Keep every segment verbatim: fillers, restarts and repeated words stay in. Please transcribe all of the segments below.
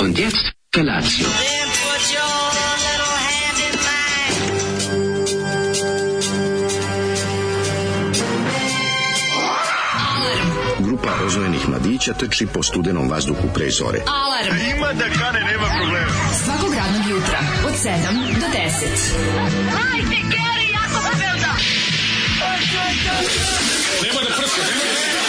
Und jetzt Felatio. Grupa rozvojenih mladića trči po studenom vazduhu pre zore. Alarm! Ima da kane, nema problema. Svakog radnog jutra, od sedam do deset. Hajde, Geri, jako se velda! Nema da prska, nema da prska.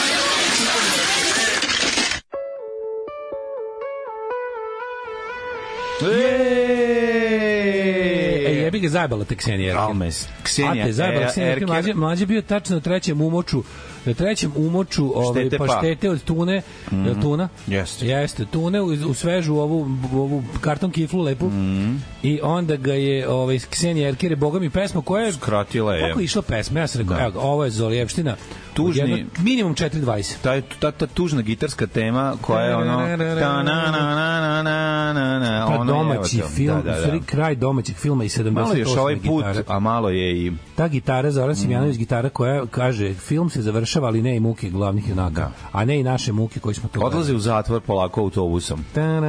Ej, jebi ga zajebala te Ksenija Erkin. Almes. Ksenija A te zajebala Ksenija Erkin. Erkin. Mlađe, mlađe bio tačno na trećem umoču, na trećem umoču ove Štete pa. paštete od tune, mm-hmm. Je li tuna? Jeste. Jeste, tune u, u svežu ovu, ovu karton kiflu lepu. Mm-hmm. I onda ga je ovaj Ksenija Erkin, je boga mi pesma koja je skratila je. Kako je išla pesma? Ja sam rekao, evo, ovo je Zolijevština. Tužni, jedno, minimum četiri dvadeset. Ta, ta, ta tužna gitarska tema koja je ono ta na na na na na na pa ono domaći je, film, da, da, da. kraj domaćeg filma iz sedamdeset osme. Malo još ovaj put, gitara. a malo je i ta gitara Zoran Simjanović, mm. gitara koja kaže film se završava, ali ne i muke glavnih junaka, da. A ne i naše muke koji smo to odlaze u zatvor polako autobusom. Da,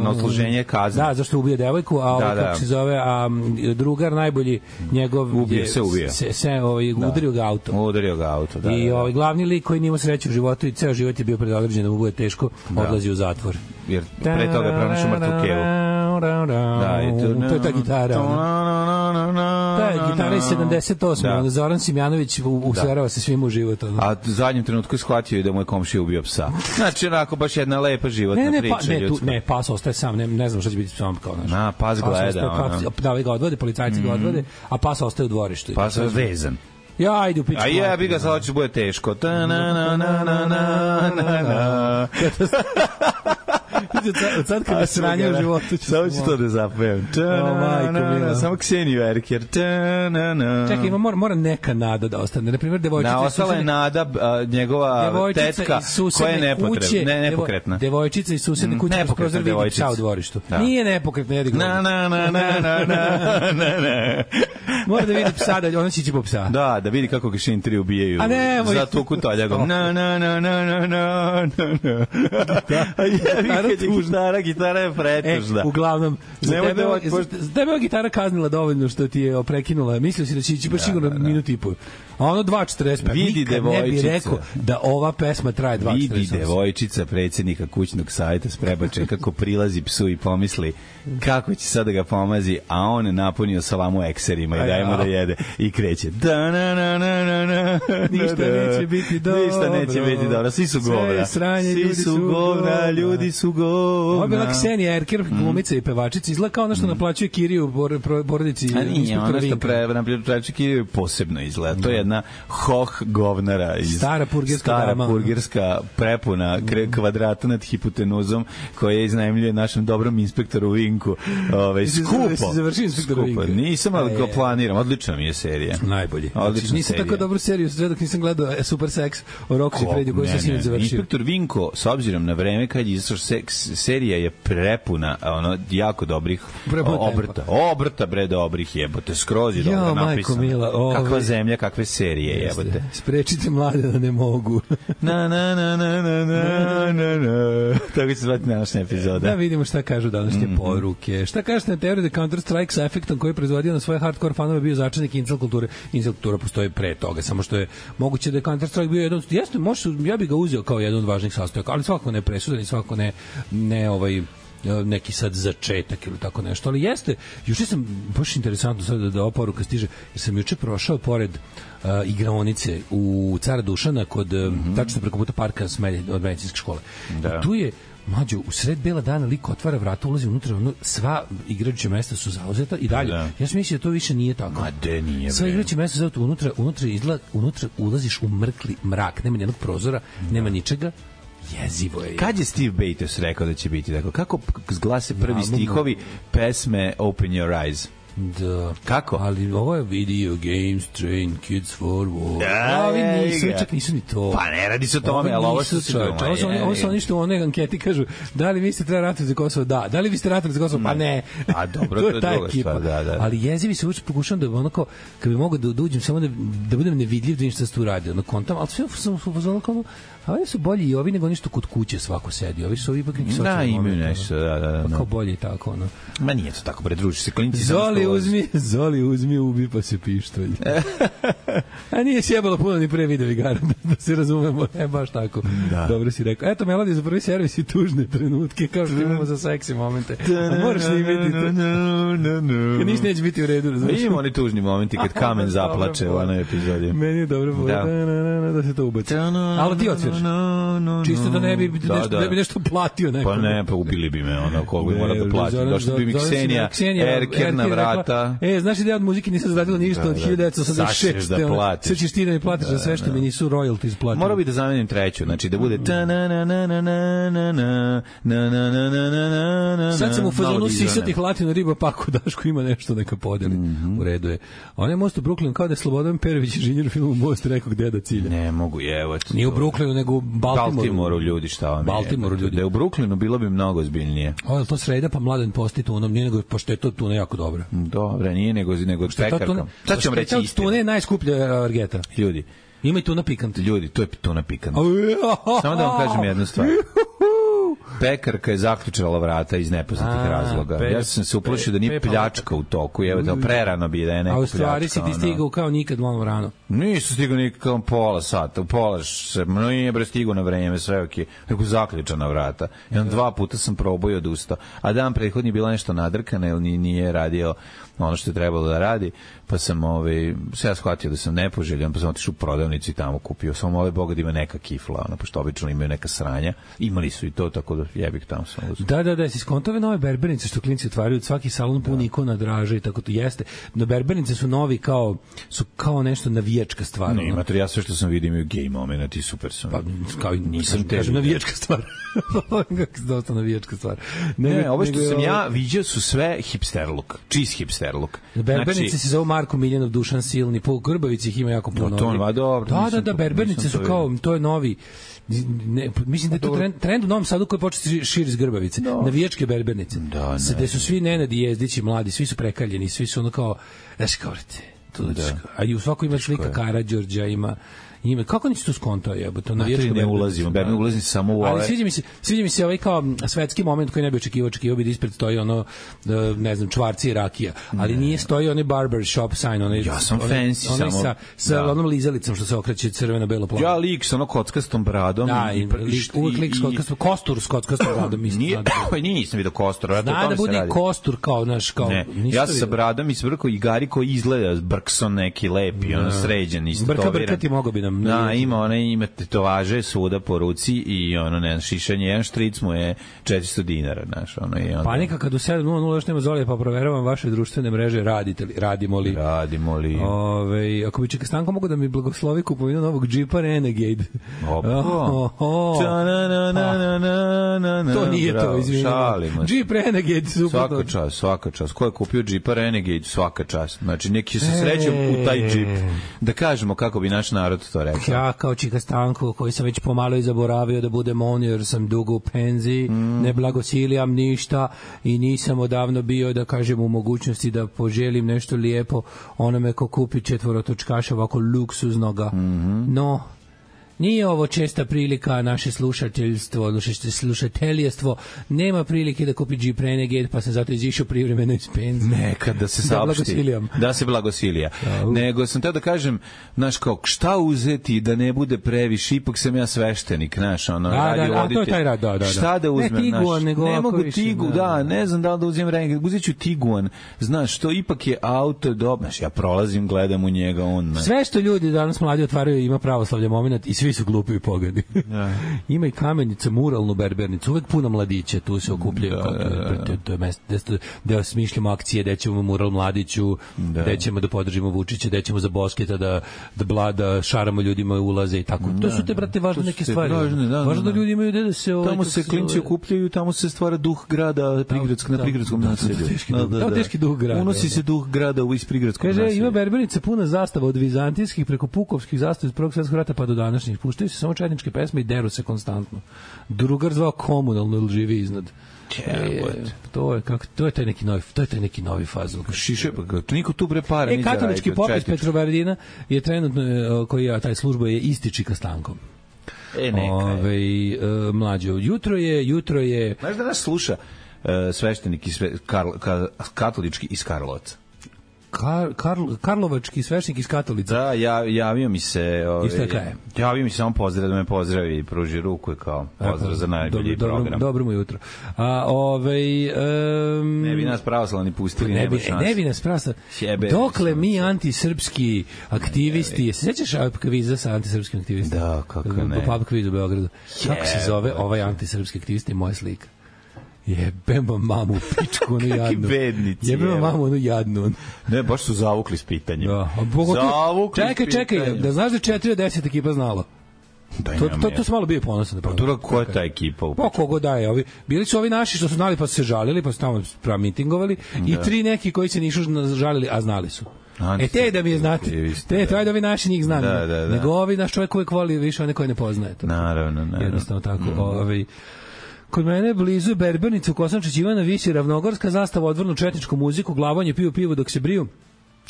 na odsluženje kazne. Da, zašto ubio devojku, a ovaj, da, kako da. se zove, a drugar najbolji njegov ubije je, se ubije. Se, se ovaj, da. udario ga auto. Udario ga auto, da. I da, da. ovaj glavni lik koji nije imao sreće u životu i ceo život je bio predodređen da mu bude teško, da. Odlazi u zatvor. Jer pre toga je pronašao mrtvu kevu. Da, i to, to je ta gitara. Ta je gitara iz sedamdeset osme. Da. Zoran Simjanović usverava se svima u život. Ono. A u zadnjem trenutku je shvatio i da mu je komšija ubio psa. Znači, onako, baš jedna lepa životna ne, ne, priča. Pa, ne, tu, ne, pas ostaje sam, ne, ne znam šta će biti s psom kao naš. Na, pas gleda. Pas da li ga odvode, policajci mm. ga odvode, a pas ostaje u dvorištu. Pas je vezan. Ja, ajde u pičku. A ja bi ga sad hoće bude teško. Ta na na na na na na na. Od sad kad je sranje u životu ću... Samo ću to da zapevam. Samo Kseniju Erkin. Čekaj, ima, mora, mora neka nada da ostane. Naprimjer, devojčica... Na, ostala je nada njegova tetka koja je nepotrebna. Ne, nepokretna. Devojčica iz susedne kuće kroz vidi psa u dvorištu. Nije nepokretna, jedi gleda. Na, na, na, na, na, na, na. Mora da vidi psa, da ona sići po psa. Da, da vidi kako ga šintri ubijaju. A ne, za tu kutoljagom. Na, na, na, na, na, na, na. A jebi kad je gitara, gitara je pretužna. E, uglavnom, za tebe, za tebe gitara kaznila dovoljno što ti je prekinula. Mislio si da će ići baš sigurno minut i pol. A ono dva četrdeset pet. Vidi devojčica. Ne bi rekao da ova pesma traje dva četrdeset osam. Vidi devojčica predsjednika kućnog savjeta s prebačajem kako prilazi psu i pomisli kako će sad da ga pomazi, a on je napunio salamu ekserima i daje mu da jede i kreće. Da na na na na na Ništa neće biti dobro. Ništa neće biti dobro. Svi su govna. Svi su govna, ljudi su govna. Ovo je bila Ksenija Erker, glumica i pevačica. Izgleda kao ono što naplaćuje Kiriju porodici. A nije, ono što pre, naplaćuje Kiriju posebno izgleda. To je jedna hoh govnara. Iz stara purgerska stara dama. purgerska prepuna kvadrata nad hipotenuzom koja iznajmljuje našem dobrom inspektoru Vinku. Ove, skupo. Završi inspektor Vinka. Nisam, ali ga planiram. Odlična mi je serija. Najbolje. Odlična nisam serija. tako dobru seriju sve dok nisam gledao Super Sex o Roxy Fredi koji se sinoć završio. Inspektor Vinko, s obzirom na vreme kad je izašao seks, serija je prepuna ono jako dobrih obrta. Obrta bre dobrih jebote, skroz je dobro napisano. Kakva zemlja, kakve serije jebote. Sprečite mlade da ne mogu. Na na na na na na na na. Tako se zvati današnja epizoda. Da vidimo šta kažu današnje poruke. Šta kažete na teoriju da Counter Strike sa efektom koji je proizvodio na svoje hardcore fanove bio začetnik incel kulture? Incel kultura postoji pre toga, samo što je moguće da je Counter Strike bio jedan, jeste, može, ja bih ga uzeo kao jedan od važnih sastojaka, ali svakako ne presudan i svakako ne, ne ovaj neki sad začetak ili tako nešto, ali jeste, juče sam, baš interesantno sad da, da ova poruka stiže, jer sam juče prošao pored uh, igraonice u Cara Dušana kod, mm-hmm. tačno preko puta parka Smelje od medicinske škole. Da. I tu je mlađo, u sred bela dana lik otvara vrata, ulazi unutra, ono, sva igrajuća mesta su zauzeta i dalje. Da. Ja sam mislio da to više nije tako. Ma de nije. Sva igrajuća mesta su zauzeta, unutra, unutra, izgleda, unutra ulaziš u mrkli mrak, nema nijednog prozora, da. Nema ničega. Jezivo je. Kad je Steve Bates rekao da će biti? Dakle, kako zglase prvi stihovi pesme Open Your Eyes? Da. Kako? Ali ovo je video games train kids for war. Da, ovi nisu, čak nisu ni to. Pa ne radi se o tome, ali ovo su čovječ. Ovo su oni, ovo su oni što u onoj anketi kažu, da li vi ste treba ratovati za Kosovo? Da. Da li vi ste ratovati za Kosovo? Pa ne. A dobro, to je druga stvar, da, da. Ali jezivi se uče, pokušavam da ono kao, kad bi mogao da, da uđem samo da, da budem nevidljiv, da ništa se tu radi, ono kontam, ali sve sam uzmano kao, a oni su bolji i ovi nego ništa kod kuće svako sedi. Ovi su ovi ipak neki socijalni moment. Da, imaju nešto, da, da, da. Pa kao bolje i tako, ono. Ma nije to tako, bre, druži se, klinci Zoli uzmi, Zoli uzmi, ubi pa se pištolj. A nije sjebalo puno ni pre video igara, da se razumemo, ne baš tako. Da. Dobro si rekao. Eto, melodija za prvi servis i tužne trenutke, kao što imamo za seksi momente. A moraš li imeti to? Kad ništa neće biti u redu, razumiješ? Imamo oni tužni momenti kad kamen zaplače u onoj epizodi. Meni je dobro bolje da se to ubaci. Ali ti otviraš. Čisto da ne bi nešto, da bi nešto platio neko. Pa ne, pa ubili bi me ono koliko bi morao da plati. Došli bi mi Ksenija, Erker na vrata. E, znaš da ja od muzike nisam zaradila ništa od hiljadu devetsto osamdeset šeste. Sve ćeš ti da mi platiš za sve što mi nisu royalties platili. Morao bi da zamenim treću, znači da bude ta na na na na na na na na na na na na. Sad sam u fazonu sisatih latino riba, pa ako Daško ima nešto neka podeli. U redu je. On je most u Brooklyn kao da je Slobodan Perović inženjer u filmu Most rekao gde da cilja. Ne mogu, evo. Nije u Brooklynu, nego u Baltimoru. Baltimoru ljudi, šta vam je. Baltimoru ljudi. Da je u Brooklynu bilo bi mnogo ozbiljnije. O, je to sreda, pa Mladen posti tunom, nije nego, pošto je to tuna jako dobra. Dobra, nije nego, nego pekarka. Sad ću vam reći istinu. Tuna je najskuplja argeta. Ljudi. Ima i tuna pikant. Ljudi, to je tuna pikant. Samo da vam kažem jednu stvar. Pekarka je zaključala vrata iz nepoznatih razloga. Pe, ja sam se uplašio da nije pljačka u toku, evo da prerano bi da je neka pljačka. A u stvari si ti stigao kao nikad malo rano. Nisu stigao nikad kao pola sata, u pola se, no nije bre stigao na vreme, sve okej. Neko zaključana vrata. I on dva puta sam probao i odustao. A dan prethodni bila nešto nadrkana, jer nije radio ono što je trebalo da radi, pa sam ovaj se ja shvatio da sam nepoželjan, pa sam otišao u prodavnicu i tamo kupio. Samo mole Boga da ima neka kifla, ono, pošto obično imaju neka sranja. Imali su i to, tako da jebik tamo sam uzeo. Da, da, da, si skontove nove berbernice što klinci otvaraju, svaki salon pun ikona draže i tako to jeste. No berbernice su novi kao su kao nešto navijačka stvar. Ne, ima ja sve što sam vidio imaju gej momenat i super sam. Pa kao i nisam te kažem navijačka stvar. Kako dosta navijačka stvar. Ne, ne ovo što nego, sam ja vidio su sve hipster look, čist hipster look. Berbernice znači, se zove Marko Miljanov, Dušan Silni, po Grbavici ih ima jako puno. No, to je dobro. Da, da, da, berbernice su kao, to je novi, ne, mislim da je to trend, trend u Novom Sadu koji početi širi iz Grbavice. No. Navijačke berbernice. Da, ne. Gde su svi Nenadi Jezdići mladi, svi su prekaljeni, svi su ono kao, znaš kao, vrte, to da. A i u svakoj ima slika Karađorđa, ima Ima kako nisi tu skontao jebote, na vječko ne ulazimo, Berber ulazi samo u ove. Ali sviđa mi se, sviđa mi se ovaj kao svetski moment koji ne bi očekivao, očekivao bi da ispred stoji ono ne znam čvarci i rakija, ali nije stoji onaj barber shop sign, onaj ja sam fancy onaj samo sa sa da. Onom lizalicom što se okreće crveno belo plavo. Ja lik sa ono kockastom bradom da, i uvijek lik s kockastom kostur s kockastom bradom mislim. Nije, nisam vidio kostur, ja da bude kostur kao naš kao ne, ja sa bradom i svrko i gari koji izgleda Brkson neki lepi, ono sređen isto to. Brka brkati mogo bi nam. Da, ima one ima tetovaže svuda po ruci i ono ne šišanje, jedan štric mu je četiristo dinara, znaš, ono je onda. Panika kad u sedam nula nula još nema Zolija, pa proveravam vaše društvene mreže, radite li, radimo li? Radimo li. Ove, ako bi Čika Stanko mogu da mi blagoslovi kupovinu novog Jeepa Renegade. Opa. Oh, oh. To nije to, izvinjamo. Jeep Renegade, super. Svaka čast, svaka čast. Ko je kupio Jeepa Renegade, svaka čast. Znači, neki se sreću u taj Jeep. Da kažemo kako bi naš narod to rekao. Ja kao Čika Stanko, koji sam već pomalo i zaboravio da budem on, jer sam dugo u penziji, mm. ne blagosilijam ništa i nisam odavno bio, da kažem, u mogućnosti da poželim nešto lijepo onome ko kupi četvorotočkaša ovako luksuznoga. Mm-hmm. No, nije ovo česta prilika, naše slušateljstvo, naše slušateljestvo nema prilike da kupi Jeep Renegade, pa sam zato izišao privremeno iz penzije. Nekad da se saopšti. Da se blagosilija. Da, u... Nego sam teo da kažem, znaš, kao, šta uzeti da ne bude previše, ipak sam ja sveštenik, znaš, ono, da, radio da, a to je taj rad, da, da, da. Šta da uzmem, ne Tiguan, znaš, nego ne mogu više, Tigu, da, da, ne znam da li da uzmem Renegade, uzet ću Tiguan, znaš, što ipak je auto, dobro, znaš, ja prolazim, gledam u njega, on, ne. Sve što ljudi danas mladi otvaraju ima pravoslavlja moment i svi su glupi i pogani. Ja. Ima i kamenica, muralnu berbernicu, uvek puno mladića, tu se okupljaju, da, da, da. To je mesto da smišljamo akcije, da ćemo mural mladiću, da, da ćemo da podržimo Vučića, da ćemo za Bosketa da da blada šaramo ljudima ulaze i tako. Da, to su te brate važne neke stvari. Važne, da, važno da, da ljudi imaju da se ovaj, tamo se klinci okupljaju, tamo se stvara duh grada prigradskog na prigradskom naselju. Da, teški duh grada. Unosi se duh grada u isprigradskog naselja. Kaže, ima berbernica puna zastava od vizantijskih preko pukovskih zastava iz Prvog svjetskog rata pa do današnjih. Puštaju se samo četničke pesme i deru se konstantno. Drugar zvao komunalno ili živi iznad. E, to je kako to je taj neki novi to je taj neki novi fazon. Šiše pa niko tu bre para e, katolički pop iz Petrovaradina je trenutno koji je taj služba je isti Čika Stankom. E neka. Ovaj e, mlađo jutro je jutro je. Znaš da nas sluša e, sveštenik iz Karl, ka, katolički iz Karlovca. Kar, Karl, Karlovački sveštenik iz Katolica. Da, ja, javio mi se... Ove, javio mi se samo pozdrav, da me pozdravi i pruži ruku kao pozdrav za najbolji dobro, program. Dobro mu jutro. A, ovaj, um, ne bi nas pravoslavni pustili, ne, ne bi, ne bi nas pravoslavni. Dokle mi antisrpski aktivisti, je se sećaš kviza sa antisrpskim aktivistima? Da, kako ne. Pub kviz u Beogradu. Kako se zove ovaj antisrpski aktivist i moja slika? Jebem vam mamu u pičku, onu jadnu. Bednici. Jebem vam mamu, onu jadnu. Ne, baš su zavukli s pitanjem. Da. Zavukli čekaj, čekaj, da znaš da četiri od deset ekipa znalo. Da, to, to, to su malo bio ponosan. Pa to ko je ta ekipa? Pa kogo daje? Ovi, bili su ovi naši što su znali pa su se žalili, pa su tamo mitingovali i da. Tri neki koji se nisu žalili, a znali su. E te da mi je znate, te, to je da vi naši njih znam. Da, da, da. Nego ovi naš čovjek uvijek voli više one koje ne poznaje. To. Naravno, naravno. Jednostavno tako. Mm. Ovi, kod mene blizu Berbernica u Kosančić Ivana visi ravnogorska zastava, odvrnu četničku muziku, glavanje piju pivo dok se briju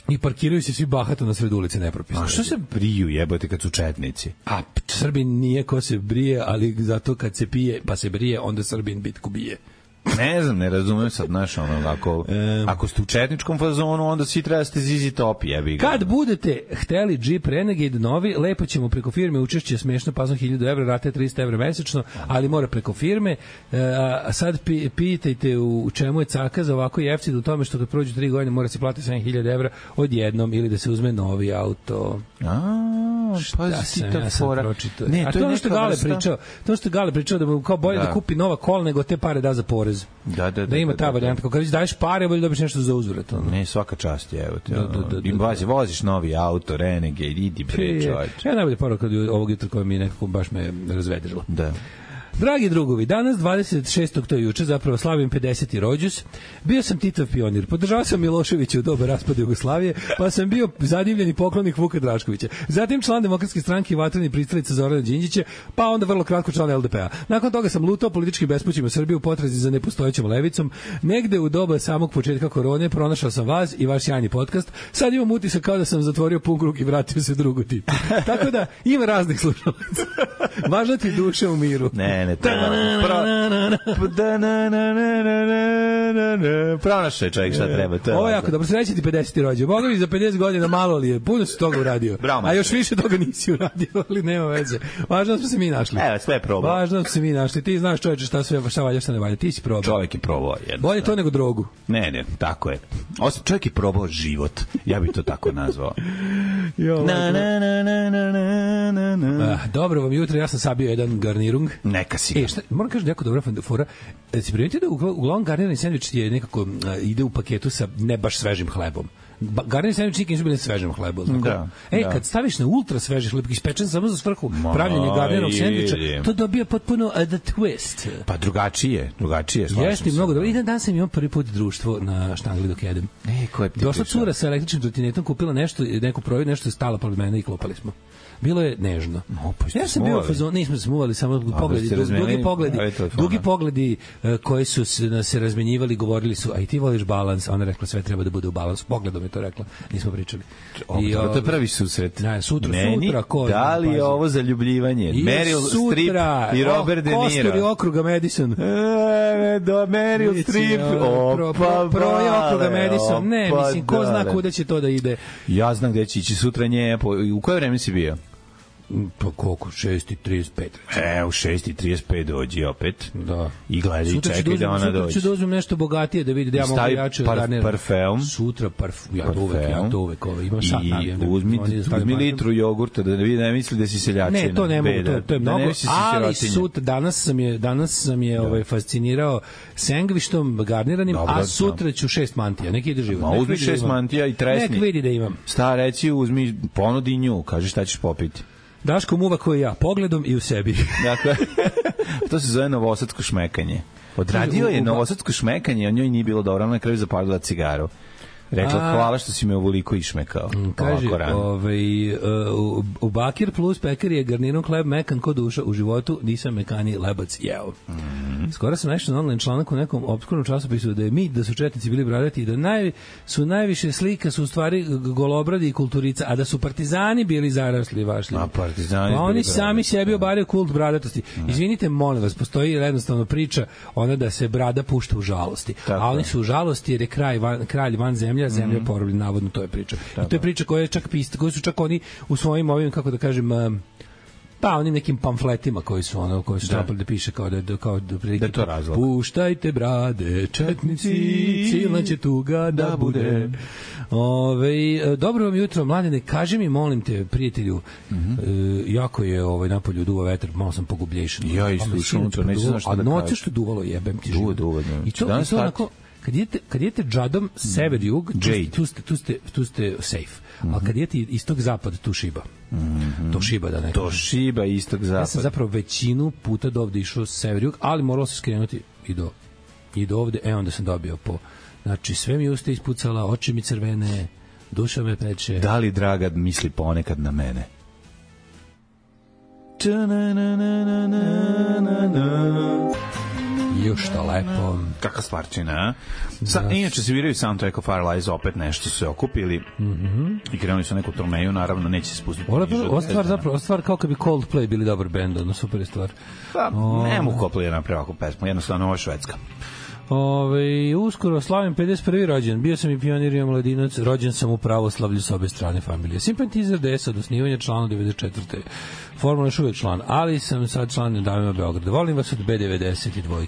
i parkiraju se svi bahato na sred ulice nepropisno. A što se briju jebote kad su četnici? A Srbin nije ko se brije, ali zato kad se pije pa se brije, onda Srbin bitku bije. Ne znam, ne razumem sad, znaš, ono, ako, e, ako ste u četničkom fazonu, onda svi treba ste zizi topi, jebi ga. Kad budete hteli Jeep Renegade novi, lepo ćemo preko firme učešće smešno, pa sam hiljadu evra, rate tristo evra mesečno, ali mora preko firme. A sad pi, pitajte u čemu je caka za ovako jeftin, u tome što kad prođu tri godine mora se platiti sedam hiljada evra odjednom ili da se uzme novi auto. A, pa si ta fora. Ne, a to je ono što Gale pričao, to što Gale pričao da mu kao bolje da. da kupi nova kola nego te pare da za porez. Da, da, da, da ima da, ta da, varijanta, kako kad daješ pare, bolje dobiš nešto za uzvrat. Ono. Ne, svaka čast je, evo te. Da, da, da, da, voziš, voziš novi auto, Renegade, idi bre, čovječ. Ja najbolje poruka od ovog jutra koja mi nekako baš me razvedrila. Da. Dragi drugovi, danas dvadeset šestog to je juče, zapravo slavim pedeseti rođus. Bio sam Titov pionir, podržao sam Miloševića u doba raspada Jugoslavije, pa sam bio zadivljeni poklonik Vuka Draškovića. Zatim član Demokratske stranke i vatreni pristalica Zorana Đinđića, pa onda vrlo kratko član el de pe a. Nakon toga sam lutao političkim bespućima u Srbiji u potrazi za nepostojećom levicom. Negde u doba samog početka korone pronašao sam vas i vaš sjajni podcast. Sad imam utisak kao da sam zatvorio pun krug i vratio se drugu tipu. Tako da ima raznih slušalaca. Važno ti duše u miru. Ne, ne, treba. Pronašao je čovjek šta treba. Ovo je jako dobro, sreći ti pedeseti rođe. Boga mi za pedeset godina malo li je, puno si toga uradio. Bravo, a još više toga nisi uradio, ali nema veze. Važno smo se mi našli. Evo, sve je probao. Važno smo se mi našli. Ti znaš čoveče šta sve, šta valja, šta ne valja. Ti si probao. Čovjek je probao. Bolje to nego drogu. Ne, ne, tako je. Osim čovjek je probao život. Ja bih to tako nazvao. Jo, na, na, na, na, na, na, na. Ah, dobro vam jutro, ja sam sabio jedan garnirung. Neka si ga. E, šta, moram kažem jako dobra fora. E, si primetio da uglavnom garnirani sendvič je nekako a, ide u paketu sa ne baš svežim hlebom. Garnirani sendvič nikad nisu bili na svežem hlebu. Da, e, da. Kad staviš na ultra sveži hleb, ispečen samo za svrhu pravljenja garniranog sendviča, to dobija potpuno uh, the twist. Pa drugačije, drugačije. Jeste mnogo dobro. I dan dan sam imao prvi put društvo na štangli dok jedem. E, ko je došla cura sa električnim trotinetom, kupila nešto, neku provjeru, nešto je stala pored mene i klopali smo. Bilo je nežno. No, pa ja sam bio fazon, nismo se smuvali, samo pogledi, dugi pogledi, dugi pogledi uh, koji su se, se razmenjivali, govorili su, a i ti voliš balans, a ona rekla sve treba da bude u balansu. Pogledom je to rekla, nismo pričali. O, I, to je prvi susret. Ne, sutra, Meni, sutra, ko? Da li je ovo zaljubljivanje? Meryl Streep i Robert De Niro. Kostur i okruga Madison. E, do Meryl Streep. Opa, pro, pro je okruga Madison. Ne, mislim, ko zna kuda će to da ide. Ja znam gde će ići sutra nje. U koje vreme si bio? Pa koliko? šest i trideset pet. E, u šest i trideset pet dođi opet. Da. I gledaj i čekaj da ona dođe. Sutra ću da uzmem nešto bogatije da vidi da ja mogu jače par, garniram. Parfeum. Sutra parfum. Ja to uvek, ja to uvek. Ovo, imam sat. I uzmi, uzmi litru jogurta da vidi, ne misli da si seljačina. Ne, to ne mogu, to, to je mnogo. Ali sutra, danas sam je, danas sam je ovaj, fascinirao sendvičtom garniranim, a sutra ću šest mantija. Neki ide živo. Ma uzmi šest mantija i tresni. Nek vidi da imam. Sta reći, uzmi, ponudi nju, kaži šta ćeš popiti. Daško muva koji ja, pogledom i u sebi. Dakle, to se zove novosadsko šmekanje. Odradio je novosadsko šmekanje, a njoj nije bilo dobro, ona na kraju zapalila cigaru. Rekla, a, hvala što si me ovoliko išmekao. Kaže, ovaj, uh, u Bakir plus pekar je garnirom hleb mekan ko duša u životu, nisam mekani lebac jeo. Mm -hmm. Skoro sam našao na online članak u nekom obskurnom časopisu da je mit da su četnici bili bradati i da naj, su najviše slika su u stvari golobradi i kulturica, a da su partizani bili zarasli vašli. A partizani pa oni sami sebi obaraju kult bradatosti. Mm. Izvinite, molim vas, postoji jednostavno priča ona da se brada pušta u žalosti. Tako. A oni su u žalosti jer je kraj van, kralj van zemlje zemlja mm -hmm. porobljen, navodno to je priča. I to je priča koja je čak pista, koju su čak oni u svojim ovim, kako da kažem, pa onim nekim pamfletima koji su ono, koji su trapali da piše kao da, da, kao da, da to razlog. Puštajte brade, četnici, silna će tuga da bude. Ove, dobro vam jutro, mladene, kaži mi, molim te, prijatelju, mm -hmm. e, jako je ovaj, napolju duva vetar, malo sam pogublješen. Ja isto, pa neću znaš šta da kažem. A noće što duvalo jebem ti život. Duva, duva, I to, i to onako, kad idete, kad idete džadom sever-jug, tu, tu, ste, tu, ste, tu ste safe. Mm -hmm. Ali kad idete istog-zapad, tu šiba. Mm -hmm. To šiba da ne To šiba istog-zapad. Ja sam zapravo većinu puta do ovde išao sever-jug, ali moralo se skrenuti i do, i do ovde. E, onda sam dobio po... Znači, sve mi usta ispucala, oči mi crvene, duša me peče. Da li Draga misli ponekad na mene? Još što lepo. Kakva stvarčina, a? Sa, da. Inače se viraju Soundtrack of Our Lives, opet nešto su se okupili mm -hmm. i krenuli su neku turneju, naravno neće se spustiti. Ova stvar zapravo, stvar kao kad bi Coldplay bili dobar bend, ono super je stvar. Pa, o... ne mogu Coldplay napraviti ovakvu pesmu, jednostavno ovo je švedska. Ove, uskoro slavim pedeset prvi rođen. Bio sam i pionir i mladinac. Rođen sam u pravoslavlju s obe strane familije. Simpatizer D S od osnivanja, člana devedeset četvrte Formalno još uvijek član, ali sam sad član Davima Beograda. Volim vas od B devedeset dva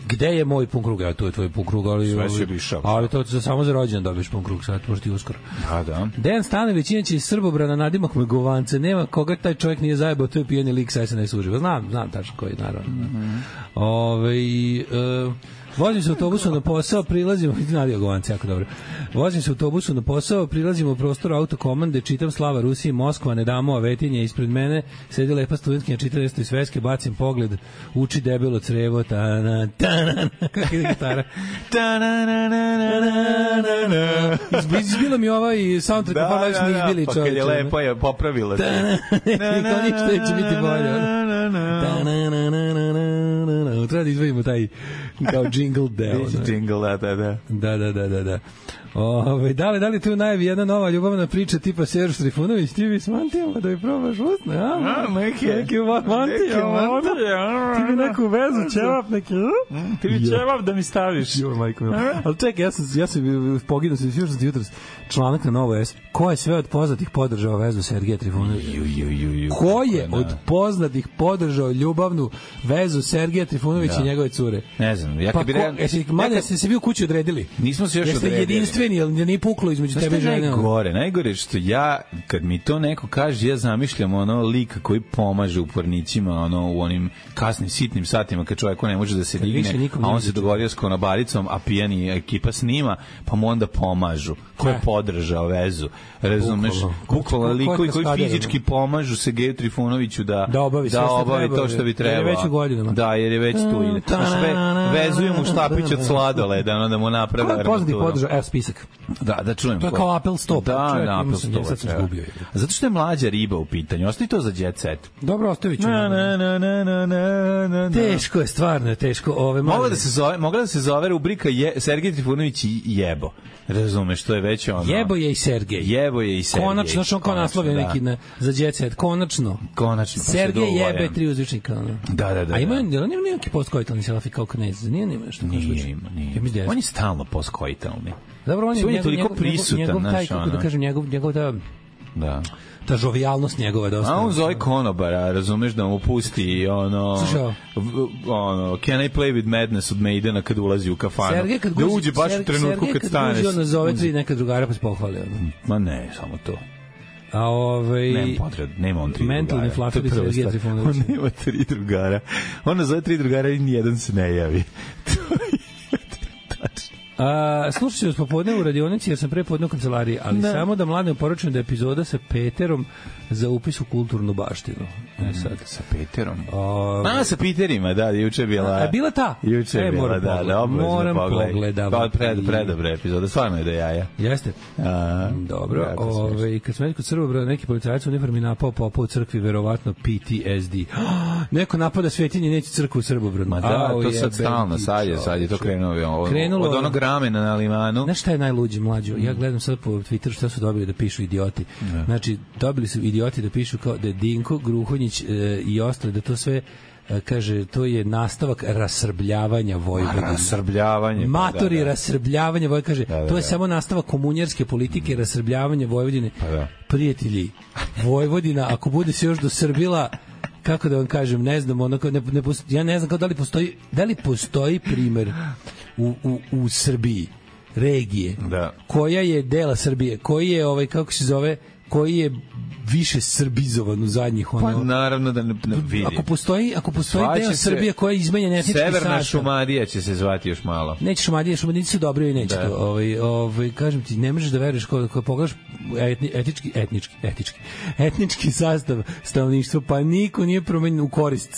Gde je moj pun krug? Ja, to je tvoj pun krug, ali, ali, ali to za samo za rođen dobiješ pun krug, sad možda i uskoro. Da, da. Dejan Stanović, inače iz Srbobrana, nadimak me Govance. Nema koga taj čovjek nije zajebao, to je pijeni lik sa S N S uživa. Znam, znam tačno koji, naravno. Mm -hmm. Ove, uh, Vozim se autobusom na posao, prilazimo, nadio Govanci, jako dobro. Vozim se autobusom na posao, prilazimo u prostor autokomande, čitam Slava Rusiji, Moskva, ne damo Avetinje, ispred mene sedi lepa studentkinja, čita nešto iz sveske, bacim pogled, uči debelo crevo, ta-na, ta-na, kako je gitara. Izbila mi ovaj soundtrack, pa već ne izbili čovječe. Pa kad je lepo je popravila se. Kao ništa neće biti bolje. Treba da izvojimo taj kao jingle deo. Jingle, da, da. Da, da, da, da, da. Ove, da li, da li tu najavi jedna nova ljubavna priča tipa Serž Trifunović, ti bi s mantijama da bi probaš usne, a? A, neke. Neke mantijama. Ti bi neku vezu, ćevap neki, ti bi ćevap da mi staviš. Jo, majko mila. Ali čekaj, ja sam, ja sam poginuo se, još sam ti jutros članak na Novo S. Ko je sve od poznatih podržao vezu Sergeja Trifunovića? Ko je od poznatih podržao ljubavnu vezu Sergeja Trifunovića i njegove cure? Ne znam, ja pa kad bi... Ko, jesi, mada ja se se vi u kući odredili? Nismo se još Jeste odredili. Jeste jedinstveni, jel nije puklo između tebe i žene? Najgore, najgore što ja, kad mi to neko kaže, ja zamišljam ono lika koji pomaže upornicima ono, u onim kasnim, sitnim satima kad čovjeko ne može da se digne, a on se dogodio s konobaricom, a pijani ekipa snima, pa mu onda pomažu. Ko je podržao vezu? Razumeš? Bukvalno likovi koji fizički pomažu Sergeju Trifunoviću da, da obavi, da obavi to što bi trebalo. Jer je već u godinama. Da, jer je već tu. Ve, vezuju mu štapić od sladoleda, ono da mu naprave armaturu. Ko je poznati podržao? Evo spisak. Da, da čujem. To je kao Apple Stop. Da, da, Apple Stop. Sad sam zgubio. Zato što je mlađa riba u pitanju. Ostavi to za Jet Set. Dobro, ostavit ću. Na, na, na, na, na, na. Teško je, stvarno je teško. Ove, mogla da se zove, mogla da se zove rubrika je, Sergej Trifunović i jebo. Razumeš, to je već ono... Jebo je i Sergej. Jebo je i Sergej. Konačno, što on kao naslovio da. neki na, za Jet Set. Konačno. Konačno. Pa Sergej jebe tri uzvičnika. Da, da, da. A ima, da. Ima neki postkoitalni selfie kao Knez? Nije nima nešto? Nije, ima, nije. Ja on je stalno postkoitalni. Dobro, on je, on je njegov, toliko njegov, prisutan. Njegov, taj, naš, kako ono. da kažem, njegov, njegov ta... Da. Ta žovijalnost njegova dosta. A on zove konobara, razumeš, da mu pusti ono, ono Can I Play With Madness od Maidena kad ulazi u kafanu. Sergej kad da uđe baš Sergej, u trenutku Sergej, kad, kad staneš. Sergej kad uđe, on nazove tri neka drugara pa se pohvali. Ma ne, samo to. A ovaj nema potrebe, nema on tri mentalni drugara. Mentalni flafer Sergej Trifunović. On nema tri drugara. On nazove tri drugara i nijedan se ne javi. To je tačno. A, slušat ću vas popodne u radionici jer sam pre podne u kancelariji, ali da. Samo da mladim poručujem da je epizoda sa Peterom za upis u kulturnu baštinu. E sad. Mm, sa Peterom? O, a, sa Peterima, da, juče je bila... A, bila ta? Juče je e, bila, da, da, moram pogledati. Pa, pred, predobra epizoda, stvarno je da jaja. Jeste. A, dobro, ove, kad smo rekli kod Srbobra, neki policajac u uniformi napao popa u crkvi, verovatno P T S D. Neko napada Svetinje, neće crkvu u Srbobranu. Ma da, to sad stalno, sad je, sad je to krenulo. Krenulo od onog ramena na limanu. Znaš šta je najluđe, mlađo? Ja gledam sad po Twitteru šta su dobili da pišu idioti. Ne. Znači, dobili su idioti da pišu kao da je Dinko, Gruhonjić e, i ostali, da to sve e, kaže, to je nastavak rasrbljavanja Vojvodine. Rasrbljavanje. Matori da, da. rasrbljavanje Vojvodine. Kaže, da, da, to je da. samo nastavak komunjarske politike, mm. rasrbljavanje Vojvodine. Pa da. Prijatelji, Vojvodina, ako bude se još dosrbila, kako da vam kažem, ne znam, onako, ne, ne postoji, ja ne znam kao da li postoji, da li postoji primer u, u, u Srbiji regije da. koja je dela Srbije, koji je ovaj kako se zove, koji je više srbizovan u zadnjih ono. Pa naravno da ne, ne vidi. Ako postoji, ako postoji Zvaće deo Srbije koja je izmenjen etnički sastav. Severna Šumadija će se zvati još malo. Neće Šumadija, Šumadijci su dobri i neće da. to. Ovaj ovaj kažem ti, ne možeš da veruješ kad kad pogledaš etni, etički etnički etički etnički sastav stanovništva, pa niko nije promenjen u korist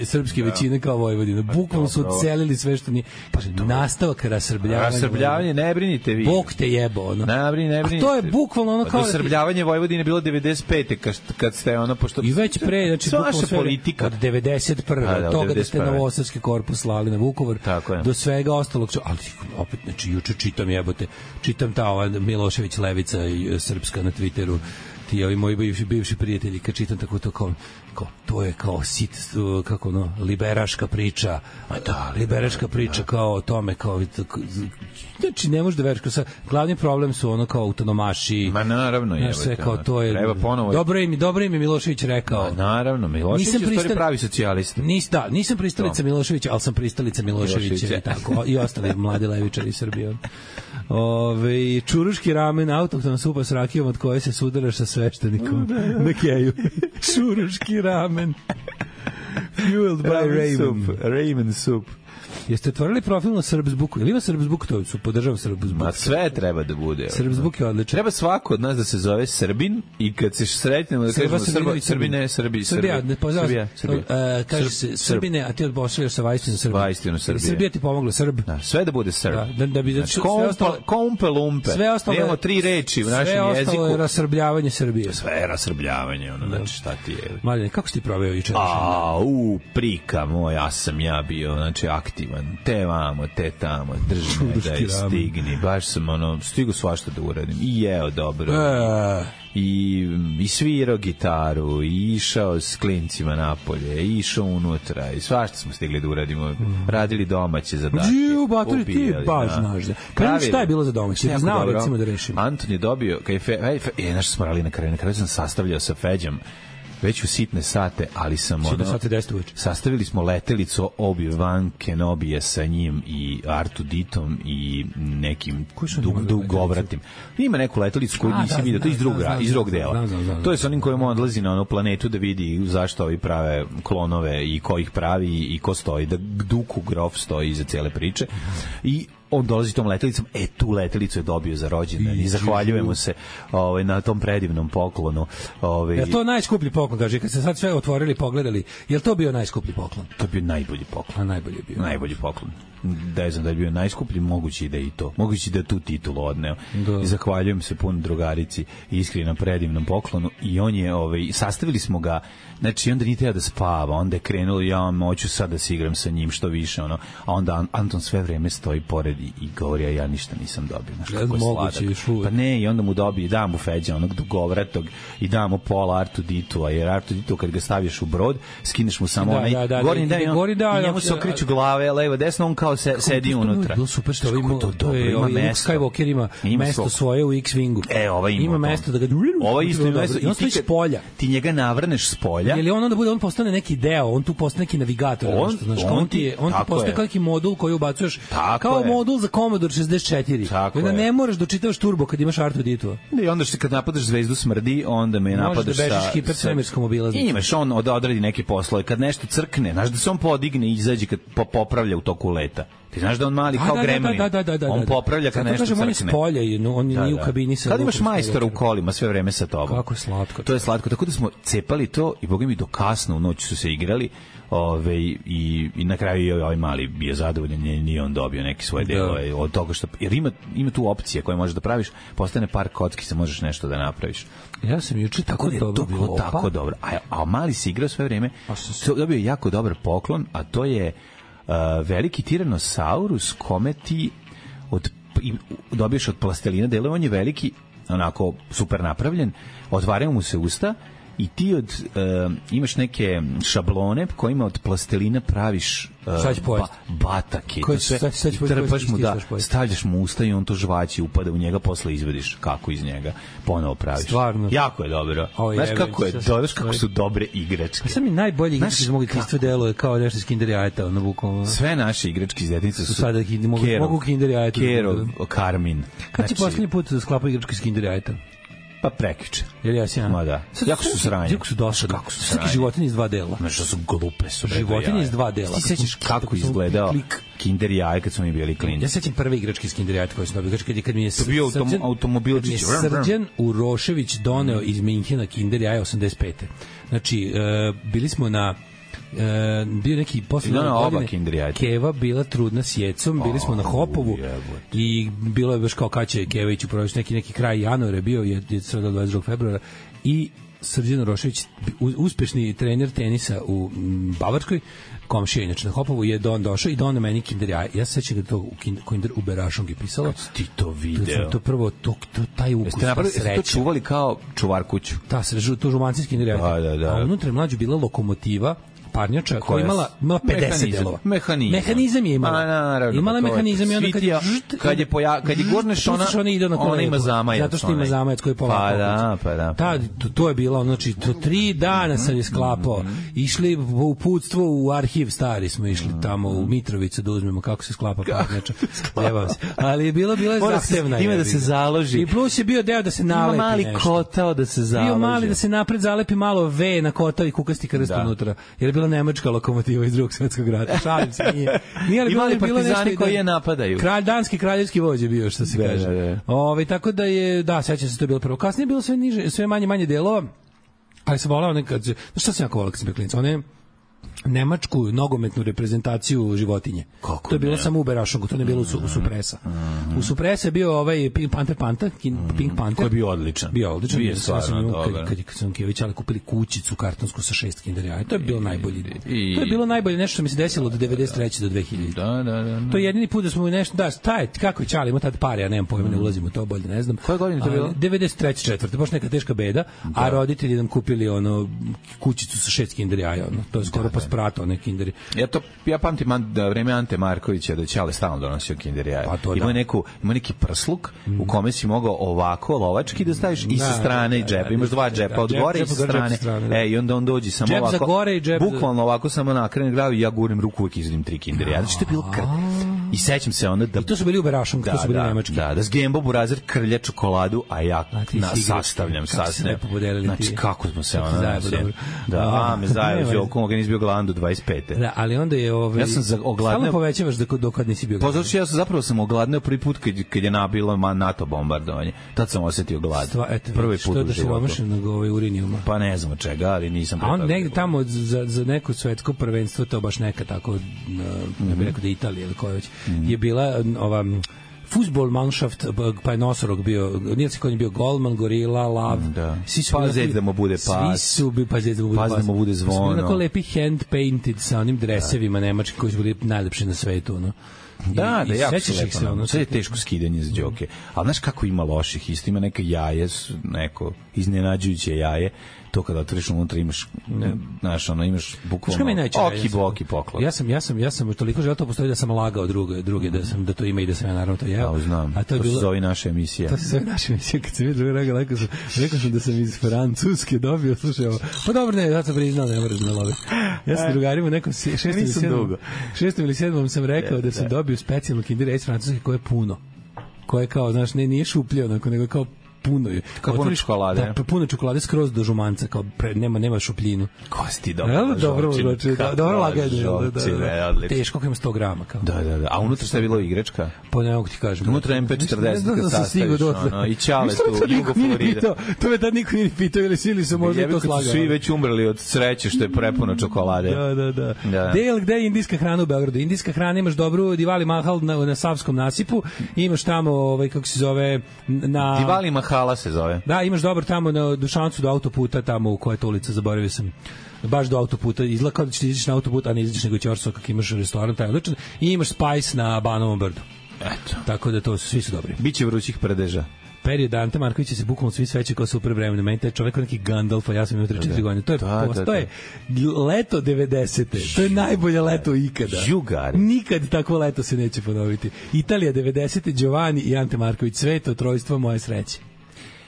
srpske da. većine kao Vojvodina. Bukvalno su odselili sve što nije. Pa nastavak rasrbljavanja. Rasrbljavanje, ne brinite vi. Bog te jebo, ono. Ne brini, ne brinite. A to je bukvalno ono kao rasrbljavanje Vojvodine bilo devedeset pete kad ste ono pošto i već pre, znači bukvalno sve politika od devedeset prve A, da, od toga da ste Novosadski korpus slali na Vukovar do svega ostalog, ali opet znači juče čitam jebote, čitam ta ova Milošević levica i srpska na Twitteru, ti ovi moji bivši, bivši prijatelji, kad čitam tako to kao, kao to je kao sit, kako ono, liberaška priča, a da, liberaška priča kao o tome, kao, znači ne možeš da veriš, kao sa, glavni problem su ono kao autonomaši, ma naravno je, sve kao to je, treba ponovo, dobro im, dobro im je Milošević rekao, ma naravno, Milošević je pristal... pravi socijalista, nis, da, nisam pristalica Miloševića, ali sam pristalica Miloševića i tako, i ostali mladi levičari Srbije. Ove, čuruški ramen, autohton supa s rakijom od koje se sudaraš sa sveštenikom na keju. Čuruški ramen. Fueled by Ramen. Ramen soup. Jeste otvorili profil na Srbsbuku? Ili ima Srbsbuk? To su podržava Srbsbuk. Ma sve treba da bude. Srbsbuk je odličan. Treba svako od nas da se zove Srbin i kad se sretnemo da kažemo Srba, Srbine, Srbi, Srbija, ne pozdrav. Srbija, Srbija. Uh, kaže se Srbine, a ti odpošljaš sa Vajstinu Srbije. Vajstinu Srbije. Srbija ti pomogla, Srb. Da, sve da bude Srb. Da, da, da bi znači, kompe, sve ostalo, kompe lumpe. Sve ostalo imamo tri reči u našem jeziku. Sve ostalo je rasrbljavanje Srbije. Sve je rasrbljavanje, ono, znači šta ti je. Mladen, kako si ti proveo juče? A, u, prika moj, ja sam ja bio, znači, aktivan. Te vamo, te tamo, drži me da je stigni. Baš sam, ono, stigu svašta da uradim. I jeo dobro. E... I, i svirao gitaru, i išao s klincima napolje, i išao unutra, i svašta smo stigli da uradimo. Radili domaće zadatke. Žiu, batori, ti baš znaš. Kada šta je bilo za domaće? Znao, recimo, da rešim. Anton je dobio, kaj je, fe, fe, fe, e, znaš smo radili na kraju, na kraju sam sastavljao sa Feđom, već u sitne sate, ali sam ono, sastavili smo letelicu Obi-Wan Kenobija sa njim i Artu Ditom i nekim dug, dugovratim. Ima neku letelicu koju nisi vidio, to je iz drugog, iz drugog dela. To je sa onim kojim on odlazi na onu planetu da vidi zašto ovi prave klonove i ko ih pravi i ko stoji, da Duku Grof stoji iza cele priče. I on dolazi tom letelicom, e tu letelicu je dobio za rođendan i zahvaljujemo se ovaj, na tom predivnom poklonu. Ovaj. Je to najskuplji poklon, kaže, kad se sad sve otvorili, pogledali, je to bio najskuplji poklon? To je bio najbolji poklon. A najbolji je bio. Najbolji poklon. Da je znam da je bio najskuplji, mogući da je i to. Mogući da je tu titulu odneo. Da. I zahvaljujem se puno drugarici iskreno na predivnom poklonu i on je, ovaj, sastavili smo ga, znači onda nije teo da spava, onda je krenulo, ja hoću sad da se igram sa njim što više, ono, a onda Anton sve vreme stoji pored i, i govori, a ja ništa nisam dobio. Znaš, kako je sladak. Pa ne, i onda mu dobije, dam mu Feđa, onog dugovratog, i dam mu pola Artu Ditu, a jer Artu Ditu kad ga staviš u brod, skineš mu samo da, onaj da, da, gornji da, da, gori, da, i njemu se okreću glave, levo, desno, on kao se, sedi unutra. Bilo super što ovaj to, to je, ovaj Luke Skywalker ima, ima mesto svog. Svoje u X-Wingu. E, ovaj ima, ima mesto da ga ovaj isto ima mesto, i on stoji s polja. Ti njega navrneš s polja. Je li on onda bude, on postane neki deo, on tu postane neki navigator, on, nešto, znaš, on, on ti je, on ti postane kao neki modul koji ubacuješ, kao je. Modul za Commodore šezdeset četiri. Onda ne možeš da čitavaš turbo kad imaš Artu Ditu. I onda što kad napadaš zvezdu smrdi, onda me napadaš sa... Možeš da bežiš hipersvemirskom obilaznicom. Imaš on da odradi neke poslove, kad nešto crkne, znaš da se on podigne i izađe kad popravlja u toku leta. Ti znaš da on mali kao gremlin. Da, da, da, da, on popravlja kad nešto crkne. On je s polja, on nije u kabini sa... Kad imaš majstora u kolima sve vreme sa tobom. Kako je slatko. To je slatko. Tako da smo cepali to i boga mi do kasno u noć su se igrali. Ove, i, i na kraju je ovaj mali bio zadovoljan, nije on dobio neki svoje delove od toga što, jer ima, ima tu opcije koje možeš da praviš, postane par kocki se možeš nešto da napraviš. Ja sam juče tako da to bilo tako dobro, a, a mali se igrao sve vreme, dobio je jako dobar poklon, a to je uh, veliki tiranosaurus kome ti od, i, dobiješ od plastelina delove, on je veliki, onako super napravljen, otvaraju mu se usta i ti od, uh, imaš neke šablone kojima od plastelina praviš uh, ba, batake. Koje, sve, sad, sad, i trpaš mu da stavljaš mu usta i on to žvaći, upada u njega, posle izvediš kako iz njega ponovo praviš. Stvarno. Jako je dobro. O, znaš je, kako je, znaš kako su dobre igračke. Pa sam mi najbolji igračke iz mog detinjstva deluje kao nešto iz Kinder Jajeta. Na bukvalno. Sve naše igračke iz detinjstva su, su sada mogu, Kerov, mogu Kinder Jajeta. Kerov, Karmin. Kad znači, si posljednji put sklapao igračke iz Kinder Jajeta? Pa prekjuče. Jel ja sjam? Ma da. Jako su sranje. Jako su došli. Kako su sranje. Životinje iz dva dela. Znaš što su glupe su. Životinje iz dva dela. Ti sećaš kako izgledao Kinder Jaje kad smo mi bili klinci? Ja sećam prve igračke iz Kinder Jaja koje sam dobio. Kad, kad mi je Srđan, automobilčić. Srđan Urošević doneo iz Minhena Kinder Jaja osamdeset pete. Znači, uh, bili smo na Uh, bio neki posle godine Keva bila trudna s Jecom, bili smo na Hopovu i bilo je baš kao kad će Keva ići u provesti neki, neki kraj januara je bio, je, je sreda dvadeset drugog februara i Srđan Rošević, uspešni trener tenisa u Bavarskoj, komšija inače na Hopovu, je don došao i donao meni Kinder Jaje. Ja se sećam da to u Kinder u Berašongi pisalo. Kad ti to video? To, to prvo, to, to, taj ukus, ta sreća. Jeste to čuvali kao čuvar kuću? Ta sreća, to žumancijski Kinder Jaje. Da, da, da. A unutra je mlađu bila lokomotiva, parnjača koja je imala, imala pedeset delova. Mehanizam. Mehanizam je imala. A, naravno, imala mehanizam i onda kad je kad je poja, kad je gurneš ona, ona ide na koleno. Ona ima zamajac. Zato što ima zamajac koji je pola. Pa da, pa da. Ta, to, to je bilo, znači, to tri dana sam je sklapao. Išli u uputstvo u arhiv stari smo išli tamo u Mitrovicu da uzmemo kako se sklapa parnjača. Jebam se. Ali je bilo, bila je zahtevna. Ima da se založi. I plus je bio deo da se nalepi nešto. Ima mali kotao da se založi. Bio mali da se napred zalepi malo V na kotao i kukasti krst unutra. Jer je bila nemačka lokomotiva iz Drugog svetskog rata. Šalim se, nije. Nije li imali bilo partizani nešto koji je napadaju. Kralj danski kraljevski vođa bio, što se da, kaže. Da, da. Ovaj tako da je, da, sećam se, to je bilo prvo. Kasnije je bilo sve niže, sve manje manje delova. Ali sam volao nekad, znaš šta sam jako volao kad sam bio klinac, one nemačku nogometnu reprezentaciju životinje. Kako to je bilo ne? samo u Berašogu, to ne bilo u, su, u Supresa. U Supresa je bio ovaj Pink Panther Panther, Pink Panther. Koji je bio odličan. Bio odličan. Bio stvarno dobar. Kad, kad, kad sam Kević ali kupili kućicu kartonsku sa šest Kinder jaja. To je bilo najbolje. I, to je bilo najbolje nešto što mi se desilo od devedeset treće do dve hiljade. Da, da, da, da. To je jedini put da smo nešto, da, taj, kako je Čali, ima tad pare, ja nemam pojma, ne ulazim u to, bolje ne znam. Koje godine to bilo? devedeset treće četvrte baš neka teška beda, da. A roditelji nam kupili ono kućicu sa šest Kinder jaja, ono. To je skoro da, pa sprato, ne Kinder. Ja to ja pamtim da vreme Ante Markovića da Čale stalno donosio Kinder jaja. Pa ima da. neku ima neki prsluk mm. u kome si mogao ovako lovački da staviš da, i sa strane da, i džep. Da, imaš dva džepa da, od džep, gore i sa strane. strane da. E i onda on dođe samo džep ovako. Za gore i džep bukvalno ovako samo nakrene glavu i ja gurim ruku uvijek izvedim tri Kinder jaja. Znači to je bilo kr... I sećam se onda da I to su bili u Berašom, da, to su bili da, nemački. Da, da s Gembo Burazer krlja čokoladu, a ja a na, sastavljam sastavljam. Znači kako smo se ona da, a me zajedno Đokom ga nisi bio gladan do dvadeset pete. Da, ali onda je ovaj ja sam za ogladneo. Stalno povećavaš da dok kad nisi bio. Pa zato što ja sam zapravo sam ogladneo prvi put kad kad je nabilo NATO bombardovanje. Tad sam osetio glad. Stva, eto, prvi put u životu. Što da se ovaj urinijuma. Pa ne znam od čega, ali nisam. A on negde tamo za za neko svetsko prvenstvo, to baš neka tako, ne bih rekao da Italija ili koja već je bila ova Fußballmannschaft, pa je Nosorog bio, nije se koji je bio golman, gorila, lav. Da. Pa zec da mu bude pas. Svi su bi pa zec da mu bude pas. Pas da mu bude zvono. Svi tako lepi hand painted sa onim dresevima nemački koji su bili najlepši na svetu, ono. Da, I, da, i jako se lepo. Ono, sve je teško skidanje za Đoke. Ali znaš kako ima loših, isto ima neke jaje, neko iznenađujuće jaje. To kada otvoriš unutra imaš, ne, znaš, ono, imaš bukvalno oki boki poklon. Ja sam, ja sam, ja sam toliko želeo to postoji da sam lagao druge, druge da sam da to ima i da sam ja naravno to jeo. Ja znam. A to, je to bilo, se zove naša emisija. To se zove naša emisija. Kad se vidi druga rega, rekao sam, rekao sam da sam iz Francuske dobio, slušaj ovo. Pa dobro, ne, ja sam priznao, ne moraš da loviš. Ja sam drugarima u nekom šestom ili sedmom, šestom ili sedmom sam rekao da sam dobio specijalnu Kinder jaje iz Francuske koje je puno. Koje kao, znaš, ne, nije šuplje onako, nego kao puno je. Kao puno čokolade. Da, puno čokolade skroz do žumanca, kao pre, nema nema šupljinu. Kosti dobro. Jel, dobro, znači, da, dobro laganje. Da, da, da. Teško, kako ima sto grama. Kao. Da, da, da. A unutra šta je bilo igračka? Pa ne mogu ti kažem. Unutra em pe četrdeset kad sastaviš, ono, i Čale tu, Jugo Florida. To me tad niko nije pitao, ili sili su možda to slagali. Svi već umrli od sreće što je prepuno čokolade. Da, da, da. Del, gde je indijska hrana u Beogradu? Indijska hrana, imaš dobru Divali Mahal na, na Savskom nasipu, imaš tamo, ovaj, kako se zove, na... Divali Mahala se zove. Da, imaš dobro tamo na Dušancu do autoputa, tamo u koja je to ulica, zaboravio sam. Baš do autoputa, izgleda kao da ćeš izaći na autoput, a ne izađeš nego Ćorso, kako imaš restoran, taj odličan. I imaš Spice na Banovom brdu. Eto. Tako da to svi su dobri. Biće vrućih prdeža. Period Ante Marković se bukvalno svi sveće kao super vremena. Meni taj čovjek neki Gandalf, a ja sam imao tri četiri godine. To je, da, post, da, to je leto devedesete. To je najbolje leto ikada. Žugari. Nikad takvo leto se neće ponoviti. Italija devedesete, Giovanni i Ante Marković. Sveto trojstvo moje sreće.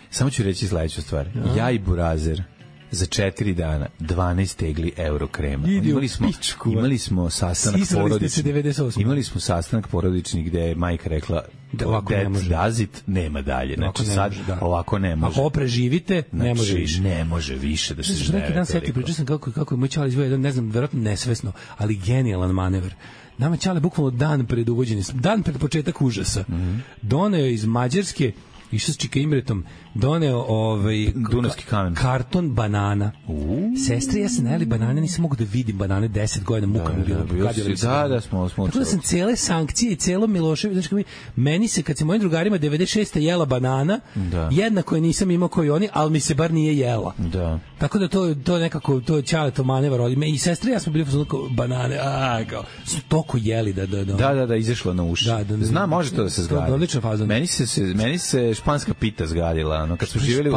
Samo ću reći sledeću stvar. Aha. Ja i Burazer za četiri dana dvanaest tegli euro krema. Imali smo, imali smo sastanak porodični. Imali smo sastanak porodični gde je majka rekla da ovako ne može. Dazit, nema dalje. Znači sad može, da. Ovako ne može. Ako preživite, znači, ne može više. Ne može više da se žene. Neki dan seti, pričao sam kako, kako je moj Čale izveo jedan, ne znam, verovatno nesvesno, ali genijalan manevar. Nama Čale bukvalno dan pred uvođenjem, dan pred početak užasa, mm-hmm. doneo iz Mađarske, išao s Čika Imretom, doneo ovaj dunavski kamen, karton banana. Uh. Sestri, ja sam najeli banane, nisam mogu da vidim banane deset godina, muka mi bilo. Da, da, smo smo. Tako da sam cele sankcije i celo Milošević, znači mi meni se kad se mojim drugarima devedeset šeste jela banana, da. Jednako je nisam imao koji oni, al mi se bar nije jela. Da. Tako da to to nekako to Čale to manevar od me i sestri, ja smo bili onako banane, a kao su toko jeli da da da. Da, da, da, izašlo na uši. Da, da, Znam, može to da se zgradi. Odlična faza. Meni se se meni se španska pita zgadila, ono kad smo živeli u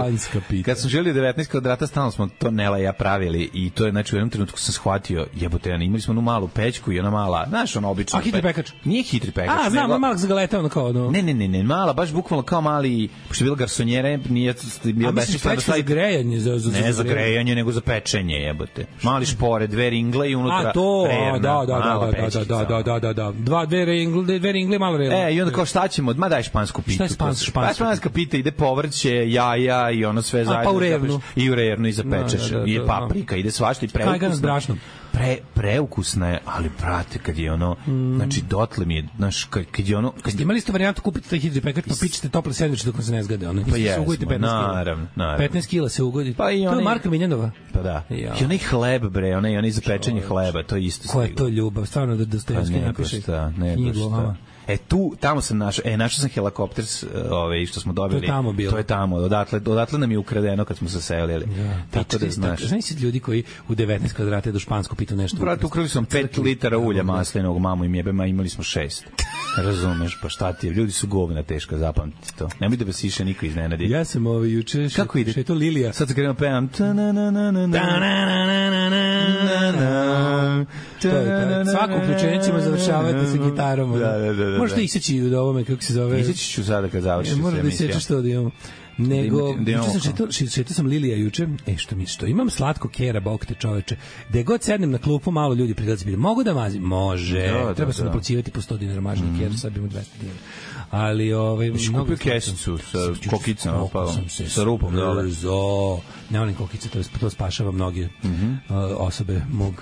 kad smo živeli u devetnaest kvadrata, stalno smo to Nela i ja pravili i to je znači u jednom trenutku sam shvatio, jebote, ja imali smo onu malu pećku i ona mala, znaš, ona obična. A hitri pekač? Nije hitri pekač. A, znam, nego... malak za galeta, ono kao, no. Ne, ne, ne, ne, mala, baš bukvalno kao mali, pošto je bila garsonjera, nije bilo besmisleno da stavi grejanje za za ne za grejanje, nego za pečenje, jebote. Mali špore, dve ringle i unutra. A to, rerna, da, da, da, da, da, da, da, da, dva dve ringle, dve ringle, malo rerna. E, i onda kao šta ćemo, ma daj špansku pitu. Šta je španska pita? Španska pita ide povrće, jaja i ono sve zajedno. Pa u rernu. I u rernu i zapečeš. I paprika, ide svašta i preukusno. Kajgan s brašnom. pre, preukusna je, ali brate, kad je ono, mm. znači dotle mi je, znaš, kad, kad je ono... Kad ste imali isto varijantu, kupite taj hidri pekač, pa pičete tople sendviče dok vam se ne zgade, ono, pa jesmo, naravno, naravno. petnaest kila se ugodi. Pa i to je Marka Miljanova. Pa da. Ja. I onaj hleb, bre, onaj, onaj za pečenje hleba, to je isto. Ko je to ljubav, stvarno da Dostojevski pa napiše. Šta, ne šta. E tu, tamo sam našao, e, našao sam helikopter, ovaj, što smo dobili. To je tamo bilo. To je tamo, odatle, odatle nam je ukradeno kad smo se selili. Ja. Tako da znaš. Znaš si ljudi koji u devetnaest kvadrata do Špansko pitu nešto. Brate, ukrali sam pet litara ulja maslinovog, mamu im jebema, imali smo šest. Razumeš, pa šta ti je, ljudi su govna teška, zapamtite to. Nemoj da vas više niko iznenadi. Ja sam ovaj juče, kako ide? Što je to Lilija? Sad se krenuo pevam. Svako uključenje ćemo završavati sa gitarom. Da, da, da. Možda iseći u ovome, kako se zove. Iseći ću sada kad završim. Možda da isečeš to da imamo. Nego, juče sam šetao, šetao sam Lilija juče, e što mi što, imam slatko kera, bog te čoveče, gde god sednem na klupu, malo ljudi prilazi, bili, mogu da mazim? Može, da, treba da, se da. naplaćivati po sto dinara mažni mm. ker, sad bi mu dvesta dinara. Ali, ovaj... Viš kupio kesicu sa kokicama, pa, sa rupom, dole. Zo, ne volim kokice, to, to spašava mnoge mm -hmm. uh, osobe mog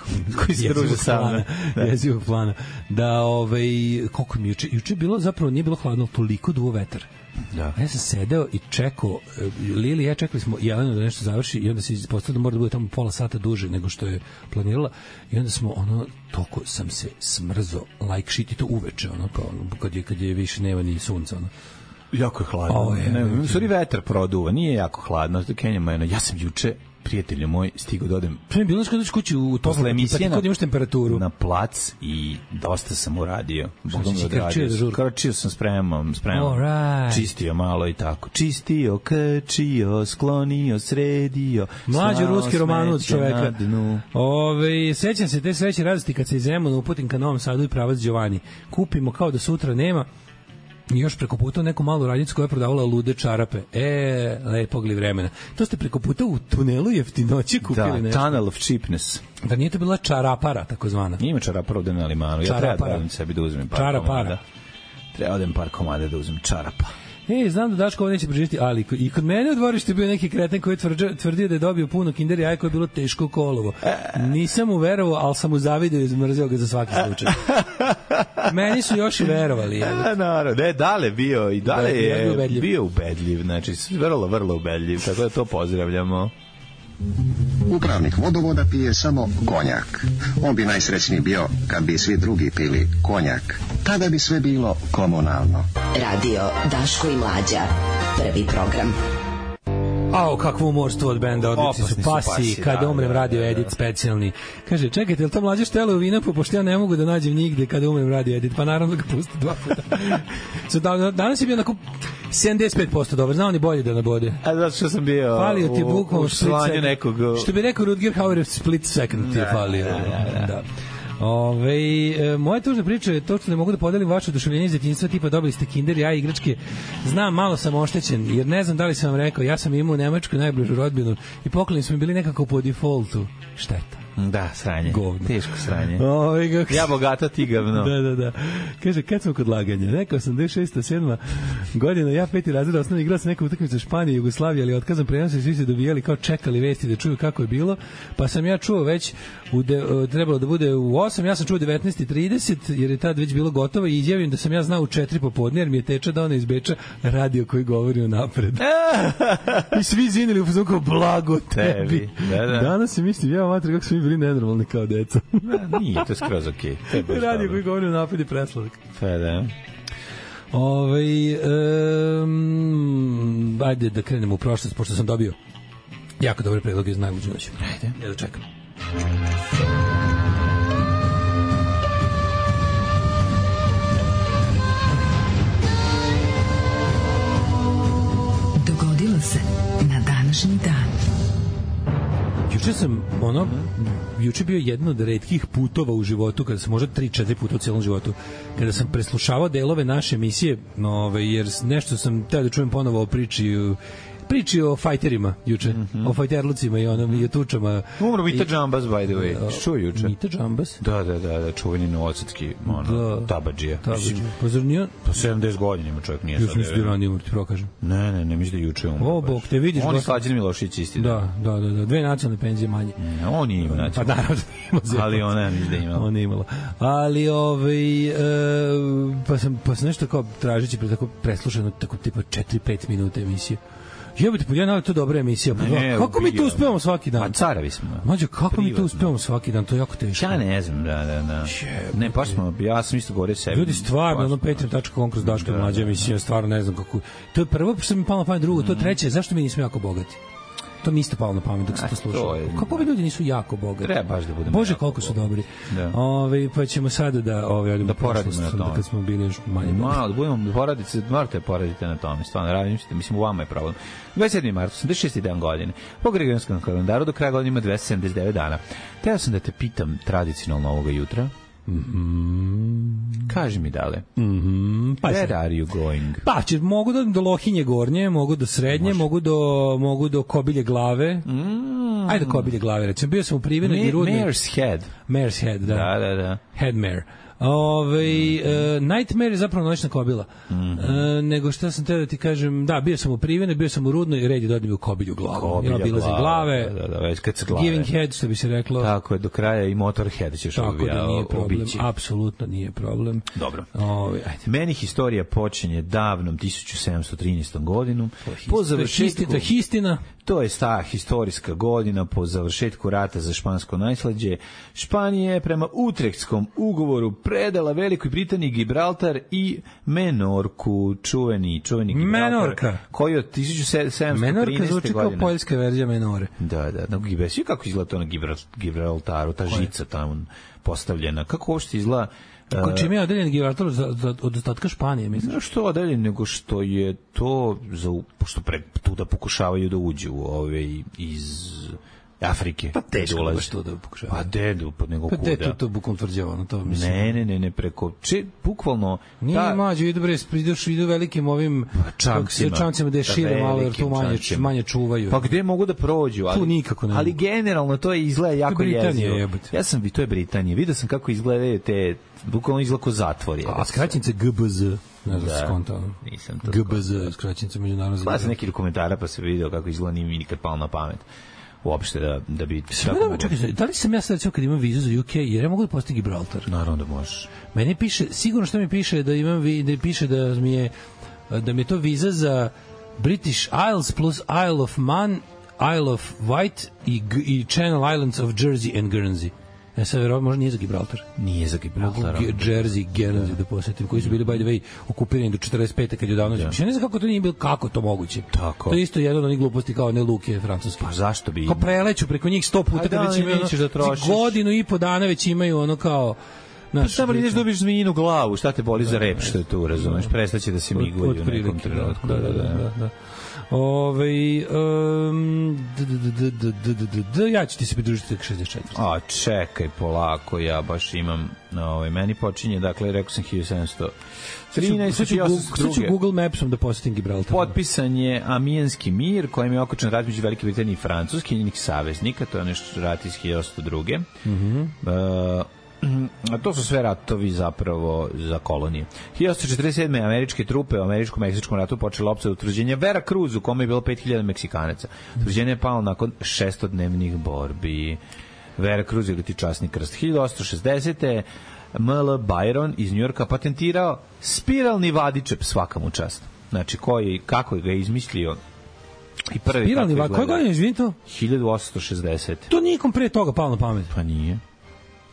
koji se druže sa mnom. Jezivog plana. Da, ovaj, koliko mi juče, juče bilo, zapravo nije bilo hladno, toliko duo vetar. Da. Ja sam sedeo i čekao, Lili i ja čekali smo Jelenu da nešto završi i onda se ispostavilo da mora da bude tamo pola sata duže nego što je planirala i onda smo, ono, toliko sam se smrzo like shit i to uveče, ono, kao, kad je, kad je više nema ni sunca, ono. Jako je hladno. O, je, ne, ne, sorry, vetar produva, nije jako hladno, Kenjama je, ja sam juče prijatelju moj, stigao da odem. Pre bilo što doći kući u posle emisije pa imaš temperaturu na plac i dosta sam uradio. Bogom da odradio. Krčio sam, spremam, spremam. Right. Čistio malo i tako. Čistio, krčio, sklonio, sredio. Mlađi ruski roman od čoveka. Ove, sećam se te sreće radosti kad se iz Zemuna uputim ka Novom Sadu i pravac Đovani. Kupimo kao da sutra nema. I još preko puta neku malu radnicu koja je prodavala lude čarape. E, lepog li vremena. To ste preko puta u tunelu jeftinoći kupili da, nešto. Tunnel of cheapness. Da nije to bila čarapara, takozvana. Ima čarapara ovde na Limanu. Ja treba da radim sebi da uzmem par čarapara. komada. Treba odem par komada da uzmem čarapa. E, znam da Daško ovo neće preživjeti, ali i kod mene u dvorištu bio neki kreten koji je tvrdio da je dobio puno kinder jaja koje je bilo teško kolovo. Nisam mu verovao, ali sam mu zavidio i zmrzio ga za svaki slučaj. Meni su još i verovali. Ja, naravno, ne, Dale bio i Dale je ubedljiv. bio ubedljiv, znači vrlo, vrlo ubedljiv, tako da to pozdravljamo. Upravnik vodovoda pije samo konjak. On bi najsrećniji bio kad bi svi drugi pili konjak. Tada bi sve bilo komunalno. Radio Daško i Mlađa. Prvi program. Ao, kakvo umorstvo od benda, odlični su pasi, pasi kada da, umrem radio da, da, edit specijalni. Kaže, čekajte, je li to Mlađe štele u Vinapu, pošto ja ne mogu da nađem nigde kada umrem radio edit, pa naravno ga pusti dva puta. So, da, danas je bio onako sedamdeset pet posto dobar, znao ni bolje da nabode. A zato što sam bio falio ti u, u slanju nekog... Što bi rekao Rutger Hauer, split second ti je falio. Da, da, da. da. Ove, e, moja tužna priča je to što ne mogu da podelim vaše oduševljenje iz djetinjstva, tipa dobili ste kinder, ja igračke. Znam, malo sam oštećen, jer ne znam da li sam vam rekao, ja sam imao u Nemačkoj najbližu rodbinu i pokloni smo bili nekako po defaultu. Šteta. Da, sranje. Govno. Teško sranje. Ove, kako... Ja bogata, ti gavno. Da, da, da. Kaže, kad smo kod laganja? Neka osamdeset šesta sedma godina, ja peti razred osnovni igrao sam neka utakmica Španije i Jugoslavije, ali otkazam prenos i svi se dobijali kao čekali vesti da čuju kako je bilo. Pa sam ja čuo već, u de, trebalo da bude u osam, ja sam čuo devetnaest i trideset, jer je tad već bilo gotovo i izjavim da sam ja znao u četiri popodne, jer mi je teča da ona iz Beča radio koji govori o napred. I svi zinili u fazonu kao blago tebi. Da, da. Danas se mislim, ja matri kako smo mi bili nenormalni kao deca. Da, nije, to je skroz okej. Okay. Radio koji govori o napred i presladak. Pa da. Ove, um, ajde da krenemo u prošlost, pošto sam dobio jako dobre predloge iz najluđe noći. Ajde. Ja da čekam. Dogodilo se na današnji dan. Juče sam, ono, juče bio jedan od retkih putova u životu, kada sam možda tri četiri puta u celom životu, kada sam preslušavao delove naše emisije, ove, jer nešto sam teo da čujem ponovo o priči, priči o fajterima juče, mm -hmm. o fajterlucima i onom i o tučama. Umro Mita Džambas, by the way. Čuo juče? Mita Džambas? Da, da, da, da čuveni novosadski ono, da. tabadžija. Tabadžija. Pa zar nije? Pa sedamdeset godina ima čovjek, nije sad. Još mislim da je ranije umro, ti prokažem. Ne, ne, ne, mislim da juče umro. O, bog, te vidiš. On je Slađan Milošić isti. Da, da, da, da, dve nacionalne penzije manje. Ne, on je imao nacionalne. Pa naravno da ima. Ali ona mislim da je imala. Ona je imala. Ali, ovaj, e, pa, sam, pa sam nešto kao tražeći pre tako preslušano, tako tipa četiri pet minuta emisije. Jebote, pa ja naravno, to je dobra emisija. Pa ne, kako mi to uspevamo svaki dan? Pa carevi smo. Mađo, kako privatno. Mi to uspevamo svaki dan? To je jako teško. Ja ne znam, da, da, da. Ne, baš smo, ja sam isto govorio sebi. Ljudi, stvarno, ono patreon tačka com kroz Daška mlađa emisija, stvarno ne znam kako. To je prvo, što mi palo na pamet, drugo, to je treće, zašto mi nismo jako bogati? To mi isto palo na pamet dok se to slušao. Kako bi ljudi nisu jako bogati? Treba baš da budemo. Bože, koliko su dobri. Da. Ove, pa ćemo sada da ove da poradimo na tome. Kad smo bili još manje. Malo da budemo da poradite, morate poraditi na tome. Stvarno radim što mislim u vama je problem. dvadeset sedmi mart, osamdeset šesti dan godine. Po Gregorijanskom kalendaru do kraja godine ima dvesta sedamdeset devet dana. Teo sam da te pitam tradicionalno ovoga jutra. Mm-hmm. Kaži mi dale. Mm-hmm. Pa Where are you going? Pa će, mogu da do Lohinje gornje, mogu do Srednje, Može. mogu do mogu do Kobilje glave. Mm. Ajde do Kobilje glave, recimo. Bio sam u Privenoj i Rudnoj. Mare's Head. Mare's Head, da. Da, da, da. Headmare. Ove, mm. uh, Nightmare je zapravo noćna kobila. Mm-hmm. Uh, nego šta sam teo da ti kažem, da, bio sam u Privene, bio sam u Rudnoj i red je dodim u Kobilju glavu. Kobilja ja glave. glave. Da, da, da, već kad se glave. Giving head, što bi se reklo. Tako je, do kraja i Motorhead ćeš Tako obija, da nije problem, obići. apsolutno nije problem. Dobro. Ove, ajde. Meni historija počinje davnom tisuću sedamsto trinaestom godinom. Po završetku... To je histina. To je ta historijska godina po završetku rata za špansko najslađe. Španija je prema Utrechtskom ugovoru predala Velikoj Britaniji Gibraltar i Menorku, čuveni, čuveni Gibraltar. Menorka. Koji od tisuću sedamsto trinaeste godine. Menorka zvuči kao poljska verzija Menore. Da, da. Na Gibraltaru, kako izgleda to na Gibraltaru, ta žica tamo postavljena. Kako uopšte izgleda? Ko čime je odeljen Gibraltar od ostatka Španije, misliš? Ne što odeljen, nego što je to, za, pošto pre, tu da pokušavaju da uđu ove, iz Afrike. Pa teško baš to da pokušavaju. Pa dedu, pa nego pa kuda. Pa dedu to bukom tvrđavano, to mislim. Ne, ne, ne, ne, preko, če, bukvalno... Nije ta, mađo, idu bre, ideš, idu velikim ovim čamcima, čamcima da je šire malo, jer tu manje, manje čuvaju. Pa gde mogu da prođu? Ali, tu nikako ne. Ali generalno to je izgleda jako jezivo. Ja sam, to je Britanija, vidio sam kako izgledaju te, bukvalno izgleda ko zatvor. Je, a skraćenice G B Z. Ne znam, da, skontao. Nisam to G B Z, skraćenica međunarodna. Pa sam neki dokumentara pa se vidio kako izgleda, nije mi nikad palo na pamet. Uopšte da, da bi... Da, čekaj, da li sam ja sad kad imam vizu za U K, jer ja mogu da postim Gibraltar? Naravno da možeš. Meni piše, sigurno što mi piše da imam, da piše da mi je, da mi je to viza za British Isles plus Isle of Man, Isle of Wight i, i Channel Islands of Jersey and Guernsey. Ja sad verovatno, možda nije za Gibraltar. Nije za Gibraltar. Mogu Jersey, Guernsey da, da posetim, koji su bili, by the way, okupirani do četrdeset pete kad je odavno. Ja. Ja ne znam kako to nije bilo, kako to moguće. Tako. To je isto jedno od onih gluposti kao ne luke francuske. Pa zašto bi? Kao preleću preko njih sto puta, kad već imaju ono, da godinu i po dana već imaju ono kao... Pa samo ideš dobiš zmijinu glavu, šta te boli za rep što je tu, razumeš? Prestaće da se migulju u nekom trenutku. Da, da, da, da. Ove, um, d, d, d, d, d, d, d, d, ja ću ti se pridružiti šezdeset četiri. A čekaj, polako, ja baš imam, ovaj, meni počinje, dakle, rekao sam hiljadu sedamsto trinaeste. Sad ću Google Mapsom da posetim Gibraltar. Potpisan je Amijenski mir, kojim je okočen rat među Velike Britanije i Francuske i njenih saveznika, to je nešto rat iz hiljadu osamsto druge. Mhm. Uh, A to su sve ratovi zapravo za kolonije. hiljadu osamsto četrdeset sedme američke trupe u američko-meksičkom ratu počela opsada utvrđenja Vera Cruz, u kome je bilo pet hiljada Meksikanaca. Utvrđenje je palo nakon šestodnevnih borbi. Vera Cruz je leti časni krst. hiljadu osamsto šezdesete M L Byron iz Njujorka patentirao spiralni vadičep, svaka mu čast. Znači, koji, kako ga je izmislio i prvi spiralni vadičep. Koje godine, izvini to? hiljadu osamsto šezdesete. To nikom pre toga palo na pamet. Pa nije.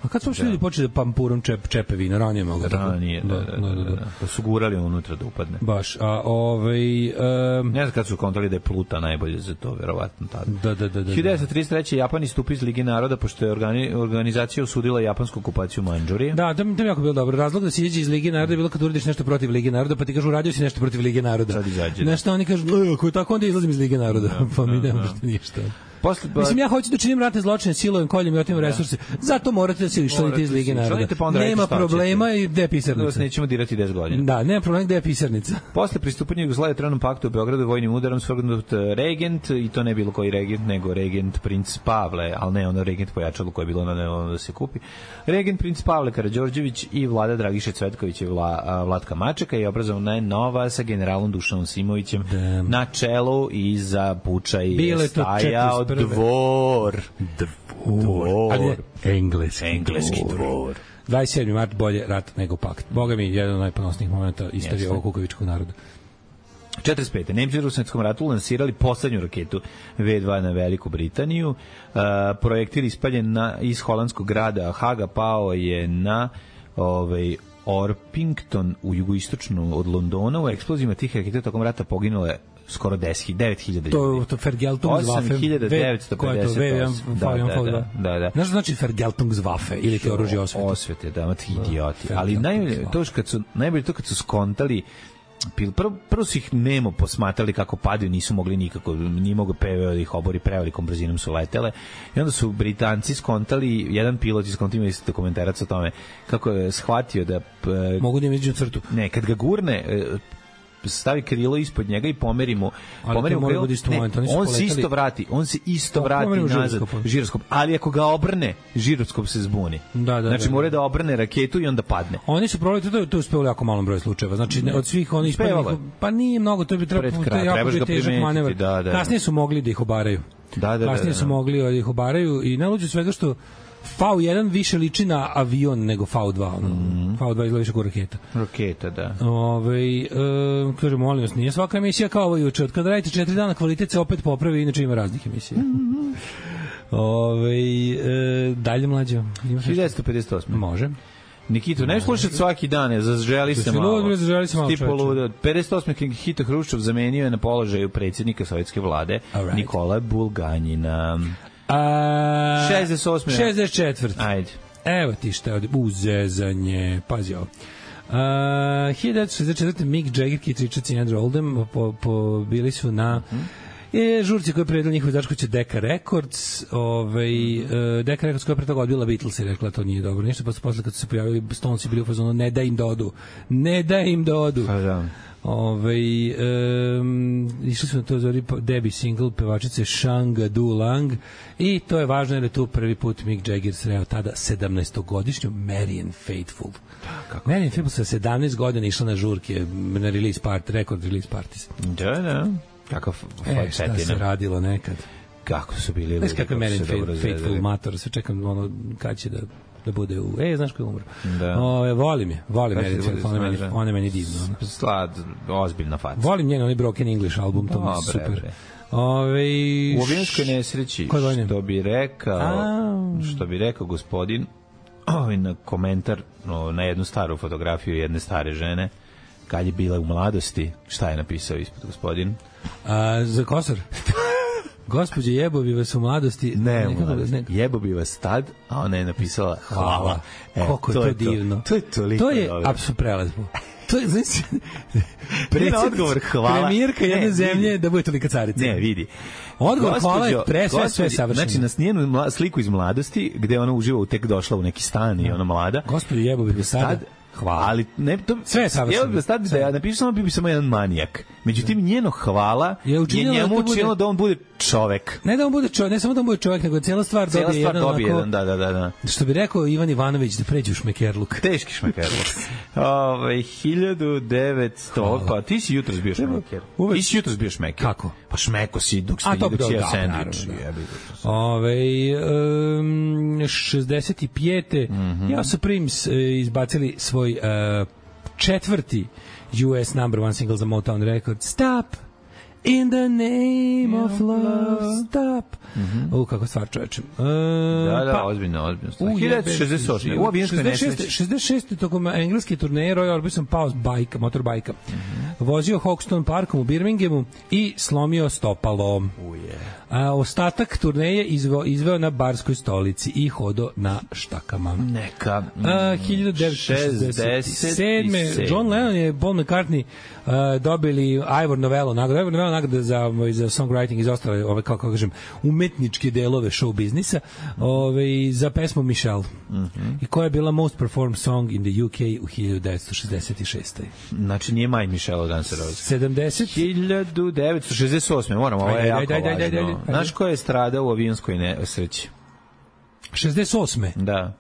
A kad su uopšte ljudi počeli da pampurom čep, čepevina, ranije mogu tako? Ranije, da, da, da, da, da, da. Da su gurali unutra da upadne. Baš, a ovaj... Um, ne znam kad su kontroli da je Pluta najbolje za to, verovatno tada. Da, da, da. da hiljadu devetsto trideset treće. Japan istupi iz Lige naroda, pošto je organi, organizacija osudila japansku okupaciju Mandžurije. Da, to mi je jako bilo dobro. Razlog da se izađe iz Lige naroda je bilo kad uradiš nešto protiv Lige naroda, pa ti kažu uradio si nešto protiv Lige naroda. Sad izađe. Nešto oni kažu, ako je tako, onda izlazim iz Lige naroda. Da, pa mi nemamo što ništa. Posle, Mislim, ja hoću da činim ratne zločine, silujem, koljem i otimam resurse. Zato morate da se iščlanite iz Lige naroda. Nema problema i gde je pisarnica. Da vas nećemo dirati deset godina. Da, nema problema gde je pisarnica. Posle pristupanja Jugoslavije Trenom paktu u Beogradu vojnim udarom svrgnut regent, i to ne bilo koji regent, nego regent princ Pavle, ali ne ono regent pojačalo koje je bilo na ono da se kupi. Regent princ Pavle Karađorđević i vlada Dragiše Cvetković i Vla, Vlatka Mačeka je obrazovana je nova sa generalom Dušanom Simovićem Damn. na čelu i za pučaj Bile je stajao dvor. Dvor. Ali je engleski, engleski dvor. dvadeset sedmi mart bolje rat nego pakt. Boga mi, jedan od najponosnijih momenta istorije ovog kukavičkog naroda. četrdeset pete Nemci u Svetskom ratu lansirali poslednju raketu ve dva na Veliku Britaniju. Uh, projektil ispaljen na, iz holandskog grada Haga pao je na ovaj, Orpington u jugoistočnu od Londona. U eksplozijama tih raketa tokom rata poginulo je skoro deset devet hiljada ljudi. To to Vergeltungswaffe. osam hiljada devetsto pedeset osam. Da, da, da, da. Znaš znači Vergeltungswaffe ili te oružje osvete? Osvete, da, mati idioti. Ali najbolje to što kad su najbolje to kad su skontali prvo, prvo su ih nemo posmatrali kako padaju, nisu mogli nikako, nije mogo P V O da ih obori, prevelikom brzinom su letele i onda su Britanci skontali, jedan pilot iskontao isto dokumentarac o tome kako je shvatio da mogu da im iđu crtu. Ne, kad ga gurne stavi krilo ispod njega i pomeri mu, pomeri mu krilo, ne, on se isto vrati, on se isto vrati nazad, žiroskop, ali ako ga obrne, žiroskop se zbuni. Da, da, znači da, mora da obrne raketu i onda padne. Oni su probali, to, to je uspelo jako malom broju slučajeva, znači ne, od svih onih ispaljenih, pa nije mnogo, to bi trebalo, to je jako bi težak manevar. Da, da, kasnije su mogli da ih obaraju. Da, da, kasnije da, da, su mogli da ih obaraju i najluđe svega što V jedan više liči na avion nego V dva. Ono. Mm. V dva izgleda više kao raketa. Raketa, da. Ove, e, kaže, molim vas, nije svaka emisija kao ovo juče. Od kada radite četiri dana, kvalitet se opet popravi, inače ima raznih emisija. Mm. Ove, e, dalje mlađo. hiljadu devetsto pedeset osme Može. Nikito, ne slušati svaki dan, zaželi se malo. Zaželi se malo. pedeset osme Nikita Hruščov zamenio je na položaju predsjednika sovjetske vlade right. Nikola Bulganjina. A, šezdeset osme šezdeset četvrte Ajde. Evo ti šta je uzezanje. Pazi ovo. Uh, hiljadu devetsto šezdeset četvrte Mick Jagger, Keith Richards i Andrew Oldham po, po, bili su na mm -hmm. žurci koji je predala njihov izdavač kuća Decca Records. Ovaj, uh, Decca Records koja je pre toga odbila Beatles i rekla to nije dobro. Ništa, posle, posle kad su se pojavili Stonesi bili u fazonu ne da im da odu. Ne da im da odu. Pa da. Ove, um, išli su na to zori debi single pevačice Shanga Du Lang i to je važno jer je tu prvi put Mick Jagger sreo tada sedamnaestogodišnju Marianne Faithfull. Marianne Faithfull sa sedamnaest godina išla na žurke na release party, record release parties. Da, da. Kako e, šta se radilo nekad. Kako su bili. Znaš kako je Marianne Faithfull mator, sve čekam ono kad će da da bude u... E, znaš ko je umro? Da. O, volim je, volim je, ona je meni, ona je meni divno. Ona. Slad, ozbiljna faca. Volim njen, onaj Broken English album, to mi je super. Bre. Ove, u avijanskoj nesreći, što bi rekao, A... što bi rekao gospodin, ovaj na komentar no, na jednu staru fotografiju jedne stare žene, kad je bila u mladosti, šta je napisao ispod gospodin? A, za Kosor? Gospođe, jebo bi vas u mladosti. Ne, mladosti. Jebo bi vas tad, a ona je napisala hvala. hvala. E, Koliko to je to divno. To je toliko To je apsolutno prelazno. To je, znači, odgovor hvala. Premijerka jedne ne, zemlje da bude tolika carica. Ne, vidi. Odgovor gospođo, hvala je pre sve, sve savršeno. Znači, nas njenu mla, sliku iz mladosti, gde ona uživa, tek došla u neki stan i ona mlada. Gospođo, jebo bi vas sada. Hvala. Ali ne, to, sve je savršeno. Evo da stavim da ja napišem samo bi bi samo jedan manijak. Međutim, njeno hvala je, je njemu da učinilo da on bude čovek. Ne da on bude čovek, ne samo da on bude čovek, nego cijela stvar cijela dobije stvar jedan dobije onako, jedan, da, da, da, da. Što bi rekao Ivan Ivanović, da pređe u šmekerluk. Teški šmekerluk. Ove, hiljadu devetsto Pa ti si jutros bio šmeker. Uvek. Ti si jutros bio šmeker. Kako? Pa šmeko si dok ste dok si ja sendvič. Ove, um, šezdeset pete Mm -hmm. ja su Prims uh, izbacili svoj uh, četvrti U S number one single za Motown Records. Stop in the name of, of love. Stop. Mm -hmm. U, kako stvar čovečem. Uh, da, da, pa, ozbiljno, ozbiljno. hiljadu šezdeset osam U avijanskoj nesreći. šezdeset šeste tokom engleske turneje Roy Orbison pao s bajka, motorbajka. Mm -hmm. Vozio Hoxton Parkom u Birminghamu i slomio stopalo. Uje. A ostatak turneje izveo, izveo na barskoj stolici i hodo na štakama. Neka. Mm, A, hiljadu devetsto šezdeset sedme John Lennon je Paul McCartney uh, dobili Ivor Novello nagradu. Ivor Novello nagrada za, za songwriting iz ostale, ove, kako kažem, umetničke delove show biznisa, ove, za pesmu Michelle. Mm -hmm. I koja je bila most performed song in the U K u hiljadu devetsto šezdeset šeste. Znači nije My Michelle Guns N' Roses. sedamdeset hiljadu devetsto šezdeset osme Moramo, ovo je jako važno. Znaš ko je stradao u avionskoj nesreći? šezdeset osme Da.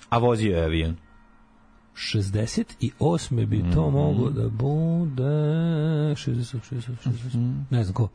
A vozio je avion. šezdeset osme bi to mm-hmm. moglo da bude šezdeset, šezdeset, šezdeset. Mm-hmm. Ne znam ko.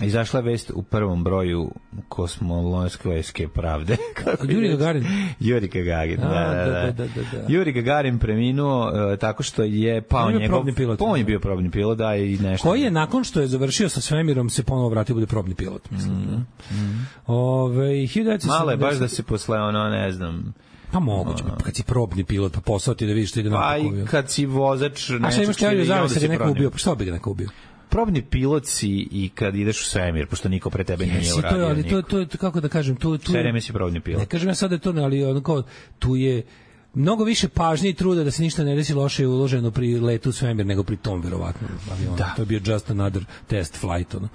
Izašla je vest u prvom broju kosmolonske pravde. Yuri Gagarin. Yuri Gagarin, da, da, da. da, da, da. Yuri Gagarin preminuo uh, tako što je pao njegov... probni pilot. On je bio probni pilot, da, i nešto. Koji je nakon što je završio sa svemirom se ponovo vratio bude probni pilot, mislim. Mm -hmm. Ove, malo je baš da se posle ono, ne znam... Pa moguće, pa kad si probni pilot, pa posao ti da vidiš što ide na pa i kad si vozač... A šta imaš teoriju zavljaju se ga neko ubio? Pa što bi ga neko ubio? Probni pilot si i kad ideš u svemir, pošto niko pre tebe nije Jesi, uradio. To, ali to, to, to, kako da kažem, tu, tu sve vreme si probni pilot. Ne kažem ja sad da je to, ali onako, tu je mnogo više pažnje i truda da se ništa ne desi loše uloženo pri letu u svemir nego pri tom, verovatno. Avionu. Da. To je bio just another test flight. Ono.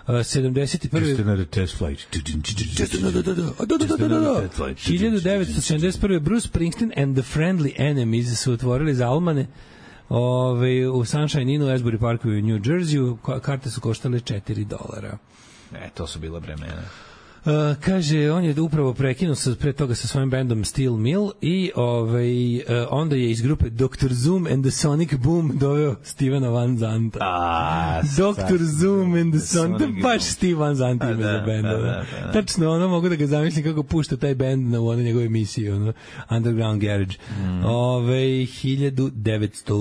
Uh, sedamdeset prvi Just another test flight. Just another, da, da, da, da, da, da. hiljadu devetsto sedamdeset prve Bruce Springsteen and the Friendly Enemies su otvorili za Almane. Ove, u Sunshine Innu, Asbury Parku u New Jerseyu, karte su koštale četiri dolara. E, to su bila vremena. Uh, kaže, on je upravo prekinuo sa, pre toga sa svojim bandom Steel Mill i ovaj, uh, onda je iz grupe doktor Zoom and the Sonic Boom doveo Stevena Van Zanta. A, doktor Zoom and the Sonic Boom. Baš Steve Van Zanta ima za band. Da, da, da. Tačno, ono mogu da ga zamislim kako pušta taj band na ono njegove emisije, ono, Underground Garage. Mm. Ove, hiljadu devetsto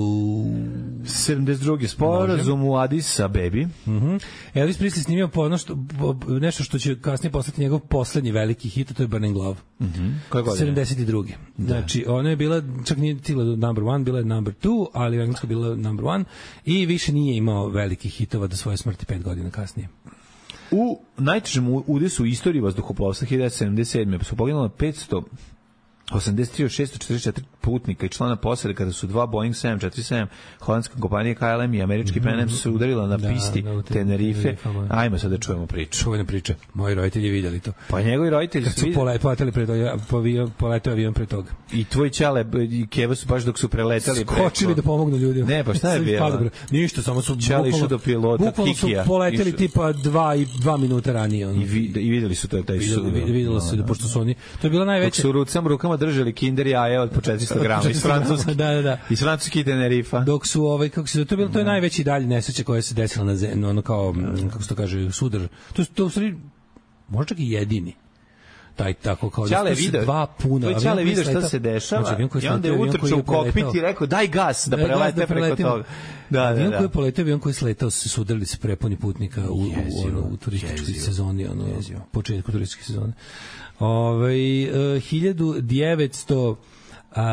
sedamdeset druge sporazum u Addis Abebi. Mm-hmm. Elvis Presley snimio po ono što, po, nešto što će kasnije postati njegov poslednji veliki hit, to je Burning Love. Mm-hmm. Koje godine? sedamdeset druge Znači, ona je bila, čak nije tila do number one, bila je number two, ali u engleskoj bila number one i više nije imao velikih hitova do svoje smrti pet godina kasnije. U najtežem udesu u istoriji vazduhoplovstva hiljadu devetsto sedamdeset sedme su poginulo petsto osamdeset tri od šesto četrdeset četiri putnika i člana posade kada su dva Boeing sedam četrdeset sedam holandske kompanije K L M i američki Pan Am su udarila na da, pisti da, Tenerife. Ajmo sad da čujemo priču. Čuvene priče. Moji roditelji vidjeli to. Pa njegovi roditelji su poleteli pre toga, poleteo avion pre toga. I tvoj ćale i Keva su baš dok su preletali skočili preko... da pomognu ljudima. Ne, pa šta je bilo? Ništa, samo su ćale išao do pilota bukvalno su poleteli išu. Tipa dva i dva minuta ranije. Ono. I, vid, I videli su to taj su. Videlo se da pošto su oni. To je bila najveća. Dok su rucama rukama držali Kinder jaje od po četiristo grama iz Francuske. Da, da, da. Iz francuskih Tenerifa. Dok su ovaj kako se to bilo to je najveći dalje nesreća koja se desila na zemlji, ono kao kako se to kaže sudar. To to u stvari možda čak i jedini. Taj tako kao da su dva puna. To Čale video šta se dešava. Znači, i onda je utrčao u kokpit i rekao daj gas da prelete da preko toga. Da, da, avion koji je poletao, avion koji je sletao, se sudarili se prepuni putnika u, u, ono, u turističkoj sezoni, ono, početku turističke sezone. Ove, uh, hiljadu devetsto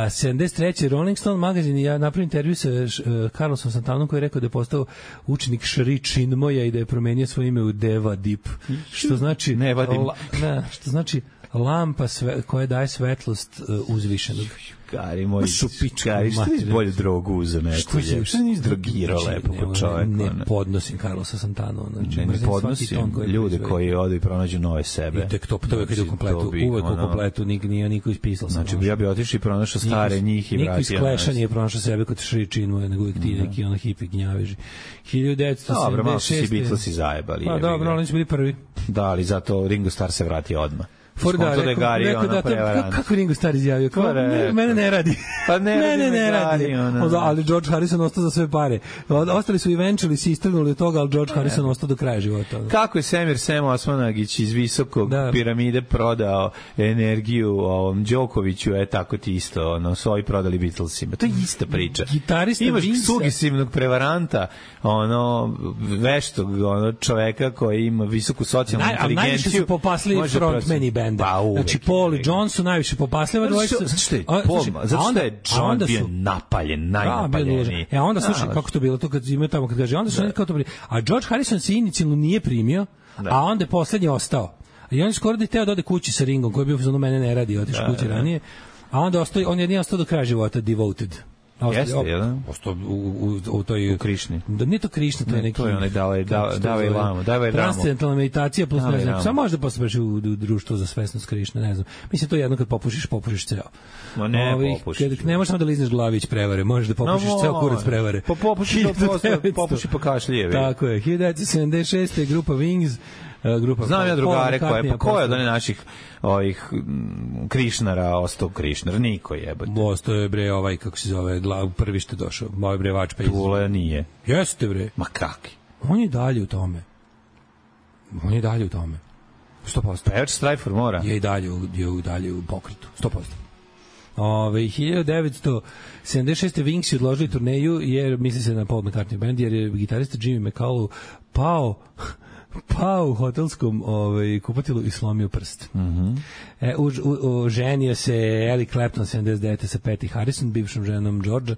sedamdeset treće Rolling Stone magazin ja napravio intervju sa uh, Carlosom Santanom koji je rekao da je postao učenik Šri Chinmoya i da je promenio svoje ime u Deva Deep, što znači ne vadim. La, ne, što znači lampa sve, koja daje svetlost uh, uzvišenog. Gari moj, Gari, što nisi bolju drogu uzeo neku? Što nisi drogirao lepo po čoveku? Ne podnosim Carlosa Santana. Ne, ne podnosim ljude koji odu i pronađu nove sebe. I tek to, to uvek ide u kompletu, uvek u kompletu, nije niko ispisao. Znači, ja bi otišao i pronašao stare njih i vratio. Niko iz Kleša nije pronašao sebe kod Šri Chinmoya, nego uvek ti neki ono hipi gnjaveži. hiljadu devetsto sedamdeset šeste Dobro, malo su si Beatlesi zajebali. Pa dobro, oni su bili prvi. Da, ali zato Ringo Starr se vratio odmah. For da, rekao, Gari, rekao da, to, kako Ringo Starr izjavio, kao, ne, mene ne radi. Pa ne, ne, ne, ne radi. Gari, ono, ali George Harrison ostao za sve pare. Ostali su eventually si istrgnuli od toga, ali George Harrison ostao do kraja života. Kako je Semir Sem Osmanagić iz visokog da. piramide prodao energiju ovom Đokoviću, je tako ti isto, ono, su ovi prodali Beatlesima. To je ista priča. Gitarista Imaš Vince... sugestivnog prevaranta, ono, veštog ono, čoveka koji ima visoku socijalnu Naj, inteligenciju. Najviše su popasli frontmeni band. Pa, znači Paul i John su najviše popasliva dvojica. Zato što je Paul, zato što je John bio napaljen, najnapaljeniji. E onda slušaj kako to bilo to kad imaju tamo kad kaže onda su neki kao to bili. A George Harrison se inicijalno nije primio Da. A onda je poslednji ostao. I on je skoro da je teo da ode kući sa Ringom, koji je bio za mene ne radi, otišao da, kući da. ranije. A onda ostao, on je nije ostao do kraja života, devoted. Jeste, jedan? Ostao u, u, u toj... U Krišni. Da, nije to Krišna, to je neki... To je onaj Dalaj Lama. Transcendentalna meditacija, plus Dalaj ne znam, Lama. samo možda posle u, u društvo za svesnost Krišne, ne znam. Mislim, to je jedno kad popušiš, popušiš ceo. Ma ne, Ovi, popušiš. Kad, ne možeš samo da lizneš glavić prevare, možeš da popušiš no, ceo kurac prevare. Pa popuši to posle, popuši pa kašljijevi. Tako je, hiljadu devetsto sedamdeset šeste grupa Wings, uh, grupa Znam ja drugare koje, pa ko je od posle... one naših ovih m, Krišnara ostao Krišnar? Niko jebate. Ostao je bre ovaj, kako se zove, glav, prvi što je došao, ovaj bre Vačpa iz... Tule nije. Jeste bre. Ma kaki? On je dalje u tome. On je dalje u tome. sto posto. Pevač Strajfor mora. Je i dalje, u, je u dalje u pokretu. sto posto. Ove, hiljadu devetsto sedamdeset šeste Wings je odložili turneju jer misli se na Paul McCartney band jer je gitarista Jimmy McCullough pao pao u hotelskom ovaj, kupatilu i slomio prst. Mhm. E, u, u, u, ženio se Eric Clapton sedamdeset devete sa Patty Harrison, bivšom ženom Georgia.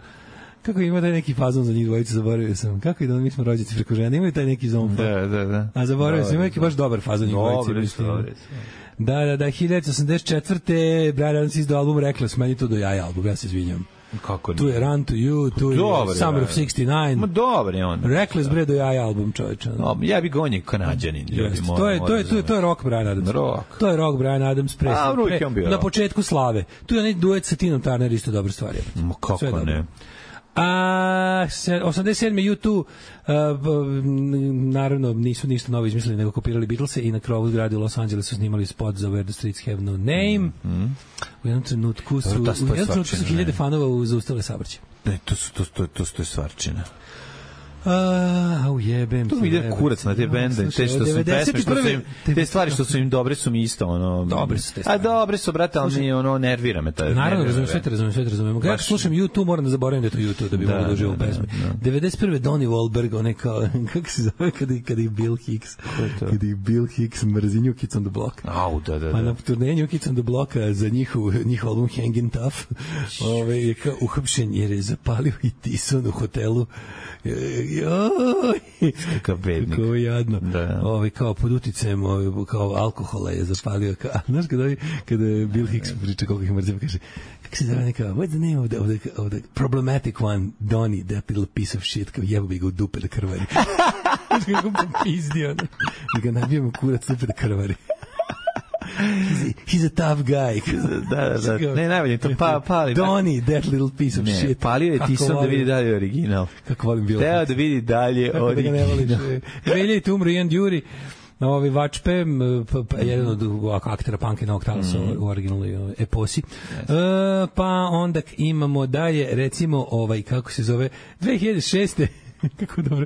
Kako ima taj neki fazon za njih dvojicu, zaboravio sam. Kako je da mi smo rođaci preko žene, imaju taj neki zomfa. Da, da, da. A zaboravio sam, ima neki baš dobar fazon njih dvojici. Dobri su, dobri su. Da, da, da, hiljadu devetsto osamdeset četvrte Brian Adams izdao album Reckless, meni to do jaja album, ja se izvinjam. Kako ne? Tu je Run to You, tu je Dobar, Summer ja. of šezdeset devet. Ma dobar je on. Reckless bre do jaja album, čoveče. No, ja bih gonje Kanadjanin, ljudi. Yes. To je to je to je to je rock Brian Adams. Rock. To je rock Brian Adams pre. A, pre pre na početku slave. Tu je onaj duet sa Tinom Turner isto dobra stvar je. Ma kako ne? A osamdeset sedme U dva uh, naravno nisu ništa novo izmislili nego kopirali Beatlese i na krovu zgrade u Los Angelesu snimali spot za Where the Streets Have No Name. Mm -hmm. U jednom trenutku su, u jednom trenutku su hiljade fanova zaustavile saobraćaj. Ne, to su to to to to je stvarčina. A, u jebem. Tu vide kurac na te bende, te što su pesme, što su im, te stvari što su im dobre su mi isto, ono... Dobre su te stvari. A dobre su, brate, ali mi, ono, nervira me. Naravno, razumem, sve te razumem, sve te razumem. Kada slušam U dva, moram da zaboravim da je to U dva, da bi mogu da uživam u pesmi. devedeset prve Donnie Wahlberg, on je kao, kako se zove, kada ih Bill Hicks, kada ih Bill Hicks mrzi New Kids on the Block. Au, da, da, da. Pa na turneji New Kids on the Block za njihov, njihov album Hangin' Tough, ove, je kao uhapšen jer je zapalio i Tison u hotelu. Joj, kakav bednik. Kako jadno. Da. Ovaj kao pod uticajem ovaj kao alkohola je zapalio. Kao, znaš kada kada Bill Hicks priča kako ih mrzi, kaže kako se zove neka, what's the name of the, of the, of the problematic one, Donnie, that little piece of shit, kao jebo bi ga u dupe da krvari. Kako ga popizdio. I ga nabijemo kurac dupe da krvari. He's a, he's a tough guy. Da, da, da. Ne, najbolje, to pa, pali. Donnie, that little piece of ne, shit. Palio je Tison da vidi dalje original. Kako volim Bill Teo da vidi dalje kako original. Da ga ne voliš. Veljajte umru Ian Dury, ovi Vačpe, jedan od aktera Punk i Novog Talasa mm. u originalnoj eposi. Yes. E, pa onda imamo dalje, recimo, ovaj, kako se zove, dve hiljade šeste kako dobro.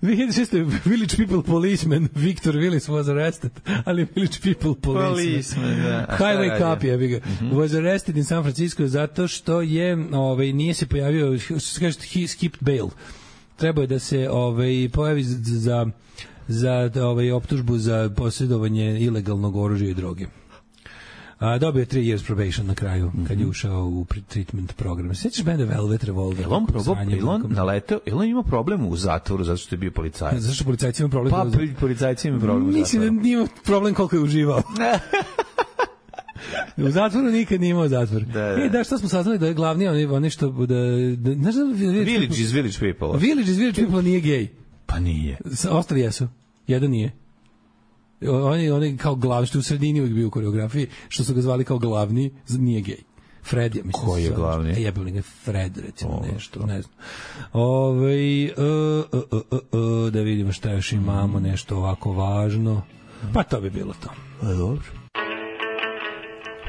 dve hiljade šeste Village People Policeman Victor Willis was arrested, ali Village People Policeman. Policeman, da. Highway Cop je ga. Mm -hmm. Was arrested in San Francisco zato što je, ovaj, nije se pojavio, što se kaže, he skipped bail. Trebao je da se ovaj, pojavi za za ovaj, optužbu za posjedovanje ilegalnog oružja i droge. A, dobio je three years probation na kraju, mm -hmm. kad je ušao u treatment program. Sjećaš benda Velvet Revolver? Jel on probao, jel on naleteo, jel on ima problem u zatvoru zato što je bio policajac? Zašto što policajci ima problem? Pa, policajci ima problem u zatvoru. Mislim da nije problem koliko je uživao. U zatvoru nikad nije imao zatvor. Da, da. E, da, što smo saznali da je glavni, oni, oni što... Da, da, znaš da Village, Village is Village People. Village is Village People nije gej. Pa nije. Ostali jesu. Jedan nije. Oni, oni kao glavni, što u sredini uvijek bio u koreografiji, što su ga zvali kao glavni, nije gej. Fred, ja mislim. Ko je glavni? E, jebili ga Fred, recimo, o, nešto, ne znam. Ove, uh, uh, uh, uh, uh, da vidimo šta još imamo, nešto ovako važno. Pa to bi bilo to. E, dobro.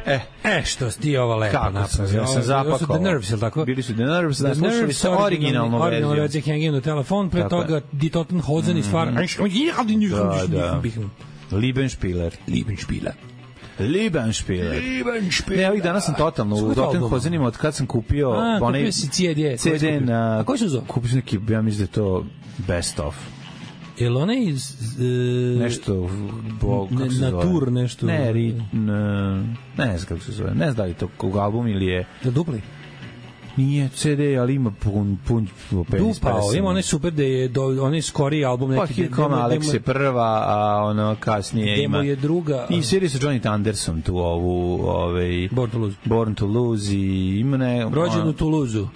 E, e, što si ti ovo lepo napravio. Ja sam zapakao. The Nerves, je li tako? Bili su The Nerves, da, slušali sa originalnom verzijom. Originalna verzija Hanging on the Telefon, pre toga Die Toten Hosen iz Far... Da, da. Liebenspieler. Liebenspieler. Liebenspieler. Liebenspieler. Ne, ovih dana sam totalno u Toten Hosenima od kad sam kupio... A, kupio si C D. C D na... A koji su zove? Kupio sam neki, ja mislim da je to Best of. Je li ona iz... Uh, nešto... Bo, kako se na zove? tur nešto... Ne, ri, ne, ne znam kako se zove. Ne znam da li je to kog album ili je... Da dupli? Nije ce de, ali ima pun, pun penis Dupao, pesama. ima onaj super da je do, onaj skoriji album neki. Pa Here Come Alex je prva, a ono kasnije ima... Demo je druga. I sviri sa Johnny Thundersom tu ovu... Ovaj, Born to Lose. Born to Lose i ima ne... Rođen u Toulouse-u.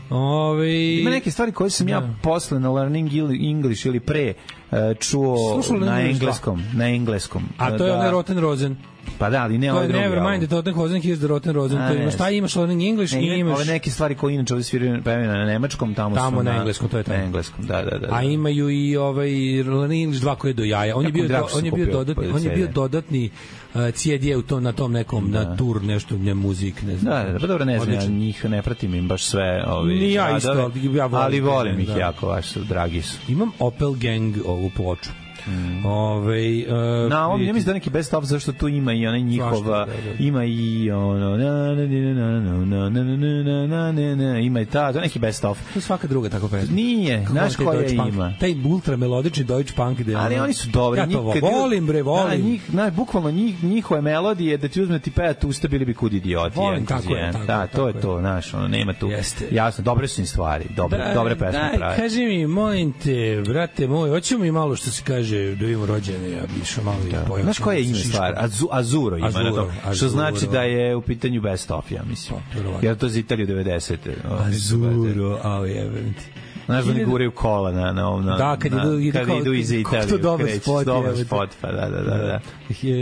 Ove... Ima neke stvari koje sam ja da. posle na Learning English ili pre uh, čuo Slušao na English engleskom. Na engleskom. A to je da. onaj Rotten Rosen. Pa da, ali ne To ovaj je drugi. Never Mind the Rotten Rosen, here's the Rotten Rosen. A, To imaš, ne, šta imaš Learning English ne, i imaš... Ove neke stvari koje inače ovdje sviraju na nemačkom, tamo, Tamo su na engleskom, to je tamo. Na engleskom, da, da, da. A imaju i ovaj Learning English dva koje je do jaja. On je bio, do, on je bio dodatni, on je bio dodatni uh, C D u to na tom nekom da. na tur nešto nje muzik, ne znam. Da, da, pa dobro, ne znam, ja Odličan. njih ne pratim im baš sve, ovi. Ni ja isto, radove, ali ja volim ali volim ih da. jako, baš su dragi su. Imam Opel Gang ovu ploču. Mm. Ove, uh, na ovom ne mislim da neki best of zašto tu ima i onaj njihova, da, da. ima i ono na na na na na na na na na ima i ta, to neki best of. To svaka druga tako pesma. Nije, znaš koja ima. Taj ultra melodični Deutsche Punk ide. Ali oni su dobri, ja to nikad volim bre, volim. Da, njih, na bukvalno njih, njihove melodije da ti uzmeti pet usta bili bi kud idioti. Volim, tako je, tako, da, to je je to, znaš, ono nema tu. Jeste. Jasno, dobre su im stvari, dobre, da, dobre pesme daj, prave. Kaži mi, molim te, brate moj, hoćemo mi malo što se kaže da imamo rođene, ja bi išao malo da. i pojao. Znaš koja je ime stvar? Azu, Azuro ima Azuro, na to. Što Azuro. znači da je u pitanju best of, ja mislim. Pa, jer to za Italiju devedesete. Azuro, ali jebem ti. Znaš da oni guraju kola na, na ovom... Na, da, kad na, idu, kad kao, idu iz Italije. To dobar kreći, spot. Dobar spot, pa da, da, da. da.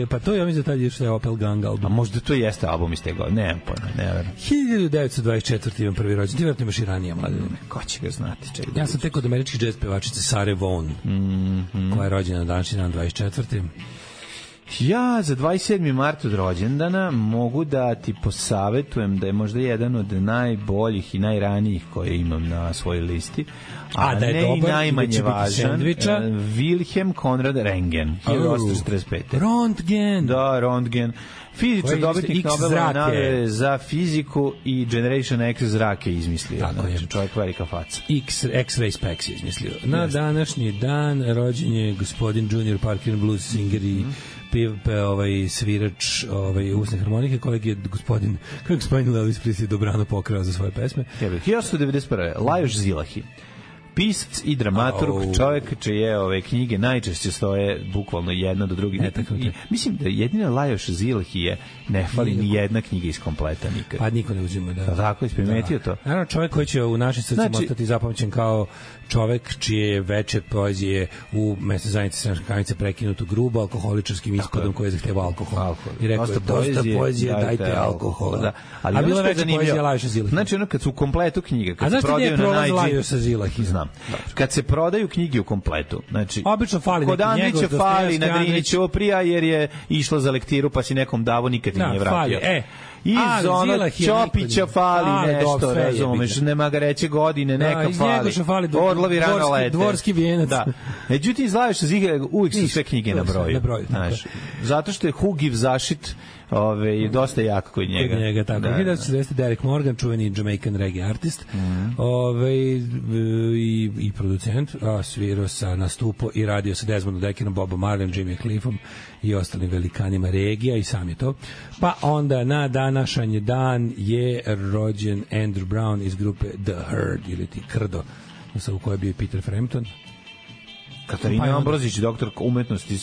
Pa to ja mislim da tad je što je Opel Gang album. A možda to jeste album iz te godine, nemam pojma, ne verujem. hiljadu devetsto dvadeset četvrte imam prvi rođendan, ti vjerojatno imaš i ranije mladine. Ko će ga znati? Čekaj, ja sam tek od američke jazz pevačice Sare Vaughan, mm -hmm. koja je rođena na današnji dan dvadeset četvrte Ja za dvadeset sedmi mart od rođendana mogu da ti posavetujem da je možda jedan od najboljih i najranijih koje imam na svojoj listi, a, a da je ne dobar, i najmanje važan, Wilhelm Konrad Röntgen, hiljadu osamsto četrdeset pete. Röntgen. Da, Röntgen. Fizičar dobitnik Nobelove nagrade za fiziku i Generation X zrake izmislio. Tako znači, je. čovjek velika faca. X, X-Ray Specs je izmislio. Na yes. današnji dan rođen je gospodin Junior Parker, blues singer i mm. Piv, pe, ovaj, svirač ovaj, usne harmonike, kolega je gospodin, kako gospodin Elvis Presley dobrano pokrao za svoje pesme. hiljadu osamsto devedeset prve. Lajos Zilahi. Pisac i dramaturg, oh. čovjek čije ove knjige najčešće stoje bukvalno jedna do druge. Ne, tako I, mislim da jedina Lajos Zilahi je ne fali ni jedna knjiga iz kompleta nikad. Pa niko ne uzima, da. Tako je, primetio da. to. Naravno, čovjek koji će u našim srcima znači, ostati zapamćen kao čovek čije je veče poezije u mesne zajednice Sremske Kamenice prekinuto grubo alkoholičarskim ispadom koji je zahtevao alkohol. alkohol. I rekao je, dosta poezije, poezije dajte, dajte alkohola. Da. Ali a bila veća poezija Lajoša Zilahi. Znači, ono kad su u kompletu knjige, kad a se prodaju na najđi... Lajoša Zilahi? Znam. Kad se prodaju knjige u kompletu, znači, obično fali kod Andrića fali na Drini Ćoprija jer je išla za lektiru pa si nekom davo nikad nije vratio. E, iz ono Ćopića fali nešto, razumeš, nema ga reći godine, neka fali. Orlovi rano lete. Dvorski vijenac. Da. Međutim, izlaviš sa zigra, uvijek su sve knjige na broju. Znaš, zato što je Hugiv zašit ove, dosta jak kod njega. Kod njega, tako. Da, hiljadu devetsto četrdeset. Derek Morgan, čuveni Jamaican reggae artist, mm. ove, i, i producent, a svirao sa nastupo i radio sa Desmondom Deckerom, Bobom Marleyom, Jimmy Cliffom i ostalim velikanima regija i sam je to. Pa onda na današnji dan je rođen Andrew Brown iz grupe The Herd ili ti Krdo, u kojoj je bio Peter Frampton. Katarina pa Ambrozić, doktor umetnosti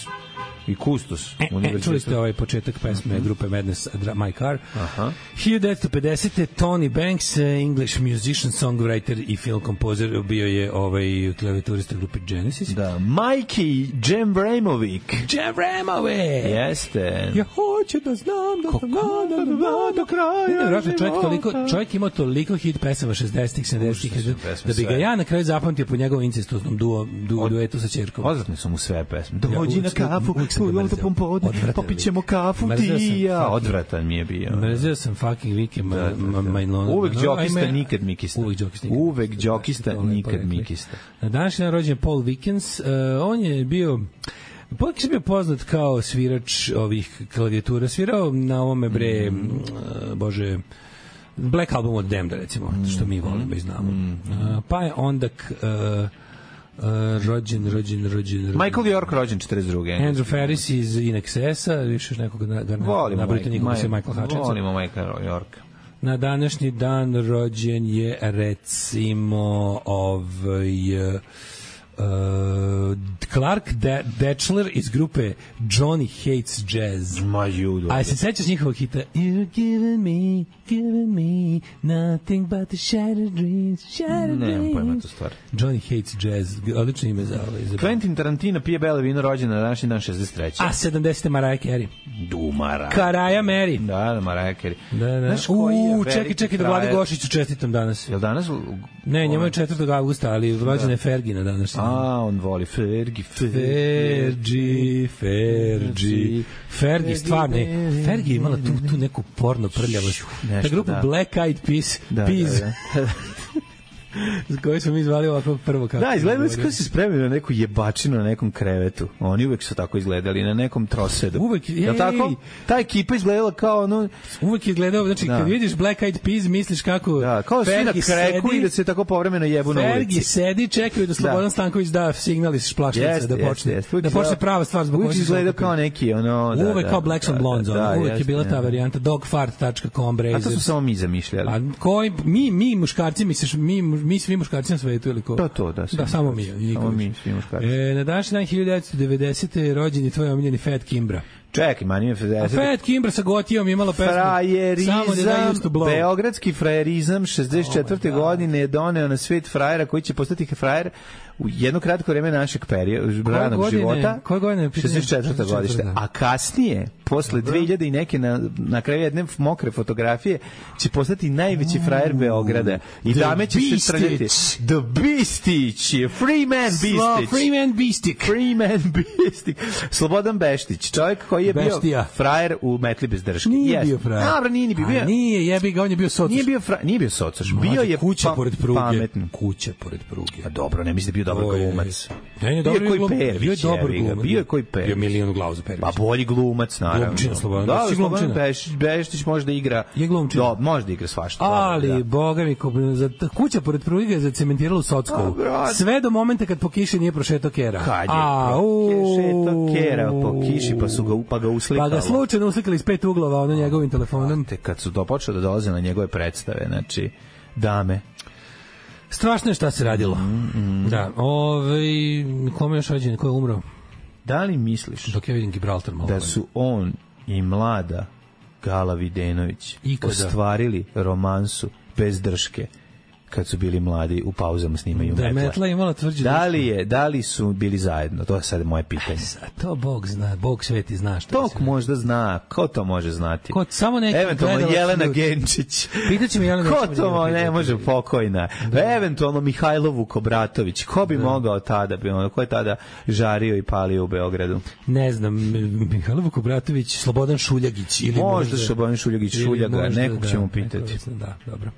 i kustos. E, e, čuli ste ovaj početak pesme mm -hmm. grupe Madness, My Car. Aha. hiljadu devetsto pedesete. Tony Banks, English musician, songwriter i film kompozer, bio je ovaj klavijaturista grupe Genesis. Da, Mikey Džembramović. Džembramović! Jeste. Ja hoću da znam da sam da do kraja. Nevjerojatno, čovjek, toliko, čovjek imao toliko hit pesama šezdesetih, sedamdesetih da, da bi ga ja na kraju zapamtio po njegovom incestoznom duo, duo, duetu sa ćerkom. Odvratne su mu sve pesme. Dođi na kafu, popićemo kafu ti ja. Odvratan mi je bio. Mrzeo sam fucking Vike Majnona. Uvek džokista, nikad mikista. Uvek džokista, Uvek džokista, nikad mikista. Na današnji dan rođen Paul Wickens. On je bio... Paul Wickens je bio poznat kao svirač ovih klavijatura. Svirao na ovome bre... Bože... Black Album od Damned, recimo, što mi volimo i znamo. Pa je onda... Uh, rođen, rođen, rođen, rođen. Michael York rođen četrdeset druge. Andrew Ferris iz In Excessa, više još nekog ga volimo nabrite nikog se Michael Hutchinson. Volimo Michael York. Na današnji dan rođen je recimo ovaj uh, Clark De- Dechler iz grupe Johnny Hates Jazz. Ma judo. A se sećaš njihovog hita? You're giving me, giving me nothing but the shattered dreams, shattered dreams. Nemam pojma tu stvar. Johnny Hates Jazz, odlično ime za ovaj. Quentin Tarantino pije belo vino, rođen na današnji dan šezdeset treće. A sedamdesete Mariah Carey. Du Mariah. Karaja Mary. Da, da, Mariah Carey. Da, da. Znaš koji je U, veliki čekaj, čekaj, da Vlade frajer? Gošiću čestitam danas. Jel danas? Ne, njemu je četvrtog avgusta, ali rođena je Fergina danas. A, on voli Fergi, Fergi, Fergi. Fergi, stvarno je. Fergi je imala tu, tu neku porno prljavost. Ta grupa da. Black Eyed Peas, Da, Peas. da, da. koji smo mi zvali ovako prvo kako. Da, izgledali su kao se spremili na neku jebačinu na nekom krevetu. Oni uvek su tako izgledali, na nekom trosedu. Uvek, je tako? Ta ekipa izgledala kao ono... Uvek je izgledao, znači da. Kad vidiš Black Eyed Peas, misliš kako... Da, kao svi na kreku i da se tako povremeno jebu na ulici. Fergi sedi, čekaju da Slobodan da. Stanković da signal iz šplašnice, da počne, jest, jest. Da počne prava stvar zbog koje se izgleda kao neki, ono... Da, uvek da, kao Blacks and Blondes, da, uvek jest, je bila ta ja. varijanta dogfart dot com, Brazers. A to su samo mi zamišljali. A koji, mi, mi muškarci, misliš, mi, mi svi muškarci na svetu ili ko? To, to, da. Da, samo mi. Samo mi, svi muškarci. E, na današnji dan hiljadu devetsto devedesete rođen je tvoj omiljeni Fat Kimbra. Čekaj, mani je pedeset. A Fat Kimbra sa Gotijom imala pesmu Frajerizam, Samo beogradski frajerizam šezdeset četvrte. Oh, godine je doneo na svet frajera koji će postati frajer u jedno kratko vreme našeg perioda, ranog života. Koje godine? šezdeset četvrte. godište. A kasnije, posle dve hiljade i neke na, na kraju jedne mokre fotografije, će postati najveći frajer Beograda. I The dame će se trljati. The Beastić. Free man Beastić. Free man Beastik. Free man Beastik. Slobodan Beštić. Čovjek koji je Beštija. Bio frajer u metli bez drške. Nije yes. bio frajer. Dobro, nije ni bio. A nije, jebi ga, on je bio socaš. Nije bio frajer, nije bio socaš. Bio je kuća pa, pored pruge. Pametno. Kuća pored pruge. A dobro, ne mislim da je bio dobar glumac. Ne, ne, dobro, bio je koji Pervić. Bio je dobar glumac. Bio je koji Pervić. Bio milion glavu za Pervić. Pa bolji glumac, naravno. Glumčina, Slobodan. Da, Slobodan Beštić, Beštić može da igra. Je glumčina. Da, može da igra svašta. Ali, da. boga mi, za kuća pored pruge je zacementirala u Sockovu. Sve do momenta kad po kiši nije prošetao kera. Kad je prošetao kera po kiši, pa su ga, pa ga uslikali. Pa ga slučajno uslikali iz pet uglova, ono njegovim telefonom. Te kad su dopočeli da dolaze na njegove predstave, znači, dame. Strašno je šta se radilo. Mm, mm. Da, ovaj, kome još rođen, ko je umro? Da li misliš dok ja vidim Gibraltar malo da su on i mlada Gala Videnović Ikada. ostvarili romansu bez drške kad su bili mladi u pauzama snimaju da, Metla. Metla imala tvrđu da li je, da li su bili zajedno? To je sad moje pitanje. A to Bog zna, Bog sveti zna što. To možda zna, ko to može znati? Ko samo neki eventualno Jelena ljudi. Genčić. Pitaće mi Jelena Ko to ne, ne može pokojna? Da. Eventualno Mihajlo Vukobratović. Ko bi da. mogao tada, bi ono, ko je tada žario i palio u Beogradu? Ne znam, Mihajlo Vukobratović, Slobodan Šuljagić ili možda, možda Slobodan Šuljagić, Šuljaga, nekog da, ćemo pitati. Da, dobro.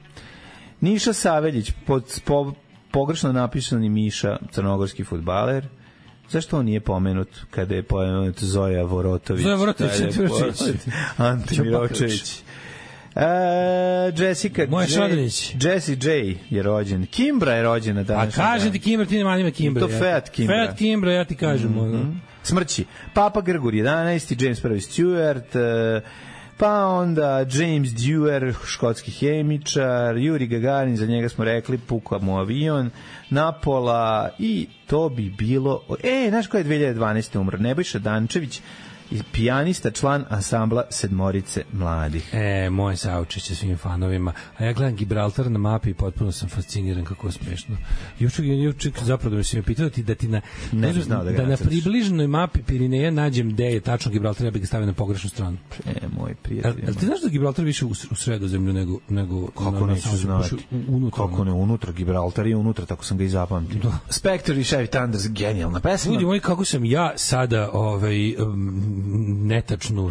Niša Saveljić, pod, po, pogrešno napisani Miša, crnogorski fudbaler. Zašto on nije pomenut kada je pomenut Zoja Vorotović? Zoja Vorotović, Ante Miročević. Uh, Jessica J, Jessie J je rođen. Kimbra je rođena danas. A kažem ti Kimbra, ti nema ime Kimbra. To Fat Kimbra. Fat Kimbra, ja ti kažem. Mm-hmm. Smrći. Papa Grgur jedanaesti, James prvi Stewart, uh, pa onda James Dewar, škotski hemičar, Yuri Gagarin, za njega smo rekli, pukao mu avion, Napola i to bi bilo... E, znaš ko je dve hiljade dvanaeste umro? Nebojša Dančević, pijanista, član ansambla Sedmorice mladih. E, moje saučešće svim fanovima. A ja gledam Gibraltar na mapi i potpuno sam fasciniran kako je smešno. Juček, juček zapravo da mi se me pitao ti da ti na, ne da, znao da, da na približnoj mapi Pirineja nađem gde je tačno Gibraltar, ja bih ga stavio na pogrešnu stranu. E, moj prijatelj. A, a ti znaš da Gibraltar više u, u Sredozemlju nego... nego kako na, neću znati? Unutra, kako ne, unutra. Gibraltar je unutra, tako sam ga i zapamtio. Da. Spectre i Chevy Thunders, genijalna pesma. Ljudi moji, kako sam ja sada ovaj, um, netačnu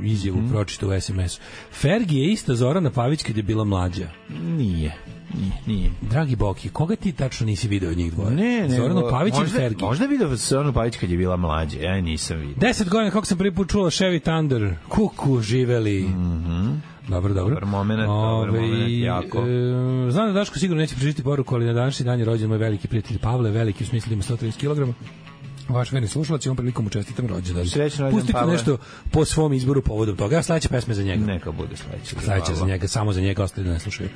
izjavu mm. pročitao u es em esu. Fergi je ista Zorana Pavić kad je bila mlađa. Nije. Nije, nije. Dragi Boki, koga ti tačno nisi video od njih dvoje? Ne, ne. Zoranu Pavić ili Fergi? Možda video Zoranu Pavić kad je bila mlađa, ja nisam vidio. Deset godina kako sam prvi put čula Chevy Thunder, kuku živeli. Mhm. Dobro, dobro. Dobar moment, dobar moment, jako. E, znam da Daško sigurno neće pročitati poruku, ali na današnji dan je rođen moj veliki prijatelj Pavle, veliki u smislu ima sto trideset kilograma. Vaš verni slušalac, ovom prilikom učestitam rođendan. Srećan rođendan, Pustite Pavle. nešto po svom izboru povodom toga. Ja sledeća pesma za njega. Neka bude sledeća. Sledeća za njega, samo za njega, ostali da ne slušaju.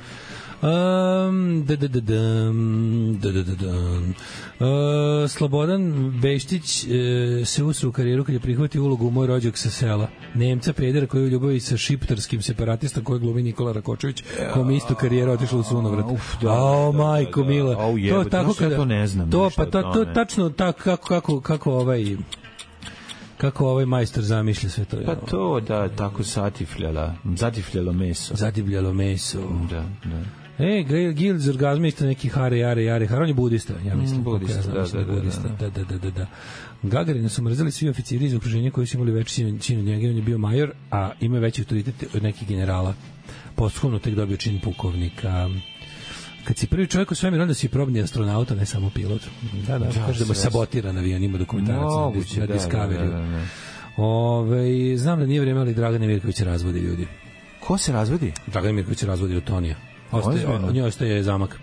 Um, da, da, da, da, da, da, da, da. Uh, Slobodan Beštić uh, se usru u karijeru kad je prihvatio ulogu u Moj rođak sa sela. Nemca pedera koji je u ljubavi sa šiptarskim separatistom koji glumi Nikola Rakočević, kom isto karijera otišla u sunovrat. O, majko mila. To tako kada to ne znam. To pa to to tačno tako kako kako kako ovaj kako ovaj majstor zamišlja sve to. Pa to da tako satifljala, zatifljalo meso. Zatifljalo meso. Da, da. E, Gil iz orgazmista neki hare, jare, jare, hare, on je budista, ja mislim. Mm, budista, ja znam, da, da, budista, da, da, da, da, da. Gagarina su mrzeli svi oficiri iz okruženja koji su imali veći čin od njega, on je bio major, a ima veći autoritet od nekih generala. Posthumno tek dobio čin pukovnika. Kad si prvi čovjek u svemiru, onda si probni astronaut, a ne samo pilot. Da, da, da kaže da mu je sabotiran avion, ima dokumentarac na Discovery. Da, da, da. Ove, znam da nije vrijeme, ali Dragana Mirković razvodi ljudi. Ko se razvodi? Dragana Mirković razvodi od Tonija. Ostaje, od njoj ostaje zamak.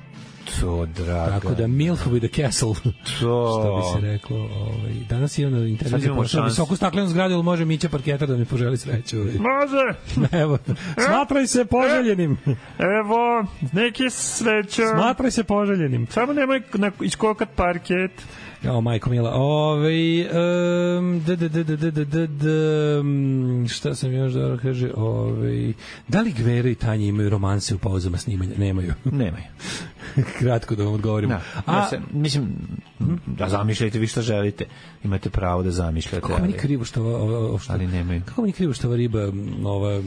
To, draga. Tako da Milf with a castle. To. Što bi se reklo. Ovaj, danas je ono internet pošao visoku staklenu zgradu, ili može Mića parketar da mi poželi sreću. Može. Evo, smatraj se poželjenim. Evo, neki sreća. Smatraj se poželjenim. Samo nemoj iskokat parket. O, majko mila. Ove, um, d, d, d, d, d, d, d, d, šta sam još dobro kaže? Ove, da li Gvero i Tanja imaju romanse u pauzama snimanja? Nemaju. Nemaju. Kratko da vam odgovorim. Da. A, ja se, mislim, da zamišljajte vi što želite. Imate pravo da zamišljate. Kako mi je krivo što ova, ova, što, ali nemaju. Kako mi je krivo što ova riba, ova...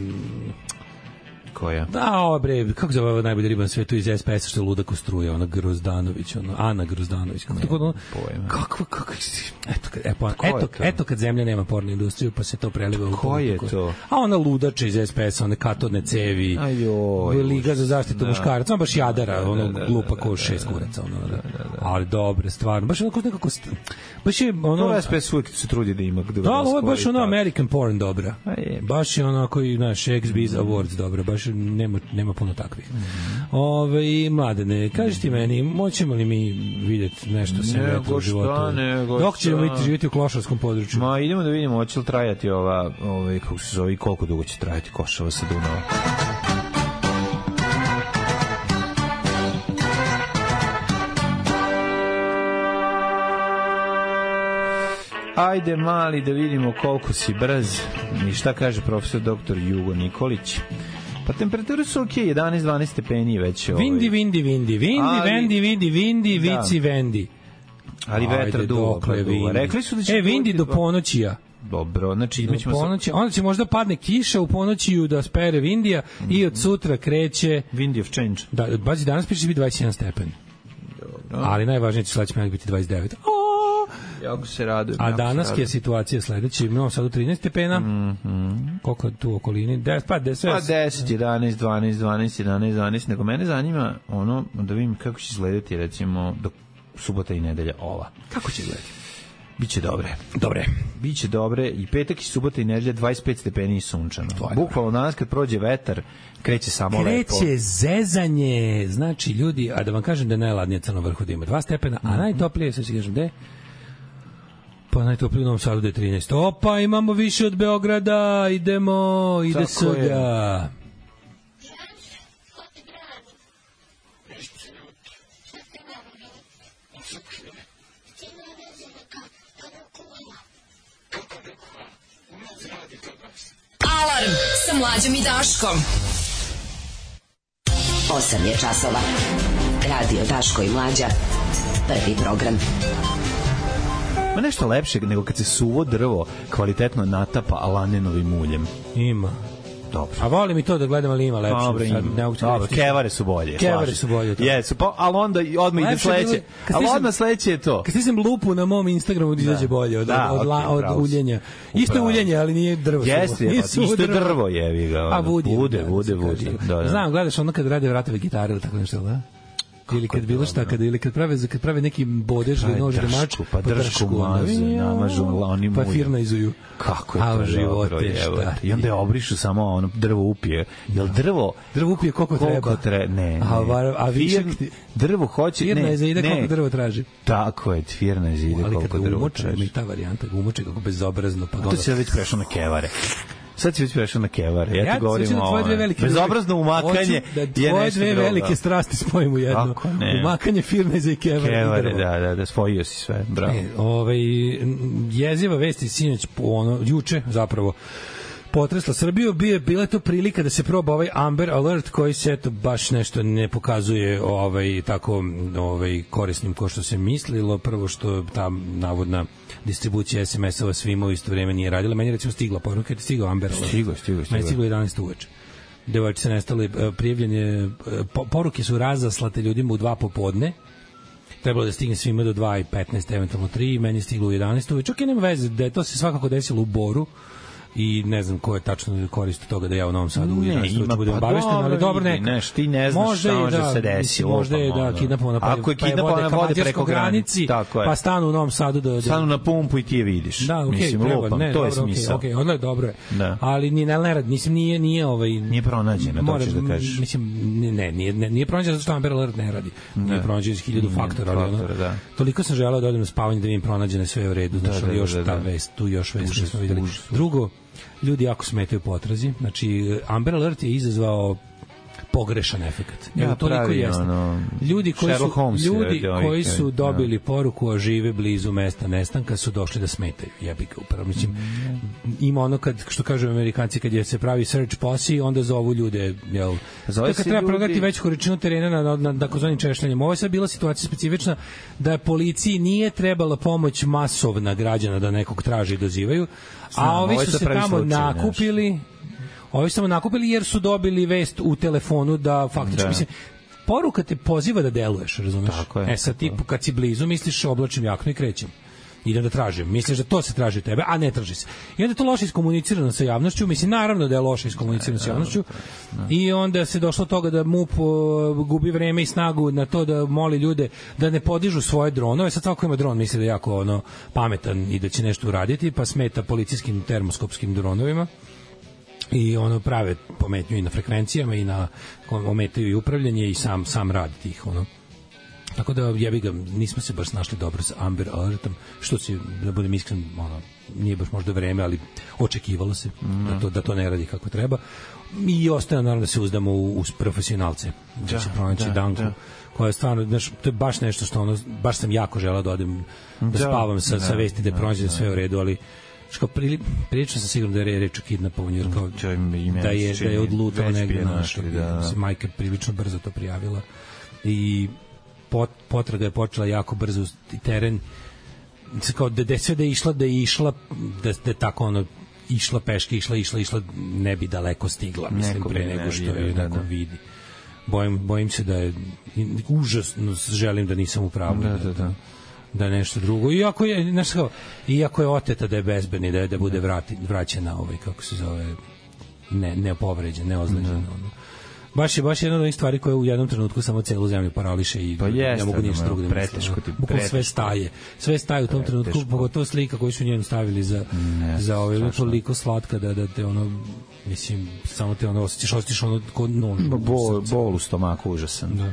Koja? Da, ova bre, kako zove ova najbolja riba na svetu iz es pe es-a što je ludak u struje, ona Grozdanović, ona Ana Grozdanović. Kako tako ono? Kako kako eto kad eto, eto, eto kad zemlja nema pornu industriju, pa se to preliva u ko je to? A ona ludača iz es pe es-a, one katodne cevi. Ajoj. Liga za zaštitu muškaraca, baš jadara, ono glupa ko šest kuraca, ono. Ali dobre, stvarno. Baš onako nekako baš je ono es pe es uvijek se trudi da ima da. Da, ovo je baš ono American porn dobra. Baš je onako i naš X-Biz Awards dobra, baš nema, nema puno takvih. Mm-hmm. Ove, Mladene, kaži ti meni, moćemo li mi vidjeti nešto sem vetra u životu? Nego dok ćemo biti živjeti u klošarskom području? Ma, idemo da vidimo, hoće li trajati ova, ova, kako se zove, koliko dugo će trajati Košava sa Dunava. Ajde, mali, da vidimo koliko si brz. I šta kaže profesor doktor Jugo Nikolić? Pa temperature su ok, jedanaest dvanaest stepeni već. Ovaj. Vindi, vindi, vindi, vindi, ali, vendi, vindi, vindi, da. Vici, vendi. Ali vetar duvo. Rekli su da će... E, vindi do ponoćija. Dobro, znači do ćemo ponoći, onda će možda padne kiša u ponoćiju da spere vindija mm-hmm. i od sutra kreće... Windy of change. Da, bazi, danas piše biti dvadeset jedan stepen. Dobro. Ali najvažnije će sledeći petak biti dvadeset devet. Jako se radujem. A danas je situacija sledeća, imamo sad u trinaest stepena. Mm-hmm. Koliko je tu u okolini? deset, pa deset, pa deset, jedanaest, dvanaest, dvanaest, jedanaest, dvanaest. Nego mene zanima ono, da vidim kako će izgledati recimo do subota i nedelja ova. Kako će izgledati? Biće dobre. Dobre. Biće dobre i petak i subota i nedelja dvadeset pet stepeni i sunčano. Bukvalno danas kad prođe vetar, kreće samo kreće lepo. Kreće zezanje. Znači, ljudi, a da vam kažem da je najladnije Crno vrhu da ima dva stepena, a najtoplije, sad ću kažem, gde? Pa najtoplije u Novom Sadu da je trinaest. Opa, imamo više od Beograda, idemo, ide sada. Alarm sa Mlađom i Daškom. osam je časova. Radio Daško i Mlađa. Prvi program. Ma nešto lepše nego kad se suvo drvo kvalitetno natapa lanenovim uljem. Ima. Dobro. A volim i to da gledam, ali ima lepše. Dobro, ima. Dobro, kevare su bolje. Kevare su bolje. Jesu, pa, ali onda odmah ide sledeće. Ali odmah sledeće je to. Kad stisnem lupu na mom Instagramu da izađe bolje od, da, od, okay, od, od uljenja. Isto je uljenje, ali nije drvo. Jeste, je, isto je drvo, jevi ga. A vudi. Bude, bude, bude. Znam, gledaš ono kad rade vratove gitare ili tako nešto, da? ili kad bilo šta, kad, ili kad prave, kad prave neki bodež ili nož ili mač, pa dršku maze, namažu oni pa firna izuju. Kako je to živote, šta? I onda je obrišu samo ono drvo upije. Jel drvo? Drvo upije koliko treba. Tre, ne, ne. A, a višak drvo hoće, ne. Firna je zaide koliko drvo traži. Tako je, firna je zaide koliko drvo traži. Ali kad ta varijanta, umoče kako bezobrazno. Pa to se već prešao na kevare. Sad si već prešao na kevare. Ja, ja ti govorim o ovo. Bezobrazno umakanje da je tvoje dve drugo. Velike strasti spojimo u jedno. Umakanje firme za i kevare. Kevare, da, da, da, spojio si sve. Bravo. E, ovaj, jeziva vesti sinoć, ono, juče zapravo, potresla Srbiju, bio bila je to prilika da se proba ovaj Amber Alert koji se eto baš nešto ne pokazuje ovaj tako ovaj korisnim kao što se mislilo. Prvo što ta navodna distribucija es em esova svima u isto vreme nije radila. Meni recimo stigla poruka, je stigao Amber Alert. Stigo, stigo, stigo. Meni stiglo jedanaest uveče. Devojčice nestale, prijavljene, poruke su razaslate ljudima u dva popodne. Trebalo da stigne svima do dva i petnaest, eventualno tri, meni stiglo u jedanaest uveče. Čak i nema veze, da je to se svakako desilo u Boru i ne znam ko je tačno korist toga da ja u Novom Sadu u jedanaest uveče budem obavešten, ali dobro neka. Neš, ti ne znaš šta može da se desi. Možda je da kidnapovana pa, ako je kidnapovana vode preko granici, pa stanu u Novom Sadu da... Stanu na pumpu i ti je vidiš. Da, okej, okay, treba, lupam, ne, to je smisao. Okej, okay, okay, dobro je. Da. Ali ni ne rad, nisam, nije, nije ovaj... Nije pronađena, to ćeš da kažeš. Mislim, ne, nije, ne, nije pronađena zato što Amber Alert ne radi. Nije pronađena iz hiljadu faktora, ali ono... Toliko sam želeo da odem na spavanje da vidim pronađene sve u redu, znači još ta vest, tu još vest što smo videli. Drugo, ljudi jako smetaju potrazi. Znači, Amber Alert je izazvao pogrešan efekat. Ja, toliko jeste. Ono, ljudi koji su, ljudi koji su dobili ja. poruku a žive blizu mesta nestanka su došli da smetaju. Jebi ga upravo. Mislim, mm. ima ono kad, što kažu Amerikanci, kad je se pravi search posse, onda zovu ljude, jel? Zove kad treba prodati veću količinu terena na, na, na, na takozvanim češljanjem. Ovo je sad bila situacija specifična da policiji nije trebala pomoć masovna građana da nekog traži i dozivaju, a ovi su se tamo slučaj, nakupili nešto. Ovi su samo nakupili jer su dobili vest u telefonu da faktički, da. Mislim, poruka te poziva da deluješ, razumeš? Tako je, e sad ti kad si blizu misliš oblačim jaknu i krećem. Idem da tražim. Misliš da to se traži od tebe, a ne traži se. I onda je to loše iskomunicirano sa javnošću, mislim, naravno da je loše iskomunicirano sa javnošću. I onda se došlo do toga da MUP gubi vreme i snagu na to da moli ljude da ne podižu svoje dronove. Sad svako ima dron, misli da je jako ono, pametan i da će nešto uraditi, pa smeta policijskim termoskopskim dronovima. I ono prave pometnju i na frekvencijama i na ometaju i upravljanje i sam sam rad tih ono. Tako da jebi ga, nismo se baš našli dobro sa Amber Alertom, što se, da budem iskren, ono, nije baš možda vreme, ali očekivalo se mm. da, to, da to ne radi kako treba. I ostaje naravno da se uzdamo u, u profesionalce, da, da se pronaći da, Danku, da. koja je stvarno, znaš, to je baš nešto što ono, baš sam jako želeo da odem, da, da spavam sa, da, sa vesti da, da pronađe da, sve u redu, ali što prili, prilično sam sigurno da je reč o kidnapovanju, jer kao da je, da je odlutao negde našli, da, da. Majka prilično brzo to prijavila i pot, potraga je počela jako brzo i teren kao da, da sve da je išla da je išla da, da je tako ono išla peške, išla, išla, išla ne bi daleko stigla, mislim, neko pre nego što je da, neko da. vidi. Bojim, bojim se da je užasno želim da nisam u pravu. Da, da, da. Da je nešto drugo. Iako je, znaš kao, iako je oteta da je bezbedni, da je da bude vrati, vraćena ovaj, kako se zove, ne, ne povređen, ne ozleđen. Ono. Baš je, baš jedna od onih stvari koje u jednom trenutku samo celu zemlju parališe i pa jeste, ne mogu ništa drugo da misle. Bukvalno sve staje. Sve staje u tom preteško. trenutku, pogotovo slika koju su njenu stavili za, ne, za ovaj, toliko slatka da, da te ono, mislim, samo te ono osjećaš, osjećaš ono kod nož. Bol, bol u stomaku, užasan. Da.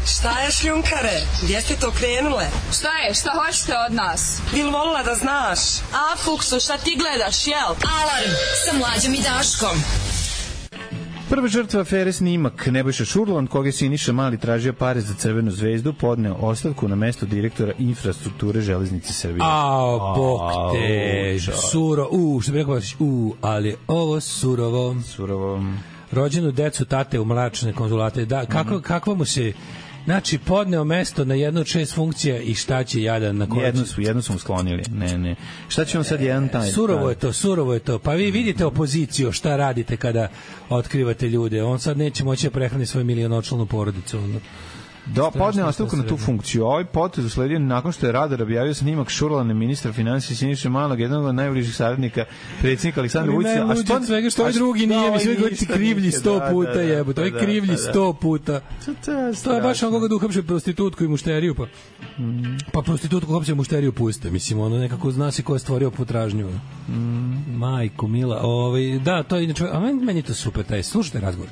Šta je, šljunkare? Gdje ste to krenule? Šta je? Šta hoćete od nas? Bil volila da znaš? A, Fuksu, šta ti gledaš, jel? Alarm sa Mlađom i Daškom. Prva žrtva afere snimak Nebojša Šurlan, koga se Siniša Mali tražio pare za Crvenu zvezdu, podneo ostavku na mesto direktora infrastrukture Železnice Srbije. Ao, bok te, suro, u, što bi rekao, u, ali ovo surovo. Surovo. Rođenu decu tate u mračne konzulate, da, kako, mm. kakva mu se... Znači, podneo mesto na jednu od šest funkcija i šta će jadan na koju... Jednu su, jednu su mu sklonili. Ne, ne. Šta će on sad jedan taj... Surovo je to, surovo je to. Pa vi vidite opoziciju, šta radite kada otkrivate ljude. On sad neće moći da prehrani svoju milionočlanu porodicu. Da, podneo ostavku na tu funkciju. Ovaj potez usledio nakon što je Radar objavio snimak Šurlane, ministra finansija Siniše Malog, jednog od najbližih saradnika predsjednika Aleksandra Vučića. A što svega što ovaj drugi nije, mi sve govoriti krivlji sto puta, jebote. To je krivlji sto puta. To je baš on koga da uhapše prostitutku i mušteriju, pa pa prostitutku uhapše mušteriju puste. Mislim, ono nekako zna se ko je stvorio potražnju. Majko mila. Ovaj, da, to je inače, a meni je to super, taj, slušajte razgovor.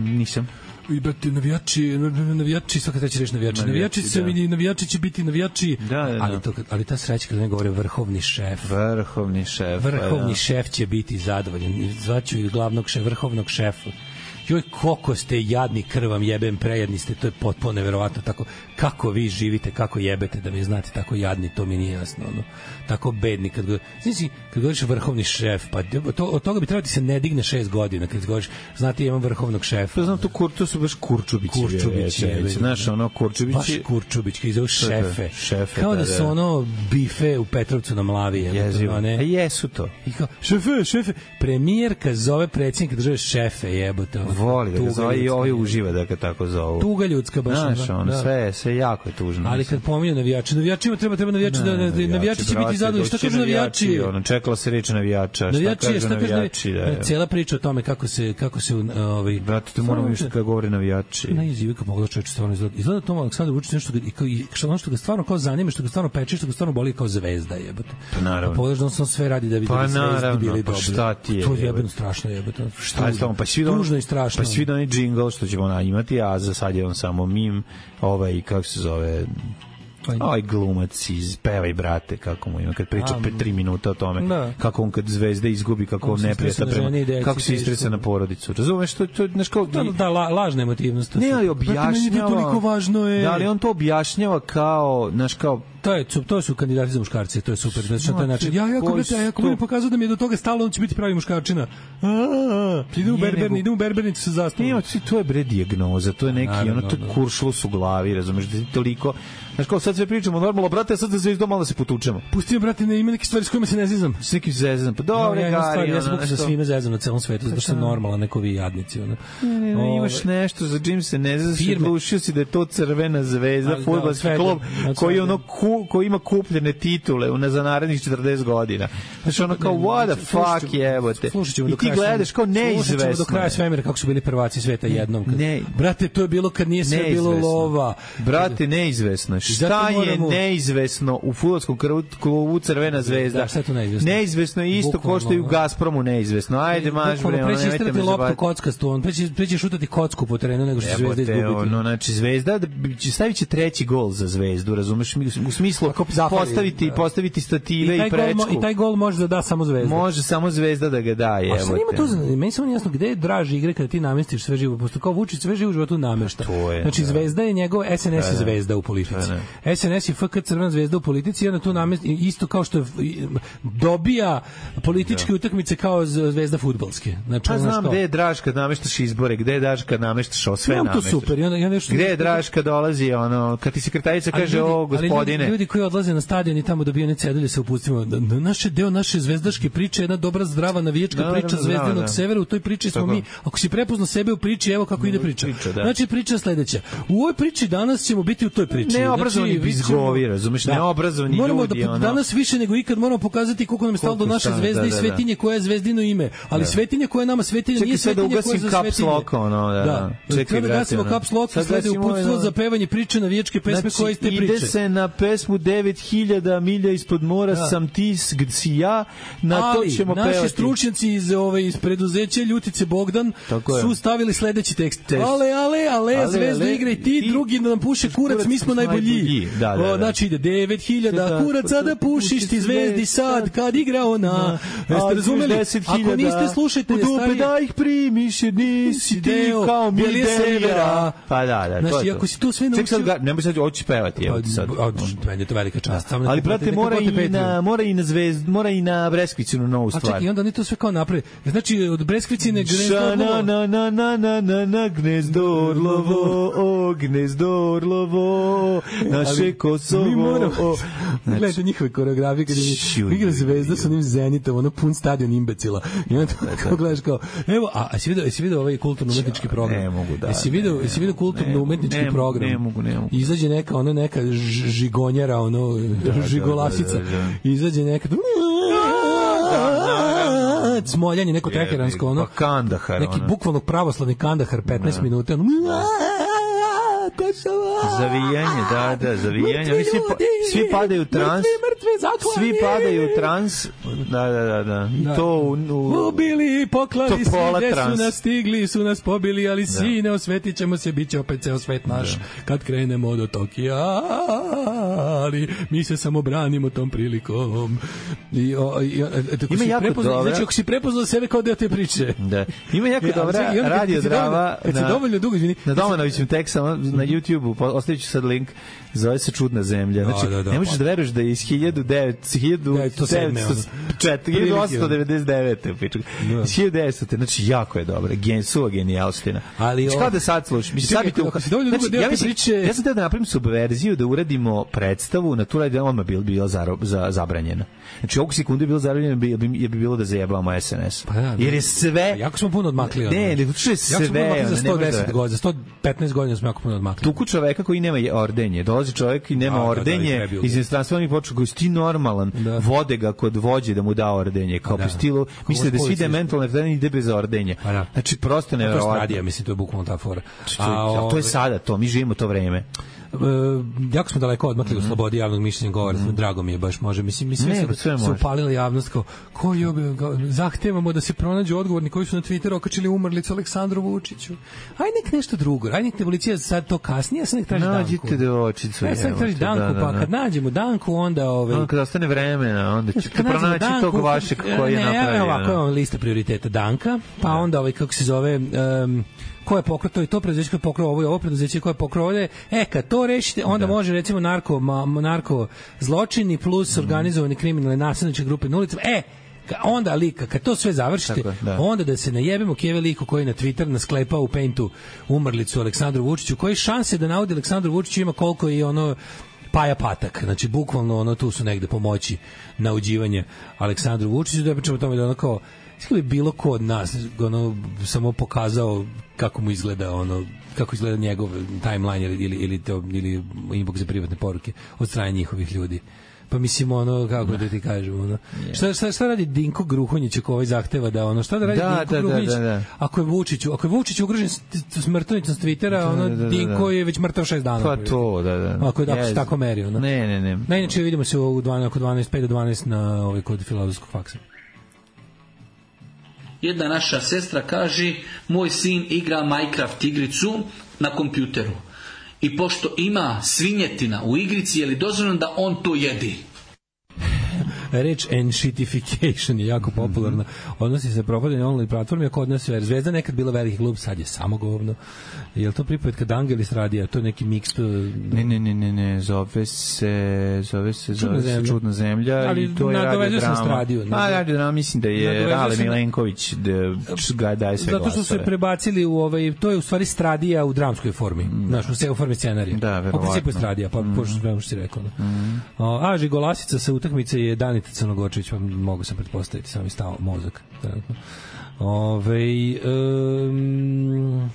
Nisam. I brate, navijači, navijači, svaka treća reč navijači. Navijači, navijači, se, da. navijači će biti navijači, da, da, da. Ali, to, ali ta sreća kada ne govore vrhovni šef. Vrhovni šef. Vrhovni da. šef će biti zadovoljan. Zvaću i glavnog šefa, vrhovnog šefa. Joj, koliko ste jadni, krvam jebem, prejedni ste, to je potpuno neverovatno. Tako, kako vi živite, kako jebete da mi znate tako jadni, to mi nije jasno. Ono. Tako bedni. Kad, znači, kad govoriš vrhovni šef, pa to, od toga bi trebati se ne digne šest godina. Kad govoriš, znate, imam vrhovnog šefa. Pa znam, to, kur, to su baš Kurčubići. Kurčubići. Znaš, ono, Kurčubići. Baš Kurčubić, koji zove šefe. šefe. Kao da, da su da. ono bife u Petrovcu na Mlavi. Jezivo. A jesu to. I kao, šefe, šefe. Premijerka zove predsjednika države šefe, jebote. Voli da ga zove i ovaj uživa da ga tako zovu. Tuga ljudska baš. Znaš, ono, da. sve, sve jako je tužno. Ali kad pominju navijači, navijačima treba, treba navijači, da, da, da, navijači će biti zadovoljni. Šta kažu navijači? Ono, čekala se reč navijača. Navijači, šta kažu navijači? Da, da, cela priča o tome kako se, kako se ovaj, brate, to moramo više kada govore navijači. Najjezivi kako mogu da čovječe stvarno izgleda. Izgleda to Aleksandar Vučić nešto ga, i, kao, i što, što ga stvarno kao zanima, što ga stvarno peče, što ga stvarno boli kao zvezda, jebote. Pa naravno. Pa pogledaš da on sam sve radi da bi pa, zvezdi bili pa, dobri. Šta ti je? To je jebeno strašno, jebote. Šta je s tom? Pa svi tužno i strašno. Pa svi da onaj džingl što ćemo na imati, a za sad je on samo mim, ovaj, kako se zove, ovaj glumac iz Pevaj brate, kako mu ima, kad priča pre tri minuta o tome, da. Kako on kad zvezda izgubi, kako on neprijata prema, kako se istresa na porodicu. Razumeš, to, to, znaš kao... Da, da, la, lažna emotivnost. Ne, ali objašnjava... Toliko važno je... Da, ali on to objašnjava kao, znaš, kao... To je, to su kandidati za muškarce, to je super. Znači, to je način. Ja, ja, ako ja, ako budem pokazao da mi je do toga stalo, on će biti pravi muškarčina. Ide u berberni, ide u berbernicu sa zastavom. Ne, to je bre dijagnoza, to je neki, ono, to je kuršlus u glavi, razumeš, da ti toliko... Znaš, kao sad sve pričamo normalno, brate, sad za zvezdom malo da se potučemo. Pusti me, brate, ne ima neke stvari s kojima se ne zezam. S nekim zezam, pa dobro, ja, gari. Ja sam sa svime zezam na celom svetu, zato što sam normalan, neko vi jadnici. Ono. Ne, ne, ne, imaš nešto za čim se ne zezam, se glušio si da je to Crvena zvezda, fudbalski klub, koji, ono, ku, koji ima kupljene titule za narednih četrdeset godina. Znači, ono kao, what the fuck, jebote. I ti gledaš kao neizvesno. Slušat do kraja svemira kako su bili prvaci sveta jednom. Brate, to je bilo kad nije sve bilo lova. Brate, neizvesno. Šta je neizvesno u fudbalskom klubu Crvena zvezda? Da, šta je to neizvesno? Neizvesno je isto kao što i u Gazpromu neizvesno. Ajde, maš bre, ono, nemojte me zabaviti. Loptu kockastu, on preći, preći šutati kocku po terenu nego što će Zvezda izgubiti. Ono, znači, Zvezda, stavit će treći gol za Zvezdu, razumeš? U smislu postaviti, postaviti stative i, i prečku. I taj gol može da da samo Zvezda. Može samo Zvezda da ga daje. A sad ima to, meni samo jasno gde je draži igre kada ti namestiš sve živo, posto kao Vučić sve živo u životu namešta. Znači, Zvezda je njegov, S N S je Zvezda u politici. S N S je F K Crvena zvezda u politici i onda tu namesti, isto kao što dobija političke da. utakmice kao zvezda fudbalske. Znači, pa znam gde je draž kad nameštaš izbore, gde je draž kad nameštaš o sve nameštaš. To super. I onda, ja nešto, gde je draž kad dolazi, ono, kad ti sekretarica kaže, ljudi, o, gospodine. Ljudi, ljudi koji odlaze na stadion i tamo dobiju one cedulje se upustimo. Da, da, naše deo naše zvezdaške priče, jedna dobra, zdrava navijačka no, priča Zvezdinog da. severa, u toj priči smo Tako. mi. Ako si prepoznao sebe u priči, evo kako ide priča. priča da. Znači, priča sledeća. U ovoj priči danas ćemo biti u toj priči. Neobrazovani znači, bizgovi, razumeš, da. neobrazovani moramo ljudi. Da, ono. Danas više nego ikad moramo pokazati koliko nam je stalo do naše zvezde da, da, i svetinje koja je zvezdino ime. Ali da. svetinje koja je nama svetinje nije svetinje koja je za svetinje. Ono, da, da. Čekaj, da gasimo caps lock i slede uputstvo za pevanje priče navijačke pesme znači, koje ste priče. Ide se na pesmu devet hiljada milja ispod mora da. sam ti si ja, na ali, to ćemo naši pevati. Naši stručnjaci iz, ove, iz preduzeća Ljutice Bogdan su stavili sledeći tekst. Ale, ale, ale, ale zvezdo igraj ti, ti, drugi nam puše kurac, mi smo najbolji. Da, da, da. Znači ide devet hiljada kuraca da pušiš ti zvezdi sad kad igra ona. Jeste razumeli? Ako niste slušajte, stari... da ih primiš jer nisi ti kao mi devira. Pa da, da, znači, ako si to sve naučio... Ček sad, nemoj sad hoći pevati, evo ti sad. Meni je to velika čast. Ali, brate, mora i na, mora i na zvezd, mora i na Breskvicinu novu stvar. A čekaj, i onda oni to sve kao napravi. Znači, od Breskvicine gnezdo orlovo. Na, na, na, na, na, na, na, gnezdo orlovo, gnezdo Orlovo, naše Kosovo. Mi moramo, znači, gledajte njihove koreografije kad je igra Zvezda sa onim Zenitom, ono pun stadion imbecila. I onda kako gledaš kao, evo, a, a si vidio, si vidio ovaj kulturno-umetnički program? Ne mogu, da. Si vidio, si vidio kulturno-umetnički program? Ne mogu, ne mogu. Izađe neka, ono, neka žigonjera, ono, žigolasica. Izađe neka, smoljanje, neko teheransko, ono, pa Kandahar, neki bukvalno pravoslavni Kandahar, petnaest minuta, ono, zavijanje, da, da, zavijanje. Oni svi, pa, svi padaju u trans. Svi padaju u trans. Da, da, da, da. I da. To u, u ubili i poklali svi, gde trans. su nas stigli, su nas pobili, ali da. Sine, osvetit ćemo se, bit će opet ceo svet naš, da. Kad krenemo do Tokija, ali mi se samo branimo tom prilikom. I, o, i, o, ima jako prepozna, dobra. Znači, ako si prepoznao sebe kao deo te priče. Da. Ima jako dobra Radio Drava. Kad si dovoljno dugo, izvini. Na Domanovićem tek samo na YouTubeu, ostavit ću sad link, zove se Čudna zemlja. Znači, da, da, da, ne možeš da veruješ da je iz hiljadu osamsto devedeset devete iz hiljadu devetsto znači, jako je dobra. Gen, suva genijalština. Ali znači, kao da sad slušaš. Mislim, sad biste, znači, ja, mislim, priče... ja sam teo da napravim subverziju, da uradimo predstavu, na tu radi odmah bi bila za, za, zabranjena. Znači, ovog sekundu je bilo zabranjeno, bi, bi, bi bilo da zajebamo S N S. Pa da, jer je sve... Pa jako smo puno odmakli. Ne, ne, to je sve. Za sto deset godina, za sto petnaest godina smo jako puno odmakli. Tuku čoveka koji nema ordenje. Dolazi čovek i nema a, ordenje, da, da, iz inostranstva mi počeo koji ti normalan, da. Vode ga kod vođe da mu da ordenje, kao po stilu, misle da svi dementalne ordenje ide bez ordenja. Pa znači, prosto neverovatno. To je stradija, mislim, to je bukvalno ta fora. A, to je sada to, mi živimo to vreme. Uh, jako smo daleko odmakli mm-hmm. u slobodi javnog mišljenja govora, mm-hmm. drago mi je baš, može, mislim, mislim ne, se, se upalila javnost kao, ko je objel, zahtevamo da se pronađu odgovorni koji su na Twitteru okačili umrlicu Aleksandru Vučiću. Aj nek nešto drugo, aj nek policija sad to kasnije, ja sam nek traži Danku. Nađite devojčicu. Ja sam nek traži Danku, da, da, da. Pa kad nađemo Danku, onda... Ovaj, onda kad ostane vremena, onda ćete pronaći Danku, tog vašeg koji je napravio. Ne, ovako je lista prioriteta Danka, pa da. Onda ovaj, kako se zove... Um, ko je pokrao to i to preduzeće koje je pokrao ovo i ovo preduzeće koje je pokrao ovde, e kad to rešite onda da. Može recimo narko ma, narko zločini plus mm. organizovani kriminalne nasilničke grupe na ulicama, e onda lika, kad to sve završite, tako, da. Onda da se najebemo Keve liku koji na Twitter nasklepao u Paintu umrlicu Aleksandru Vučiću, koji šanse da navodi Aleksandru Vučiću ima koliko i ono Paja Patak, znači bukvalno ono tu su negde pomoći na uđivanje Aleksandru Vučiću, da pričamo o tome da ono kao bi bilo ko od nas ono, samo pokazao kako mu izgleda ono, kako izgleda njegov timeline ili, ili, ili, to, ili inbox za privatne poruke od strane njihovih ljudi. Pa mislim ono, kako da ti kažem ono. Yeah. Šta, šta, šta radi Dinko Gruhonjić ako ovaj zahteva da ono, šta da radi da, Dinko da, Gruhonjić da, da, da. Ako je Vučiću, ako je Vučić ugrožen smrtonicom s Twittera, da, ono, da, da, da, Dinko je već mrtav šest dana. Pa to, da, da. Ako je yes. tako meri, ono. Ne, ne, ne. Na inače vidimo se u dvanaest, oko dvanaest, pet do dvanaest na ovaj kod filozofskog faksa. Jedna naša sestra kaže, moj sin igra Minecraft igricu na kompjuteru. I pošto ima svinjetina u igrici, je li dozvoljeno da on to jedi? Reč enshitification je jako popularna. Odnosi se propadanje online platformi, ako od nas je Zvezda nekad bila veliki klub, sad je samo govno. Je li to pripovetka Dangelis radija? To je neki miks? To... Ne, ne, ne, ne, ne, zove se zove se, zove se Čudna, Čudna zemlja. Ali i to je radio drama. A, radio drama, mislim da je Rale Milenković da daje sve glasove. Zato što su se prebacili u ovaj, to je u stvari stradija u dramskoj formi. Mm. Znaš, u, u formi scenarija. Da, verovatno. U principu je stradija, pa mm. pošto što si rekao. Mm. A, Žigolasica sa utakmice je Danita Crnogorčević, pa mogu sam pretpostaviti, sam mi stao mozak. Ove, um,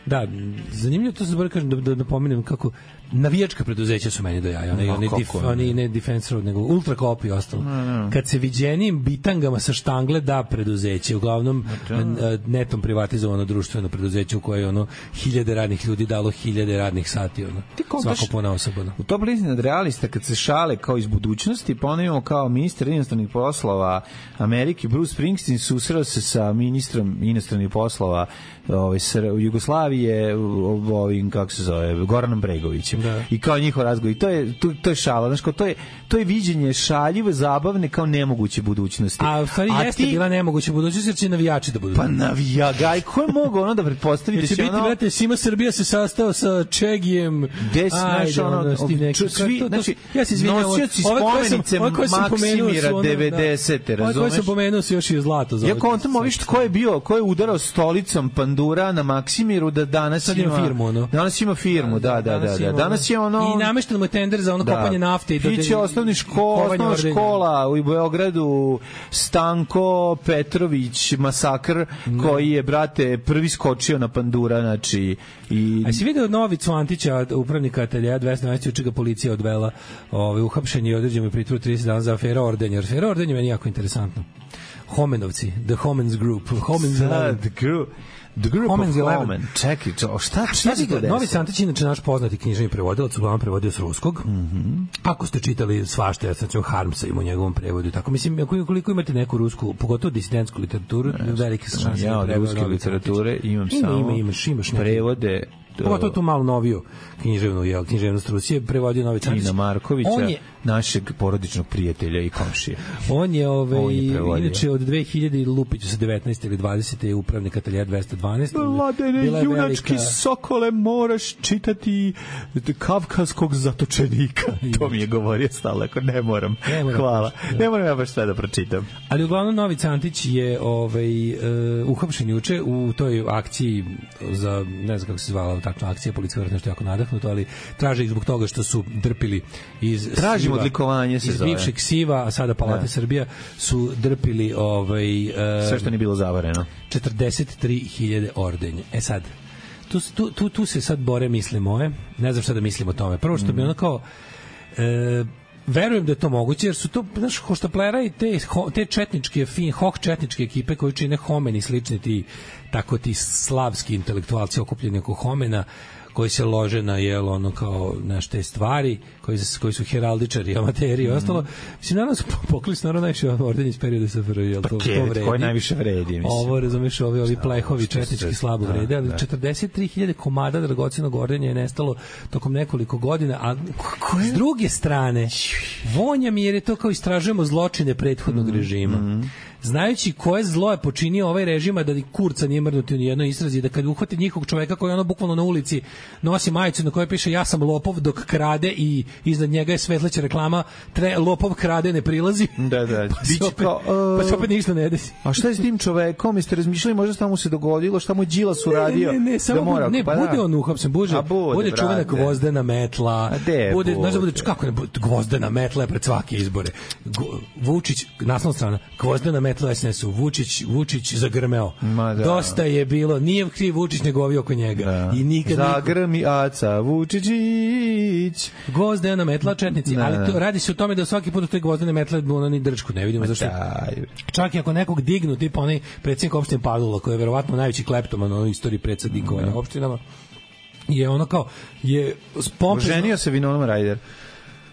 da, zanimljivo to se zbog kažem da, da napomenem kako navijačka preduzeća su meni do jaja, oni, oni, dif, oni ne Defense Road, nego Ultra Cop i ostalo. No, no. Kad se viđenim bitangama sa štangle da preduzeće, uglavnom no. netom privatizovano društveno preduzeće u koje ono hiljade radnih ljudi dalo hiljade radnih sati, ono, svako pona osoba. U Top listi nadrealista kad se šale kao iz budućnosti, ponovimo kao ministar inostranih poslova Amerike, Bruce Springsteen susreo se sa ministrom inostranih poslova ovaj, Jugoslavije, ovim, kako se zove, Goranom Bregovićem. Da. I kao njihov razgovor. I to je, to, to je šala. Znaš, kao, to, je, to je viđenje šaljive, zabavne kao nemoguće budućnosti. A u stvari A jeste ti... bila nemoguće budućnosti jer će navijači da budu. Pa navija, gaj, ko je mogao ono da pretpostaviti? Jer će biti, ono... brate, Sima Srbija se sastao sa Čegijem. Des, znaš, ono, ono neki, svi, to, znači, ja se izvinjam, nosioci spomenice Maksimira devedesete, razumeš? Ovo sam pomenuo se još i zlato. Ja kontam, ovi što ko je bio, ko je udarao stolicom pandura na Maksimiru da danas sad ima, ima firmu, ono. Danas ima firmu, da, da, da, da. Danas je ono i namešten mu je tender za ono da. kopanje nafte i Piće osnovni škola, osnovna škola u Beogradu, Stanko Petrović masakr mm. koji je, brate, prvi skočio na pandura, znači i a si video Novicu Antića, upravnika ateljeja dvesta dvanaest, juče ga policija odvela, ovaj uhapšen je i određen mu pritvor trideset dana za aferu Ordenjer. Afera Ordenjer meni jako interesantno. Homenovci, The Homens Group, Homens Eleven. The Group. The Group Homens of Homen. Čekaj, čo, šta, šta se to desilo? Novi Antić, inače naš poznati književni prevodilac, uglavnom prevodio s ruskog. Mm -hmm. Ako ste čitali svašta, ja sam ću Harmsa ima u njegovom prevodu. Tako, mislim, koliko imate neku rusku, pogotovo disidentsku literaturu, velike su šanse. Ja od ruske literature imam ima, samo ima, imaš, imaš prevode. Pogotovo tu malo noviju književnu, jel, književnost Rusije, prevodio Novi Antić. Tina Markovića, je, našeg porodičnog prijatelja i komšije. On je, ove, on je inače, od dve hiljade Lupiću sa devetnaeste ili dvadesete je upravnik ateljeja dvesta dvanaest. Mladene, junački velika... sokole, moraš čitati Kavkazskog zatočenika. To mi je govorio stalno, ako ne moram. Ne moram. Hvala. Ne. ne moram ja baš sve da pročitam. Ali uglavnom Novi Antić je ovaj, uh, uhapšen juče u toj akciji za, ne znam kako se zvala takva akcija, policija je nešto jako nadahnuto, ali traže ih zbog toga što su drpili iz Tražimo odlikovanje se iz zove. bivšeg Siva, a sada Palate ne. Srbija su drpili ovaj, uh, sve što nije bilo zavareno. četrdeset tri hiljade ordenja. E sad, tu, tu, tu, tu se sad bore misli moje, ne znam šta da mislim o tome. Prvo što mm. bi ono kao e, verujem da je to moguće, jer su to, znaš, hoštaplera i te, te četničke, fin, hoh četničke ekipe koji čine Homen i slični ti, tako ti slavski intelektualci okupljeni oko Homena, koji se lože na, jel, ono, kao, znaš, te stvari, koji, koji su heraldičari, amateri i ostalo. Mislim, naravno su poklili s naravno najviše ordenje iz perioda S F R I, jel, to, to vredi. Koji najviše vredi, mislim. Ovo, razumeš, ovi, ovi plehovi četnički slabo vrede, ali četrdeset tri hiljade komada dragocenog ordenja je nestalo tokom nekoliko godina, a s druge strane, vonja mi jer je to kao istražujemo zločine prethodnog režima. Znajući koje zlo je počinio ovaj režim, a da ni kurca nije mrdnuti u nijednoj istrazi, da kad uhvati njihovog čoveka koji ono bukvalno na ulici nosi majicu na kojoj piše ja sam lopov dok krade i iznad njega je svetleća reklama tre, lopov krade ne prilazi. Da, da. Pa se opet, uh, pa se opet ništa ne desi. A šta je s tim čovekom? Jeste razmišljali možda šta mu se dogodilo, šta mu Đilas uradio? Ne, ne, ne, samo da mora, ne, pa bude da. on uhapsen, bude, bude, bude čuvena gvozdena metla, de, bude, znaš da bude, kako ne, gvozdena metla je pred svake izbore. Vučić, naslovna strana, gvozdena metla S N S-u, Vučić, Vučić zagrmeo. Da. Dosta je bilo, nije kriv Vučić nego ovi oko njega. Da. I nikad zagrmi aca Vučićić. Gvozdena metla četnici, da, ali to, radi se o tome da svaki put u toj gvozdene metle ono ni drčku ne vidimo zašto. Čak i ako nekog dignu, tipa onaj predsjednik opštine Padula, koji je verovatno najveći kleptoman u istoriji predsednikovanja opštinama, je ono kao je pompezno. Oženio se Winona Ryder.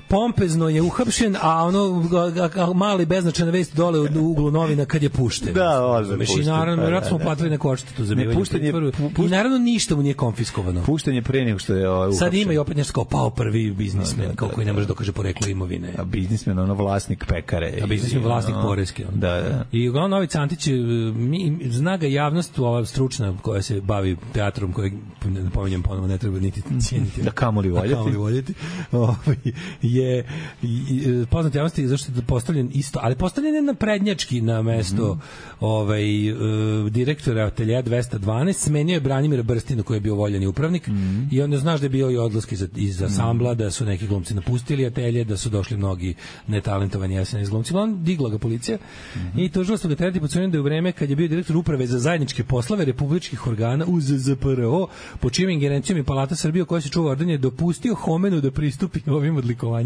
Pompezno je uhapšen, a ono a, a, mali beznačajna vest dole u uglu novina kad je pušten. Da, ozbiljno. I naravno, vjerojatno smo platili neku odštetu za bivanje pritvoru. I naravno ništa mu nije konfiskovano. Pušten je pre nego što je ovaj uhapšen. Sad ima i opet nešto kao pao prvi biznismen, no, kao koji ne može dokaže poreklo imovine. A biznismen, ono vlasnik pekare. A biznismen vlasnik ono, poreske. Ono. Da, da. I uglavnom Novi Antić, mi, zna ga javnost, ova stručna koja se bavi teatrom, kojeg, ne pominjem ponovo, ne treba niti cijeniti. Da kamoli voljeti. Da kamoli voljeti. je poznat javnosti zašto je postavljen isto, ali postavljen je na prednjački na mesto mm -hmm. ovaj, uh, direktora ateljeja dvesta dvanaest, smenio je Branimira Brstinu koji je bio voljeni upravnik mm -hmm. i onda znaš da je bio i odlask iz, iz ansambla, da su neki glumci napustili atelje, da su došli mnogi netalentovani S N S glumci. On digla ga policija mm -hmm. i tužilaštvo ga tereti pod sumnjom da je u vreme kad je bio direktor uprave za zajedničke poslove republičkih organa U Z Z P R O, po čijom ingerencijom i Palata Srbije koja se čuva ordenje, dopustio Homenu da pristupi ovim odlikovanjima.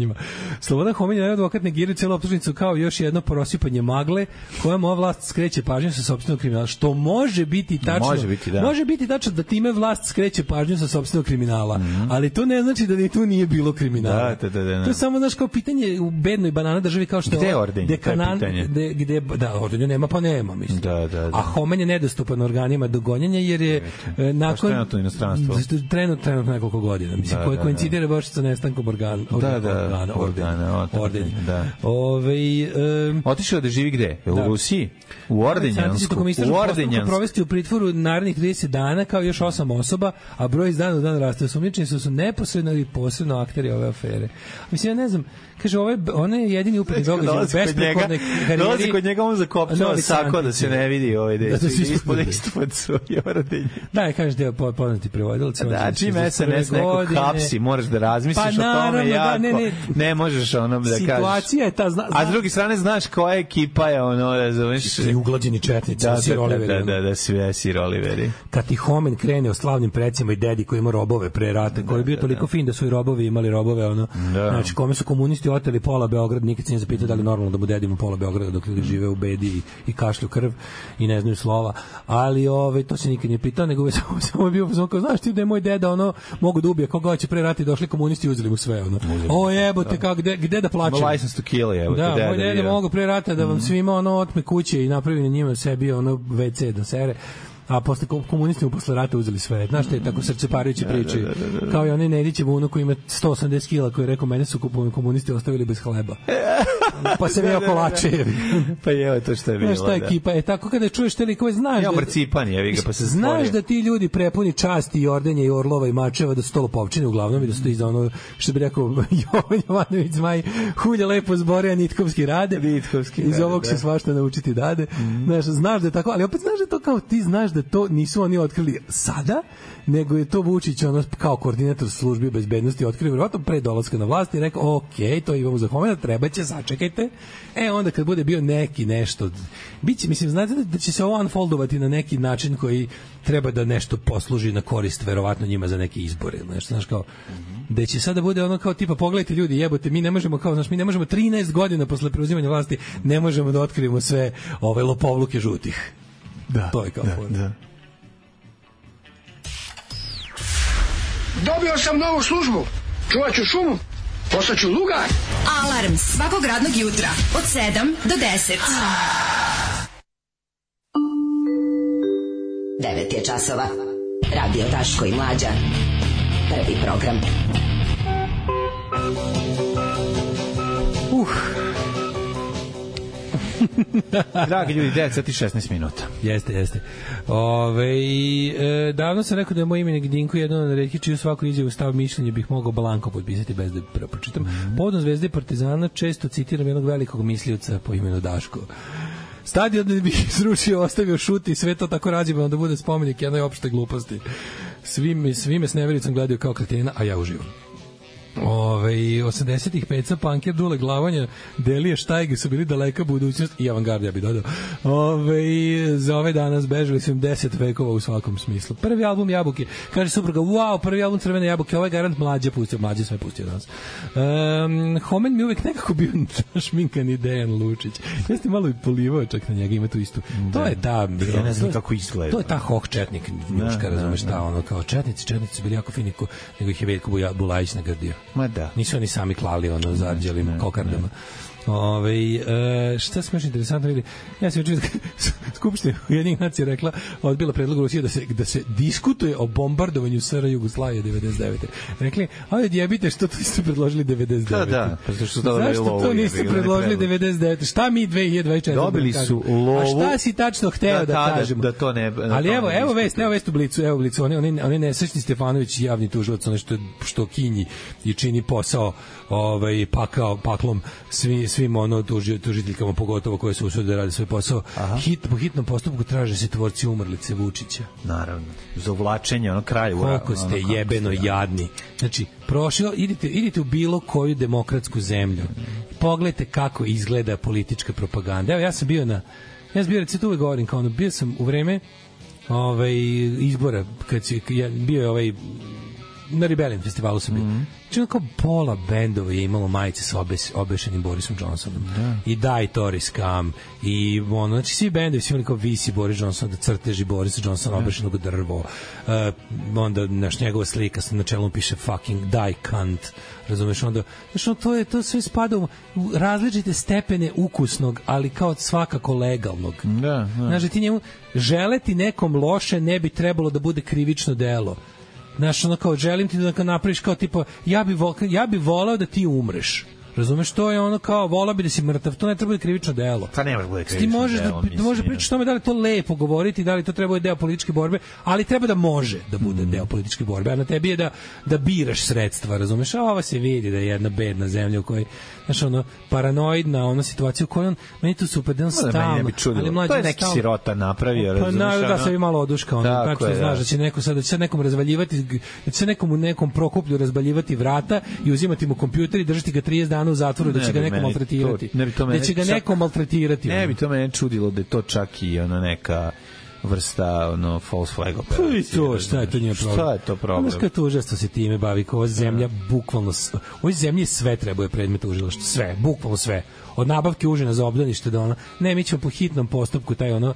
Slobodan Homen je advokat negirao celu optužnicu kao još jedno prosipanje magle kojom ova vlast skreće pažnju sa sopstvenog kriminala, što može biti tačno. Može biti, da. Može biti tačno da time vlast skreće pažnju sa sopstvenog kriminala, mm -hmm. ali to ne znači da ni tu nije bilo kriminala. Da, da, da, da. To je samo znaš kao pitanje u bednoj banana državi kao što gde je ordenje? Dekanan, gde, gde, da, ordenje nema, pa nema, mislim. Da, da, da. A Homen je nedostupan organima do gonjenja jer je e, nakon trenutno inostranstvo. Trenutno, trenutno nekoliko godina, mislim, da, koje da, koincidira baš sa nestankom organa. Da, da. organa. organa, Ordenje. Da. Ove, um, otišao da živi gde? U da. Rusiji? U Ordenjansku? U Ordenjansku. Provesti u pritvoru narednih trideset dana kao još osam osoba, a broj iz dana u dan raste. Osumnjičeni su, su neposredno ili posredno akteri ove afere. Mislim, ja ne znam, kaže, ovaj, on je jedini upravni događaj u besprekornoj karijeri. Dolazi kod njega, on zakopčava sako da se ne vidi ovaj deo. Da se ispod ispod svoje Ordenje. Da, je, kaže, da je poznati prevodilac. Da, čim es en es nekog hapsi, moraš da razmisliš pa, o tome jako. Da, ne, ne. ne možeš onom da kažeš. Situacija je ta, zna, a s druge strane, znaš koja ekipa je ono, razumeš? I uglađeni četnici, da, Sir Oliveri. Da, da, da, sve Sir Oliveri. Kad ti Homen krene o slavnim precima i dedi koji ima robove pre rata, koji je bio toliko fin da su i robovi imali robove, ono, znači, kome su komunisti oteli pola Beograda, nikad se nije zapitao da li normalno da mu dedimo pola Beograda dok ljudi žive u bedi i, i kašlju krv i ne znaju slova, ali ove, to se nikad nije pitao, nego samo, samo je bio, samo kao, znaš ti da je moj deda, ono, mogu da ubije koga hoće pre rata i došli komunisti i uzeli mu sve, ono. O jebote, kako, gde, gde da plačem? License to kill, jebote, da, moj deda mogu pre rata da vam mm. svima, ono, otme kuće i napravi na njima sebi, ono, ve ce da sere. A posle komunisti mu posle rata uzeli sve. Znaš te tako srceparujuće priče. Da, da, da, da. Kao i onaj Nedićev unuk koji ima sto osamdeset kila koji je rekao mene su komunisti ostavili bez hleba. Pa se veo kolače. Pa je to što je bilo. Znaš ta ekipa je tako kada čuješ te likove, znaš ja, da marcipan je, ga pa se znaš stvorio. Da ti ljudi prepuni časti i ordenja i orlova i mačeva da su to lopovčine uglavnom i da su to iz ono što bi rekao Jovan Jovanović Zmaj hulja lepo zbore, a nitkovski rade. Nitkovski iz rade, ovog da. Se svašta naučiti dade. Mm-hmm. Znaš, znaš da je tako, ali opet znaš da to kao ti znaš da to nisu oni otkrili sada, nego je to Vučić ono kao koordinator službi bezbednosti otkrio verovatno pre dolaska na vlast i rekao ok, to imamo za Homena, treba će, sačekajte. E onda kad bude bio neki nešto, biće, mislim, znate da će se ovo unfoldovati na neki način koji treba da nešto posluži na korist verovatno njima za neke izbore, nešto, znaš, kao da će sada bude ono kao tipa pogledajte ljudi, jebote, mi ne možemo kao, znaš, mi ne možemo trinaest godina posle preuzimanja vlasti, ne možemo da otkrijemo sve ove lopovluke žutih. Da, to je kao da, da. Dobio sam novu službu. Čuvat ću šumu. Postaću lugar. Alarm svakog radnog jutra od sedam do deset. devet je časova. Radio Daško i Mlađa. Prvi program. Uh. Dragi ljudi, devet sati i šesnaest minuta. Jeste, jeste. Ove, e, davno sam rekao da je moj imenik Dinko jedno na redki čiju svaku izjavu stav mišljenje bih mogao blanko potpisati bez da pročitam. Mm. Povodom Zvezde i Partizana često citiram jednog velikog mislioca po imenu Daško. Stadion da bih srušio, ostavio šuti i sve to tako razjebano da bude spomenik jednoj opšte gluposti. Svi me, svi me s nevericom gledaju kao kretina, a ja uživam. Ove, osamdesetih peca, Punker, Dule Glavanja, Delije, Štajge su bili daleka budućnost i avangard, ja bih dodao. Ove, za ove danas bežali su im deset vekova u svakom smislu. Prvi album Jabuke, kaže supruga, wow, prvi album Crvene jabuke, ovaj garant Mlađe pustio, Mlađe sve pustio danas. Um, Homen mi uvek nekako bio šminkani Dejan Lučić. Jeste malo i polivao čak na njega, ima tu istu. Da. To je ta, ja ne znam kako izgleda. To je ta hoh četnik, njuška, razumeš, ta ono kao četnici, četnici su bili jako fini, nego ih je Veljko Bulajić nagradio. Ma da. Nisu oni sami klali ono zarđelim kokardama. Ove, e, šta smo još interesantno vidjeli? Ja sam učinio Skupština Ujedinjenih nacija rekla, odbila predlog Rusije da se, da se diskutuje o bombardovanju S R Jugoslavije devedeset devete. Rekli, ajde djebite, što to niste predložili devedeset devete? Da, da. Pa što zašto to niste predložili devedeset devete? Šta mi dve hiljade dvadeset četvrte? Dobili su lovu. A šta si tačno hteo da, da kažemo? Da to ne... Da ali evo, evo vest, evo vest u Blicu, evo u Blicu. Oni, oni, oni nesrećni Stefanović, javni tužilac, ono što, što kinji i čini posao ovaj, pakao, paklom svi, svim ono tuži, tužiteljkama, pogotovo koje su usude da rade svoj posao. Hit, po hitnom postupku traže se tvorci umrlice Vučića. Naravno. Za uvlačenje, ono kraj. Koliko ste ono, jebeno ste, jadni. Znači, prošlo, idite, idite u bilo koju demokratsku zemlju. Pogledajte kako izgleda politička propaganda. Evo, ja sam bio na... Ja sam bio, recito uvek govorim, kao ono, bio sam u vreme ovaj, izbora, kad si, ja, bio je ovaj... Na Rebellion festivalu sam bio. Mm-hmm. Čino kao pola bendova je imalo majice sa obes, obešenim Borisom Johnsonom. Da. I Die Tory Scum. I ono, znači svi bendovi su imali kao visi Boris Johnson, da crteži Borisa Johnsona, da. Obešenog drvo. Uh, onda naš njegova slika na čelu piše fucking die cunt. Razumeš, onda, znači, to, je, to sve spada u različite stepene ukusnog, ali kao svakako legalnog. Da, da. Znači, ti njemu želeti nekom loše ne bi trebalo da bude krivično delo. Znaš, ono kao, želim ti da napraviš kao tipa, ja bi, vo, ja bi volao da ti umreš. Razumeš, to je ono kao, volao bi da si mrtav, to ne treba biti krivično delo. Pa ne može krivično ti možeš delo, da, mislim, da može pričati o tome da li to lepo govoriti, da li to treba biti deo političke borbe, ali treba da može da bude mm. deo političke borbe, a na tebi je da, da biraš sredstva, razumeš, a ova se vidi da je jedna bedna zemlja u kojoj, znaš, ono, paranoidna, ona situacija u kojoj on, meni to super, da on stalno, ali mlađe to je neki stalno, sirota napravio, pa, razumeš, na, da se bi malo oduška, ono, tako je, znaš, da će neko sad, da će sad nekom razvaljivati, da će se nekom u nekom Prokuplju razvaljivati vrata i uzimati mu kompjuter i držati ga trideset dana u zatvoru, da će ga neko maltretirati. To, ne bi to mene, da će ga čak, neko maltretirati. Ne ono. Bi to mene čudilo da je to čak i ono neka vrsta ono false flag operacije. I to, šta je to nije problem? Šta je to problem? Znaš kako užasno se time bavi, kao ova zemlja, bukvalno, ovoj zemlji sve treba je predmet tužilaštva, sve, bukvalno sve. Od nabavke užina za obdanište do ono, ne, mi ćemo po hitnom postupku taj ono,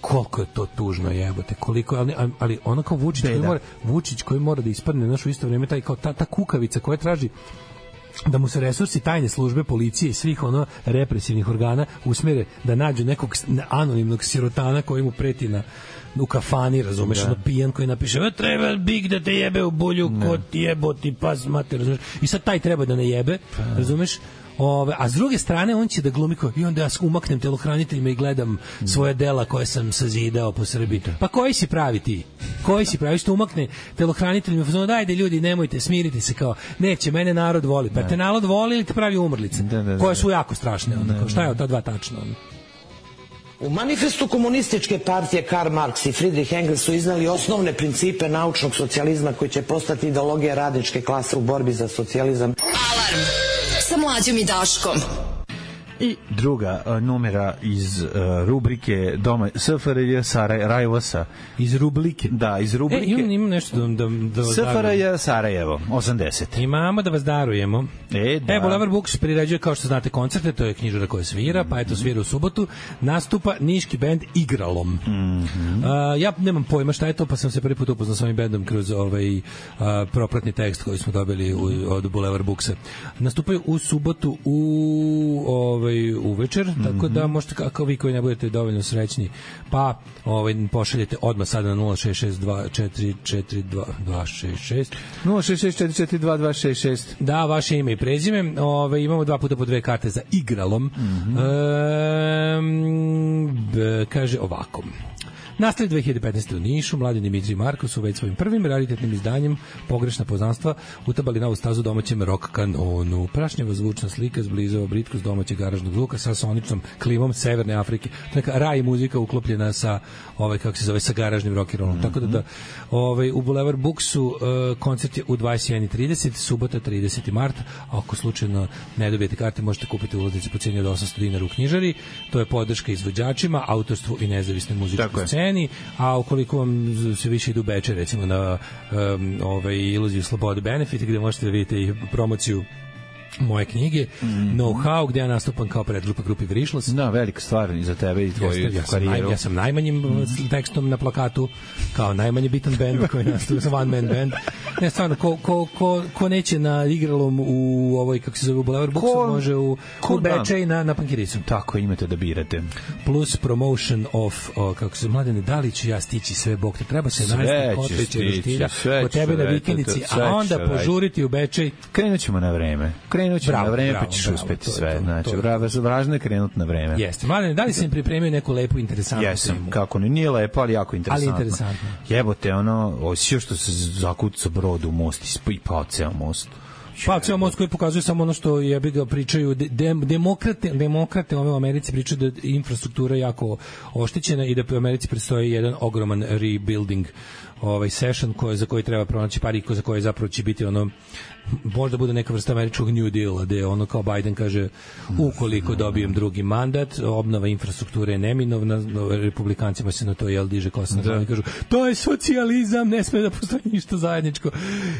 koliko je to tužno, jebote, koliko, ali, ali ono kao Vučić koji mora, Vučić koji mora da ispadne, znaš, u isto vrijeme taj kao ta, ta kukavica koja traži da mu se resursi tajne službe, policije i svih ono represivnih organa usmere da nađu nekog anonimnog sirotana koji mu preti na u kafani, razumeš, da. Ono pijan koji napiše, treba Big da te jebe u bulju, ne. Ko ti jeboti pas mater, razumeš, i sad taj treba da ne jebe, pa. Razumeš. Ove, a s druge strane on će da glumi kao, i onda ja umaknem telohraniteljima i gledam svoje dela koje sam sazidao po Srbiji. Pa koji si pravi ti? Koji si pravi što umakne telohraniteljima? Znači, dajde ljudi, nemojte, smirite se kao, neće, mene narod voli. Pa te narod voli ili te pravi umrlice? Da, da, da. Koje su jako strašne. Onda, kao, šta je od ta dva tačno? Onda? U manifestu komunističke partije Karl Marx i Friedrich Engels su iznali osnovne principe naučnog socijalizma koji će postati ideologija radničke klase u borbi za socijalizam. Alarm sa Mlađom i Daškom. I druga uh, numera iz uh, rubrike Doma S F R J Sarajevosa. Iz rubrike? Da, iz rubrike. E, imam, imam nešto da, da, da vas S F R J Sarajevo, osamdeset. Imamo da vas darujemo. E, da. E, Boulevard Books priređuje, kao što znate, koncerte, to je knjižara koja svira, pa eto svira u subotu, nastupa niški bend Igralom. Mm -hmm. uh, ja nemam pojma šta je to, pa sam se prvi put upoznao s ovim bendom kroz ovaj uh, propratni tekst koji smo dobili u, od Boulevard Booksa. Nastupaju u subotu u ovaj uvečer, mm -hmm. tako da možete, kako vi koji ne budete dovoljno srećni, pa ovaj pošaljete odmah sada na nula šest šest dva četiri četiri dva dva šest šest nula šest šest četiri četiri dva dva šest šest. Da, vaše ime i prezime. Ovaj imamo dva puta po dve karte za Igralom. Mm -hmm. e, kaže ovako. Nastaje dve hiljade petnaeste. u Nišu, mladi Dimitri i Marko su već svojim prvim raritetnim izdanjem Pogrešna poznanstva utabali novu stazu domaćem rock kanonu. Prašnjava zvučna slika zblizava Britku s domaćeg garažnog zvuka sa soničnom klimom Severne Afrike. To je neka raj muzika uklopljena sa ovaj kako se zove sa garažnim rock and rollom. Mm -hmm. Tako da, da ovaj u Boulevard Booksu uh, koncert je u dvadeset jedan i trideset, subota trideseti mart. A ako slučajno ne dobijete karte, možete kupiti ulaznice po ceni od osamsto dinara u knjižari. To je podrška izvođačima, autorstvu i nezavisnoj muzičkoj sceni. A ukoliko vam se više idu beče, recimo na um, ovaj Iluziju slobode Benefit, gde možete da vidite i promociju moje knjige, mm -hmm. Know-how, gde ja nastupam kao predgrupa grupi Vrišlos. Da, velika stvar i za tebe i tvoju ja karijeru. Naj, ja sam najmanjim mm -hmm. tekstom na plakatu, kao najmanje bitan band koji nastupa, sam one man band. Ne, stvarno, ko, ko, ko, ko neće na Igralom u ovoj, kako se zove, u Boulevard Booksu, može u, u Bečej na, na Pankiricu. Tako, imate da birate. Plus promotion of, o, kako se Mladene, da li ću ja stići sve, Bog te treba se najesti Kotlića i Roštilja kod tebe na vikendici, a onda požuriti u Bečej. Krenut ćemo na vreme. Krenut ćemo na vreme, pa ćeš uspeti to, sve. To, znači, važno je krenuti na vreme. Jeste. Mladene, da li sam pripremio neku lepu, interesantnu Jesam, temu? kako ne, nije lepo, ali jako interesantno. Ali interesantno. Jebote, ono, osjećao što se zakuca brod u most i pao ceo most. Pa ceo most koji pokazuje samo ono što jebi ga pričaju de, demokrate, demokrate ove u Americi pričaju da infrastruktura jako oštećena i da u Americi predstoji jedan ogroman rebuilding ovaj session koji za koji treba pronaći pari za koje zapravo će biti ono možda bude neka vrsta američkog New Deala, gde ono kao Biden kaže ukoliko dobijem drugi mandat, obnova infrastrukture je neminovna, republikancima se na to jel diže kosa na glavi, kažu to je socijalizam, ne sme da postoji ništa zajedničko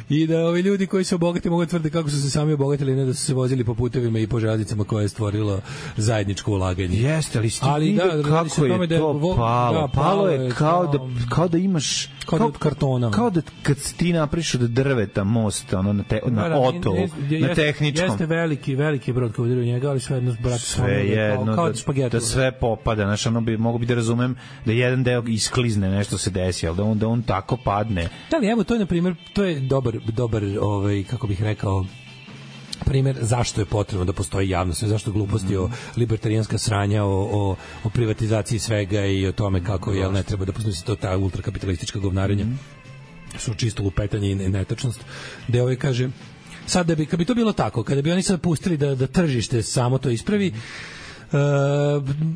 i da ovi ljudi koji se obogate mogu tvrde kako su se sami obogatili, ne da su se vozili po putevima i po železnicama koje je stvorilo zajedničko ulaganje. Jeste, ali, ali da, kako je to palo? Da, palo je kao da, kao da imaš kao, kao, od kartona. Kao da kad ti napriš od drveta most, ono, na, te, na da, otolu, je, je, na tehničkom. Jeste veliki, veliki brod kao udario njega, ali sve jedno, brate, sve jedno, kao, kao da, da sve popada, znaš, ono bi, mogu bi da razumem da jedan deo isklizne, nešto se desi, ali da on, da on tako padne. Da li, evo, to je, na primjer, to je dobar, dobar, ovaj, kako bih rekao, primer zašto je potrebno da postoji javnost, zašto gluposti o libertarijanska sranja, o, o, o privatizaciji svega i o tome kako jel, ne treba da postoji to ta ultrakapitalistička govnarenja su čisto lupetanje i netačnost, gde ovaj kaže sad da bi, kad bi to bilo tako, kada bi oni sad pustili da, da tržište samo to ispravi, Uh,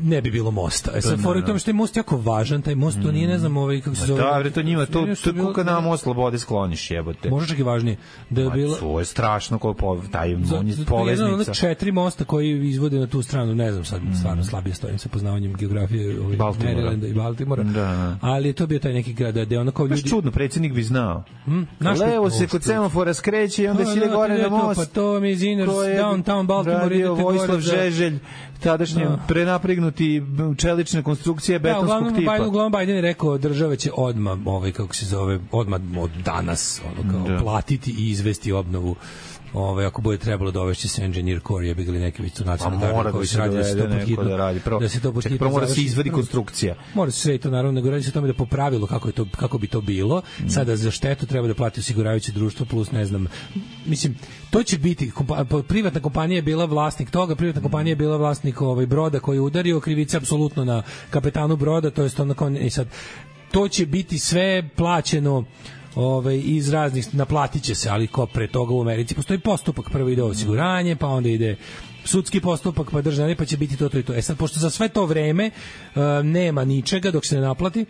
ne bi bilo mosta. E sad fora u tome što je most jako važan, taj most to nije, ne znam, ovaj kako se zove. Da, bre, to njima to to kako na most slobode skloniš, jebote. Može čak i važnije da je bilo. To je strašno kako taj on je poveznica. Jedan od četiri mosta koji izvode na tu stranu, ne znam sad, stvarno slabije stojim sa poznavanjem geografije ovih Marylanda i Baltimora. Da, da. Ali to bio taj neki grad da je onako ljudi. Baš čudno, predsjednik bi znao. Hmm? Levo se kod semafora skreće i onda se ide gore na most. Pa to mi iz Inner Downtown Baltimore idete Vojislav Žeželj, tadašnji prenapregnuti čelične konstrukcije betonskog da, uglavnom, tipa. Biden, uglavnom Biden je rekao država će odmah, ovaj, kako se zove, odmah od danas ono, kao, da. platiti i izvesti obnovu. Ove, ako bude trebalo dovesti se engineer core, je bili neki vicu nacionalni gardi koji se radi da se to podhitno da radi. Prvo, da se to podhitno prvo mora se izvadi konstrukcija. Mora se sve to naravno, nego radi se o tome da po pravilu kako je to kako bi to bilo. Mm. Sada za štetu treba da plati osiguravajuće društvo plus ne znam. Mislim, to će biti kompa, privatna kompanija je bila vlasnik toga, privatna kompanija je bila vlasnik ovaj broda koji je udario, krivica apsolutno na kapetanu broda, to jest onako i sad to će biti sve plaćeno Ove, iz raznih, naplatit će se, ali ko pre toga u Americi postoji postupak, prvo ide osiguranje, pa onda ide sudski postupak, pa državni, pa će biti to, to i to. E sad, pošto za sve to vreme uh, nema ničega dok se ne naplati,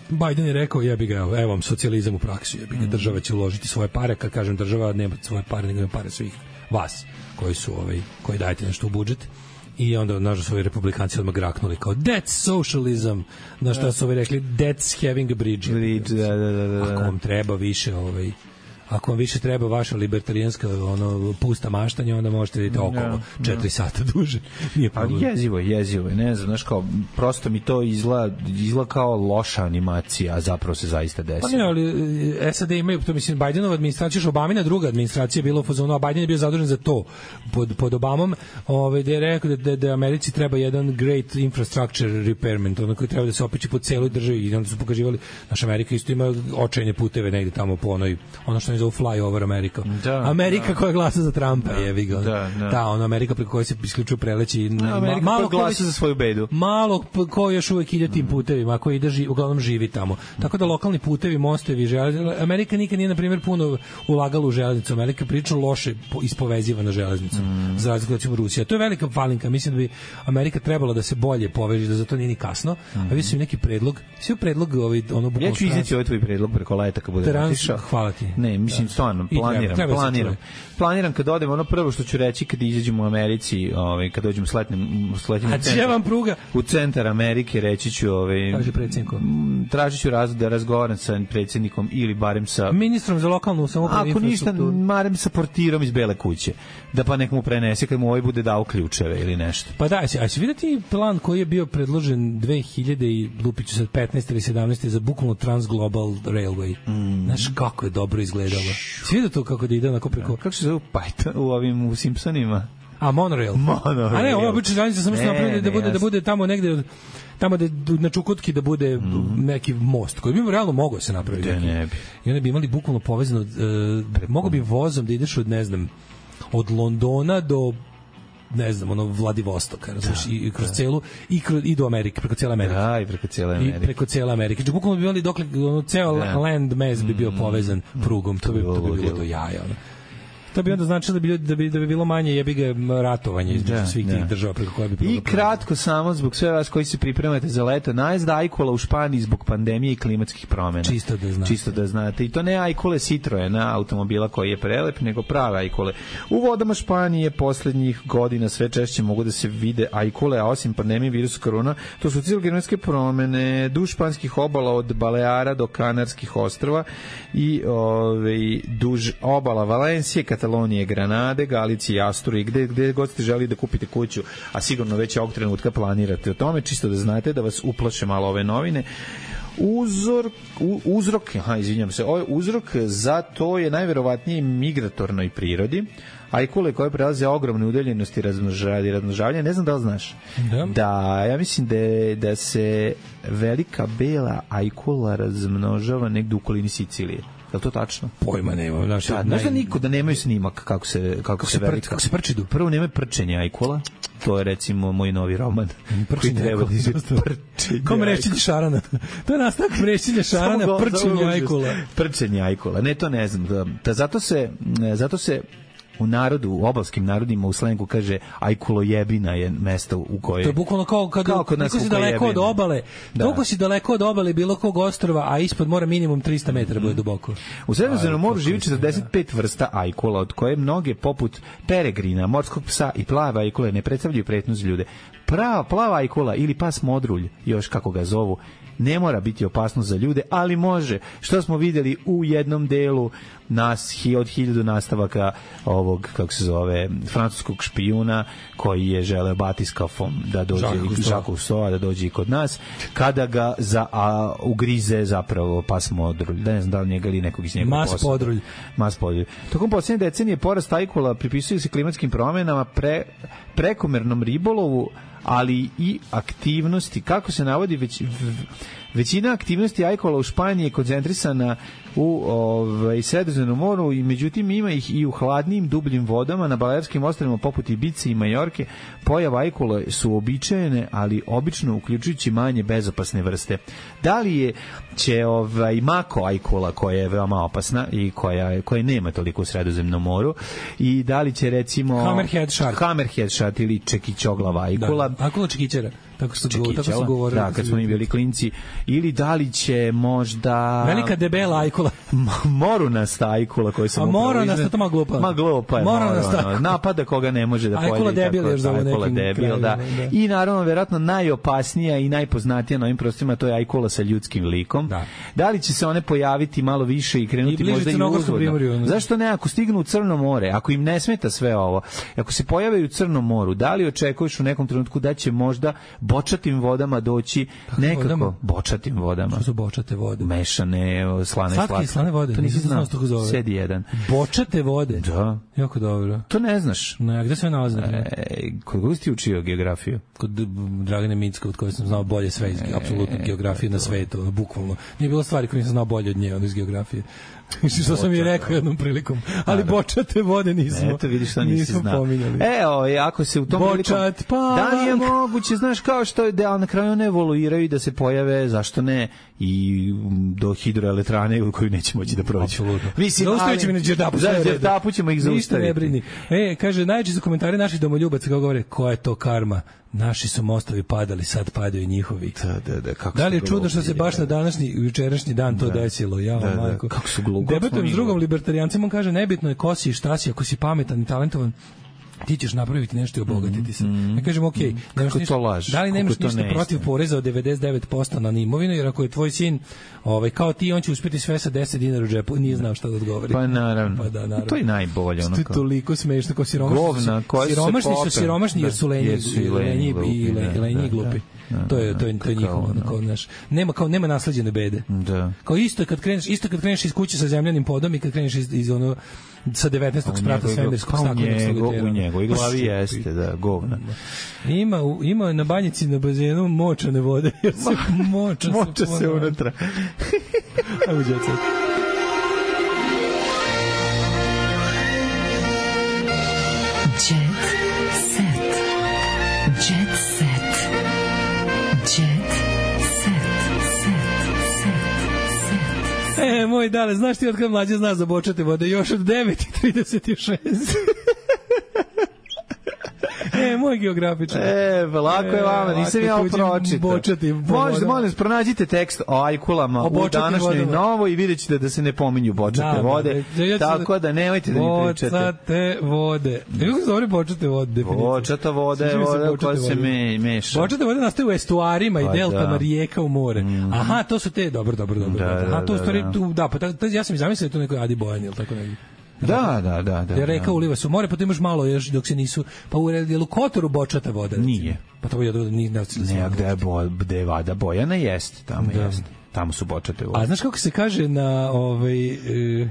Biden je rekao, jebi ga, evo vam socijalizam u praksi, jebi ga, država će uložiti svoje pare, kad kažem država, nema svoje pare, nego nema pare svih vas, koji su, ovaj, koji dajete nešto u budžet. I onda, nažalost, ovi republikanci odmah graknuli kao that's socialism, na što su ovi rekli that's having a bridge. bridge da, da, da, da. Ako vam treba više ovaj, ako vam više treba vaša libertarijanska ono, pusta maštanja, onda možete vidjeti okolo četiri sata duže. Nije problem. Ali jezivo je, jezivo je, ne znam, znaš kao, prosto mi to izgleda, izgleda kao loša animacija, a zapravo se zaista desi. Pa ne, ali S A D imaju, to mislim, Bidenova administracija, Obamina druga administracija je bila u fazonu, a Biden je bio zadužen za to pod, pod Obamom, ovaj, da je rekao da, da, da Americi treba jedan great infrastructure repairment, ono koji treba da se opiči po celoj državi i onda su pokazivali, naša Amerika isto ima očajne puteve negde tamo po onoj, ono što za fly over America. Da, Amerika da. koja glasa za Trumpa, da, jevi ga. Da, da. Ta, ono Amerika preko koje se isključuju preleći. Da, Amerika ma, malo koja glasa za svoju bedu. Malo ko još uvek ide tim putevima, koji ide ži, uglavnom živi tamo. Tako da lokalni putevi, mostevi, železnice. Amerika nikad nije, na primjer, puno ulagala u železnicu. Amerika priča loše ispoveziva na železnicu. Mm. Za razliku od Rusija. To je velika falinka. Mislim da bi Amerika trebala da se bolje poveže, da za to nije ni kasno. Mm. A vi su neki predlog, sve predlog ovaj ono ja ću izneti ovaj tvoj predlog preko leta kad bude otišao. Hvala ti. Ne, mislim stvarno planiram, treba, treba planiram. Planiram kad odem, ono prvo što ću reći kad izađemo u Americi, ovaj kad dođemo sletnem sletnem pruga u centar Amerike, reći ću ovaj kaže predsjedniku. Tražiću razlog da razgovaram sa predsjednikom ili barem sa ministrom za lokalnu samoupravu. Ako ništa, barem sa portirom iz Bele kuće. Da pa nek mu prenese kad mu ovaj bude dao ključeve ili nešto. Pa da, a će videti plan koji je bio predložen dve hiljade i lupiću sad petnaeste ili sedamnaeste za bukvalno Transglobal Railway. Mm. Znaš kako je dobro izgledalo. Si vidio to kako da ide onako preko... Kako se zove Python u ovim u Simpsonima? A monorail. Monorail. A ne, ovo je obično železnica samo što napravili da bude, da bude tamo negde tamo da na Čukotki da bude mm. neki most koji bi realno mogao se napraviti. Da ne bi. I onda bi imali bukvalno povezano uh, mogao bi vozom da ideš od ne znam od Londona do ne znam, ono Vladivostoka, razumiješ, i kroz da. celu i kroz i do Amerike, preko cijele Amerike. Da, i preko cijele Amerike. I preko cijele Amerike. Znači bukvalno bi imali dokle ono ceo da. land mass bi bio povezan prugom, to bi to bi bilo do jaja, ono. To bi onda značilo da bi, da bi, da bi bilo manje jebi ga ratovanje između da, svih da. tih država preko koje bi I kratko samo zbog sve vas koji se pripremate za leto, najezda ajkula u Španiji zbog pandemije i klimatskih promjena. Čisto da znate. Čisto da znate. I to ne ajkule Citroena, automobila koji je prelep, nego prave ajkule. U vodama Španije poslednjih godina sve češće mogu da se vide ajkule, a osim pandemije virusa korona, to su cilogenometske promene duž španskih obala od Baleara do Kanarskih ostrva i ovaj duž obala Valencije, Katalonije, Granade, Galicije, Asturije, gde, gde god ste želi da kupite kuću, a sigurno već ovog trenutka planirate o tome, čisto da znate, da vas uplaše malo ove novine. uzor, u, uzrok, aha, izvinjam se, ovaj uzrok za to je najverovatnije migratornoj prirodi. Ajkule koje prelaze ogromne udaljenosti razmnožavanja, razmnožavanja, ne znam da li znaš. Da. Da, ja mislim da, je, da se velika bela ajkula razmnožava negde u okolini Sicilije. Je li to tačno? Pojma nema. Znaš, da, možda naj... niko da nemaju snimak kako se, kako kako se, se velika. Kako se prčidu? Prvo nema prčenja ajkula. To je recimo moj novi roman. Koji treba da izgleda prčenje. Kao mrešćenje šarana. To je nastavak mrešćenja šarana, prčenje ajkula. Prčenje ajkula. Ne, to ne znam. Da, da zato se, zato se u narodu, u obalskim narodima u slengu kaže ajkulo jebina je mesto u koje... To je bukvalno kao kad kao kod nas si daleko od obale, da. Toliko si daleko od obale bilo kog ostrva, a ispod mora minimum trista metara bude duboko. U Sredozemnom moru živi četrdeset pet vrsta ajkula, od koje mnoge poput peregrina, morskog psa i plave ajkule ne predstavljaju pretnju za ljude. Prava plava ajkula ili pas modrulj, još kako ga zovu, ne mora biti opasno za ljude, ali može. Što smo videli u jednom delu nas od hiljadu nastavaka ovog, kako se zove, francuskog špijuna koji je želeo batiskafom da dođe Žaku Soa, da dođe i kod nas, kada ga za, a, ugrize zapravo pas modrulj. Da ne znam da li njega ili nekog iz njega Mas podrulj. Mas podrulj. Tokom posljednje decenije porast ajkula pripisuje se klimatskim promjenama, pre, prekomernom ribolovu, ali i aktivnosti. Kako se navodi, već, većina aktivnosti ajkula u Španiji je koncentrisana u ovaj, Sredozemnom moru i međutim ima ih i u hladnim, dubljim vodama na Balearskim ostrvima poput Ibice i Majorke. Pojava ajkula su običajene, ali obično uključujući manje bezopasne vrste. Da li je će ovaj, mako ajkula koja je veoma opasna i koja, koja nema toliko u Sredozemnom moru i da li će recimo Hammerhead shark, Hammerhead shark ili čekićoglava ajkula. Da, ajkula čekićera. Tako su, tako su govorili. Da, kad smo mi bili klinci. Ili da li će možda... Velika debela ajkula. Morunasta ajkula koju sam upravo... A morunasta, to ma glupa. Ma glupa je. Morunasta. Napada koga ne može da pojede. Ajkula debil, još zove nekim debil, krajima, da. da. I naravno, verovatno najopasnija i najpoznatija na ovim prostorima, to je ajkula sa ljudskim likom. Da. Da li će se one pojaviti malo više i krenuti I možda i uzvodno? Zašto ne? Ako stignu u Crno more, ako im ne smeta sve ovo, ako se pojave u Crnom moru, da li očekuješ u nekom trenutku da će možda bočatim vodama doći nekako vodama? Bočatim vodama. Što su bočate vode? Mešane, slane, slatke. Slatke slane vode. To nisi znao. Sedi jedan. Bočate vode? Da. Jako dobro. To ne znaš. Ne, gde se nalazi? E, kod koga si učio geografiju? Kod Dragane Micka, od koje sam znao bolje sve iz e, apsolutno geografije na svetu, bukvalno. Nije bilo stvari koje nisam znao bolje od nje, ono iz geografije. Što sam i rekao jednom prilikom. Ali bočate vode nismo. Eto, vidiš što nisi znao. Evo, ako se u tom Bočat, prilikom... Da li je moguće, znaš, kao što je da na kraju one evoluiraju i da se pojave, zašto ne, i do hidroelektrane koju neće moći da prođe. Apsolutno. Mislim, zaustavit ćemo na Đerdapu. Za Đerdapu ćemo ih zaustaviti. Ništa ne brini. E, kaže, najčešće komentari naših domoljubaca kao govore, koja je to karma? Naši su mostovi padali, sad padaju njihovi. Da, da, da, kako da li je čudno što se baš na današnji i jučerašnji dan to da. desilo? Ja, da, majko. Da, kako su glupo. Debatujem s drugom libertarijancima, on kaže, nebitno je ko si i šta si, ako si pametan i talentovan, ti ćeš napraviti nešto i obogatiti se. Mm-hmm. Ja kažem, okej, okay, ništa, da li nemaš ništa protiv poreza od devedeset devet posto na imovinu, jer ako je tvoj sin ovaj, kao ti, on će uspjeti sve sa deset dinara u džepu, nije znao šta da odgovori. Pa naravno, pa da, naravno. To je najbolje. Ono to je toliko smešno, kao siromašni, govna, su, siromašni su siromašni jer su lenji, i lenji, i lenji i glupi. Da, to je to je to je njihovo, kao naš. Nema kao nema nasleđene bede. Da. Kao isto kad kreneš, isto kad kreneš iz kuće sa zemljanim podom i kad kreneš iz, iz ono sa devetnaestog sprata svemirskog staklenog solitera. U njegovoj glavi jeste, da, govna. Ima, ima na banjici na bazenu močane vode, jer se moča, moča se unutra. Ajmo djeca. Jet set. Jet set. Jet set. E, moj dale, znaš ti od kada mlađe zna za bočate vode? Još od devet i trideset šest. E, moj geografičar. E, lako je vama, nisam ja ovo pročitao. Možete, molim, pronađite tekst o ajkulama u današnjoj novoj i vidjet ćete da se ne pominju bočate vode. Tako da nemojte da mi pričate. Bočate vode. Kako se zove bočate vode? Bočata voda je voda koja se meša. Bočate vode nastaju u estuarima i deltama rijeka u more. Aha, to su te, dobro, dobro, dobro. Aha, to u stvari, da, pa ja sam i zamislio da je to neko Adi Bojan ili tako negdje. Da, da, da, da. Da reka da. uliva se u more, pa tu imaš malo još dok se nisu, pa u jelu Kotoru bočata voda. Nije. Pa to je nije ne, ne, a gde je, bo, gde je vada Bojana, jeste, tamo da. jeste. Tamo su bočate vode. A znaš kako se kaže na ovaj... E,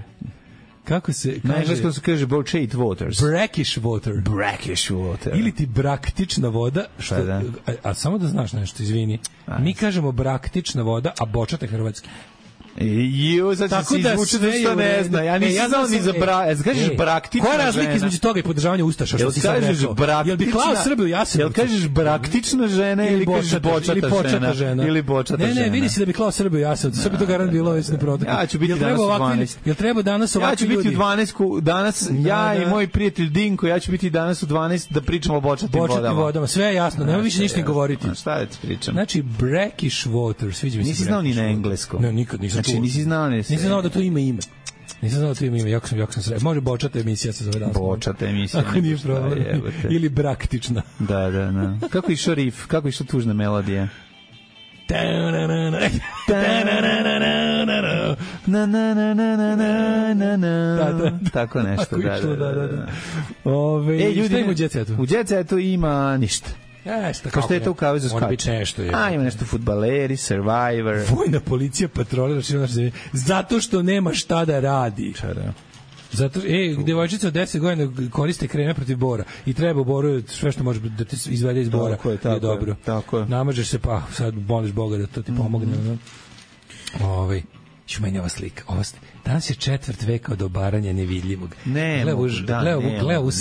kako se kaže? Na engleskom se kaže Bochate waters. Brackish water. Brackish water. Ili ti braktična voda, što, da. a, a samo da znaš nešto, izvini. A, mi kažemo braktična voda, a bočata hrvatski. Jo, sad će se izvuče da što ne zna. Ja nisam e, ja znao ni za bra... Jel kažeš e, braktična žena? Koja razlika između toga i podržavanja ustaša, što si sad rekao? Jel bi klao Srbiju Jasenovcu? Jel kažeš braktična žena ili kažeš bočata žena? Ili bočata žena? Ne, ne, vidi se da bi klao Srbiju Jasenovcu. Sve bi to garant bilo već neprotiv. Ja ću biti danas u dvanaest. Jel treba danas ovakvi ljudi? Ja ću biti u dvanaest danas, ja i moj prijatelj Dinko, ja ću biti danas u dvanaest da pričamo o bočatim vodama. Bočatim vodama, sve je jasno, nema više ništa ni govoriti. Šta da ti pričam? Znači, brackish water, sviđa mi se. Nisi znao ni na engleskom. Ne, nikad nisam. Znači, nisi znao ne. Nisam znao da to ima ime. Nisam znao da to ima ime, jako sam, jako sam sre... Može bočata emisija se zove danas. Bočata emisija. Ako nije problem. Ili braktična. Da, da, da. Kako je išao rif? Kako je išao tužna melodija? Na na na na na na. Tako nešto, da, da, da. Ove, e, ljudi, u Jet Setu? U Jet Setu ima ništa. Jeste, kao što je to u kavezu skače. Mora biti nešto. Je. A, ima nešto fudbaleri, Survivor. Vojna policija patrolira širom naše zemlje. Zato što nema šta da radi. Čara. Zato, e, devojčica od deset godina koriste kreme protiv bora i treba u boru sve što može da te izvede iz bora. Tako je, tako je. Dobro. Tako je. Namažeš se, pa sad moliš Boga da to ti pomogne. Mm-hmm. Ovaj, ću meni ova slika. Ova slika. Danas je četvrt veka od obaranja nevidljivog. Ne, mogu, da, ne, ne, mogu,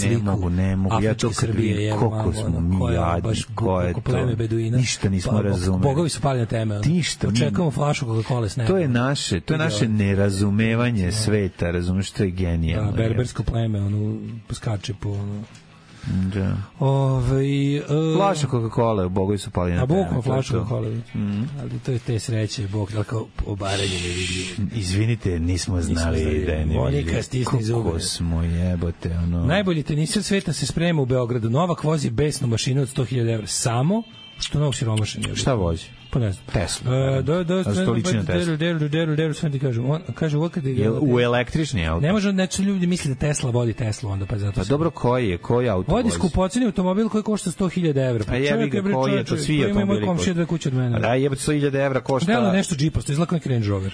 ne mogu, ne mogu. Ja to kad vidim, koliko smo mi jadni, ko je to. Beduina, ništa nismo pa, razumeli. Bogovi su pali na teme. Ništa. Očekujemo flašu Coca-Cola s neba. To je naše, to je naše nerazumevanje no. sveta, razumeš, to je genijalno. Da, berbersko pleme, ono, skače po, ono, da. Ove, uh, flaša Coca-Cola, Bogovi su pali na teme. A Bog flaša Coca-Cola. Mm. Ali to je te sreće, Bog, da kao obaranje nevidljivo. Izvinite, nismo znali nismo da je nevidljivo. Monika, stisni zube. Kako smo jebote, ono... Najbolji teniser sveta se sprema u Beogradu. Novak vozi besnu mašinu od sto hiljada evra. Samo što novog siromašan je. Šta vozi? Pa ne znam. Tesla. Uh, do, do, stolična Tesla. Deru, deru, deru, sve ti kažem. On kaže uvijek kad je... U električni auto? Ne može, neće ljudi misli da Tesla vodi Teslu onda, pa zato... Pa dobro, koji je? Koji auto vozi? Vodi skupoceni automobil koji košta sto hiljada evra. Pa jebi ga, koji je to svi automobili? Ima moj komšija dve kuće od mene. Da, jebate sto hiljada evra košta... Delo nešto džiposto, izlako neki Range Rover.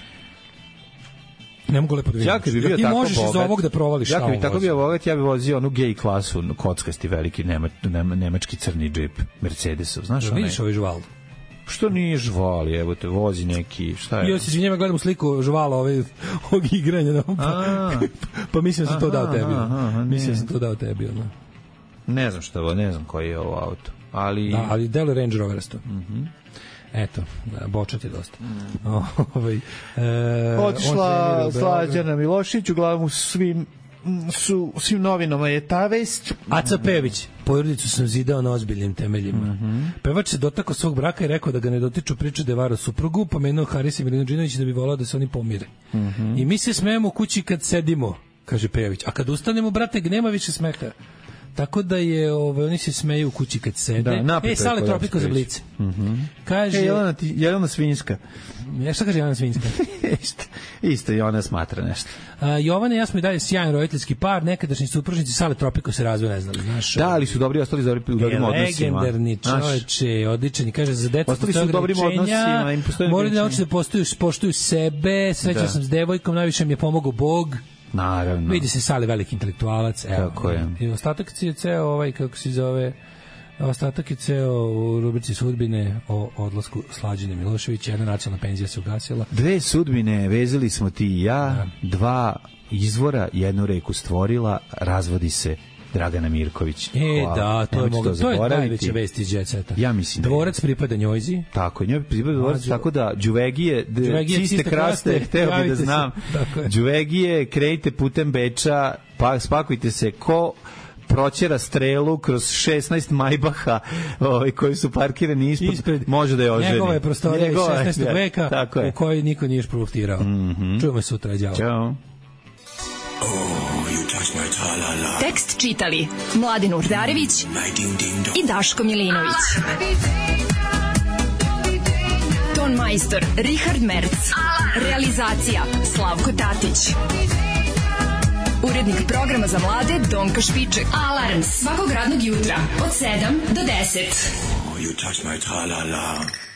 Ne mogu lepo da vidim. Ja kad bi bio ti tako možeš bogat, iz ovog da provališ ja šta kad bi tako bio bogat, ja bi vozio onu gej klasu, kockasti veliki nema, nema, nemački crni džip Mercedesov, znaš da, onaj? Vidiš ovaj žval? Što nije žval, evo te, vozi neki, šta je? Ja se izvinjam, gledam sliku žvala ove, ovog igranja, no, pa, pa mislim da sam to dao tebi. Aha, mislim da sam to dao tebi. Ono. Ne znam šta, ne znam koji je ovo auto. Ali... Da, ali delo Range Roverasto. Mhm. Eto, bočat je dosta. Mm. Ovaj, e, Otišla Slađana Milošić, uglavnom svim su svim novinama je ta vest. Aca Pević, porodicu sam zidao na ozbiljnim temeljima. Mm-hmm. Pevač se dotakao svog braka i rekao da ga ne dotiču priče da je varao suprugu, pomenuo Haris i Milinođinović da bi volao da se oni pomire. Mm-hmm. I mi se smejemo u kući kad sedimo, kaže Pević, a kad ustanemo, brate, nema više smeha. Tako da je, ovaj, oni se smeju u kući kad sede. Da, e, Sale Tropiko za Blic. Mm-hmm. Kaže... E, Jelena, ti, Jelena Svinjska. Ja šta kaže Jelena Svinjska? isto, isto i ona smatra nešto. A, Jovana i ja smo i dalje sjajan roditeljski par, nekadašnji supružnici Sale Tropiko se razvoj ne znali, znaš. Da, ali su dobri, ostali dobri, u dobrim odnosima. Legendarni čoveče, odličan. Kaže, za decu ostali su u dobrim odnosima. Moraju da nauči da poštuju, poštuju sebe, srećao da. sam s devojkom, najviše mi je pomogao Bog. Naravno. Vidi se Sale veliki intelektualac. Evo, tako je. I ostatak je ceo ovaj, kako se zove, ostatak je ceo u rubrici sudbine o odlasku Slađane Milošević. Jedna nacionalna penzija se ugasila. Dve sudbine vezali smo ti i ja, da. Dva izvora, jednu reku stvorila, razvodi se Dragana Mirković. E, hvala. Da, to je, mogu, to je najveća vest iz Jet Seta. Ja mislim. Dvorac pripada njojzi. Tako, njoj pripada dvorac, Mađu. Tako da Đuvegije, čiste kraste, hteo bi da znam. Đuvegije, krenite putem Beča, pa spakujte se ko proćera strelu kroz šesnaest Majbaha ovaj, koji su parkirani ispod, ispred, može da je oženi. Njegova je prostorija iz šesnaestog veka u kojoj niko nije šproftirao. Mm-hmm. Čujemo sutra, đavo. Ćao. Tekst čitali Mladin Urdarević i Daško Milinović. Ton majstor Richard Merc. Realizacija Slavko Tatić. Urednik programa za mlade Donka Špiček. Alarms svakog radnog jutra od sedam do deset. Oh, you touch my tra-la-la.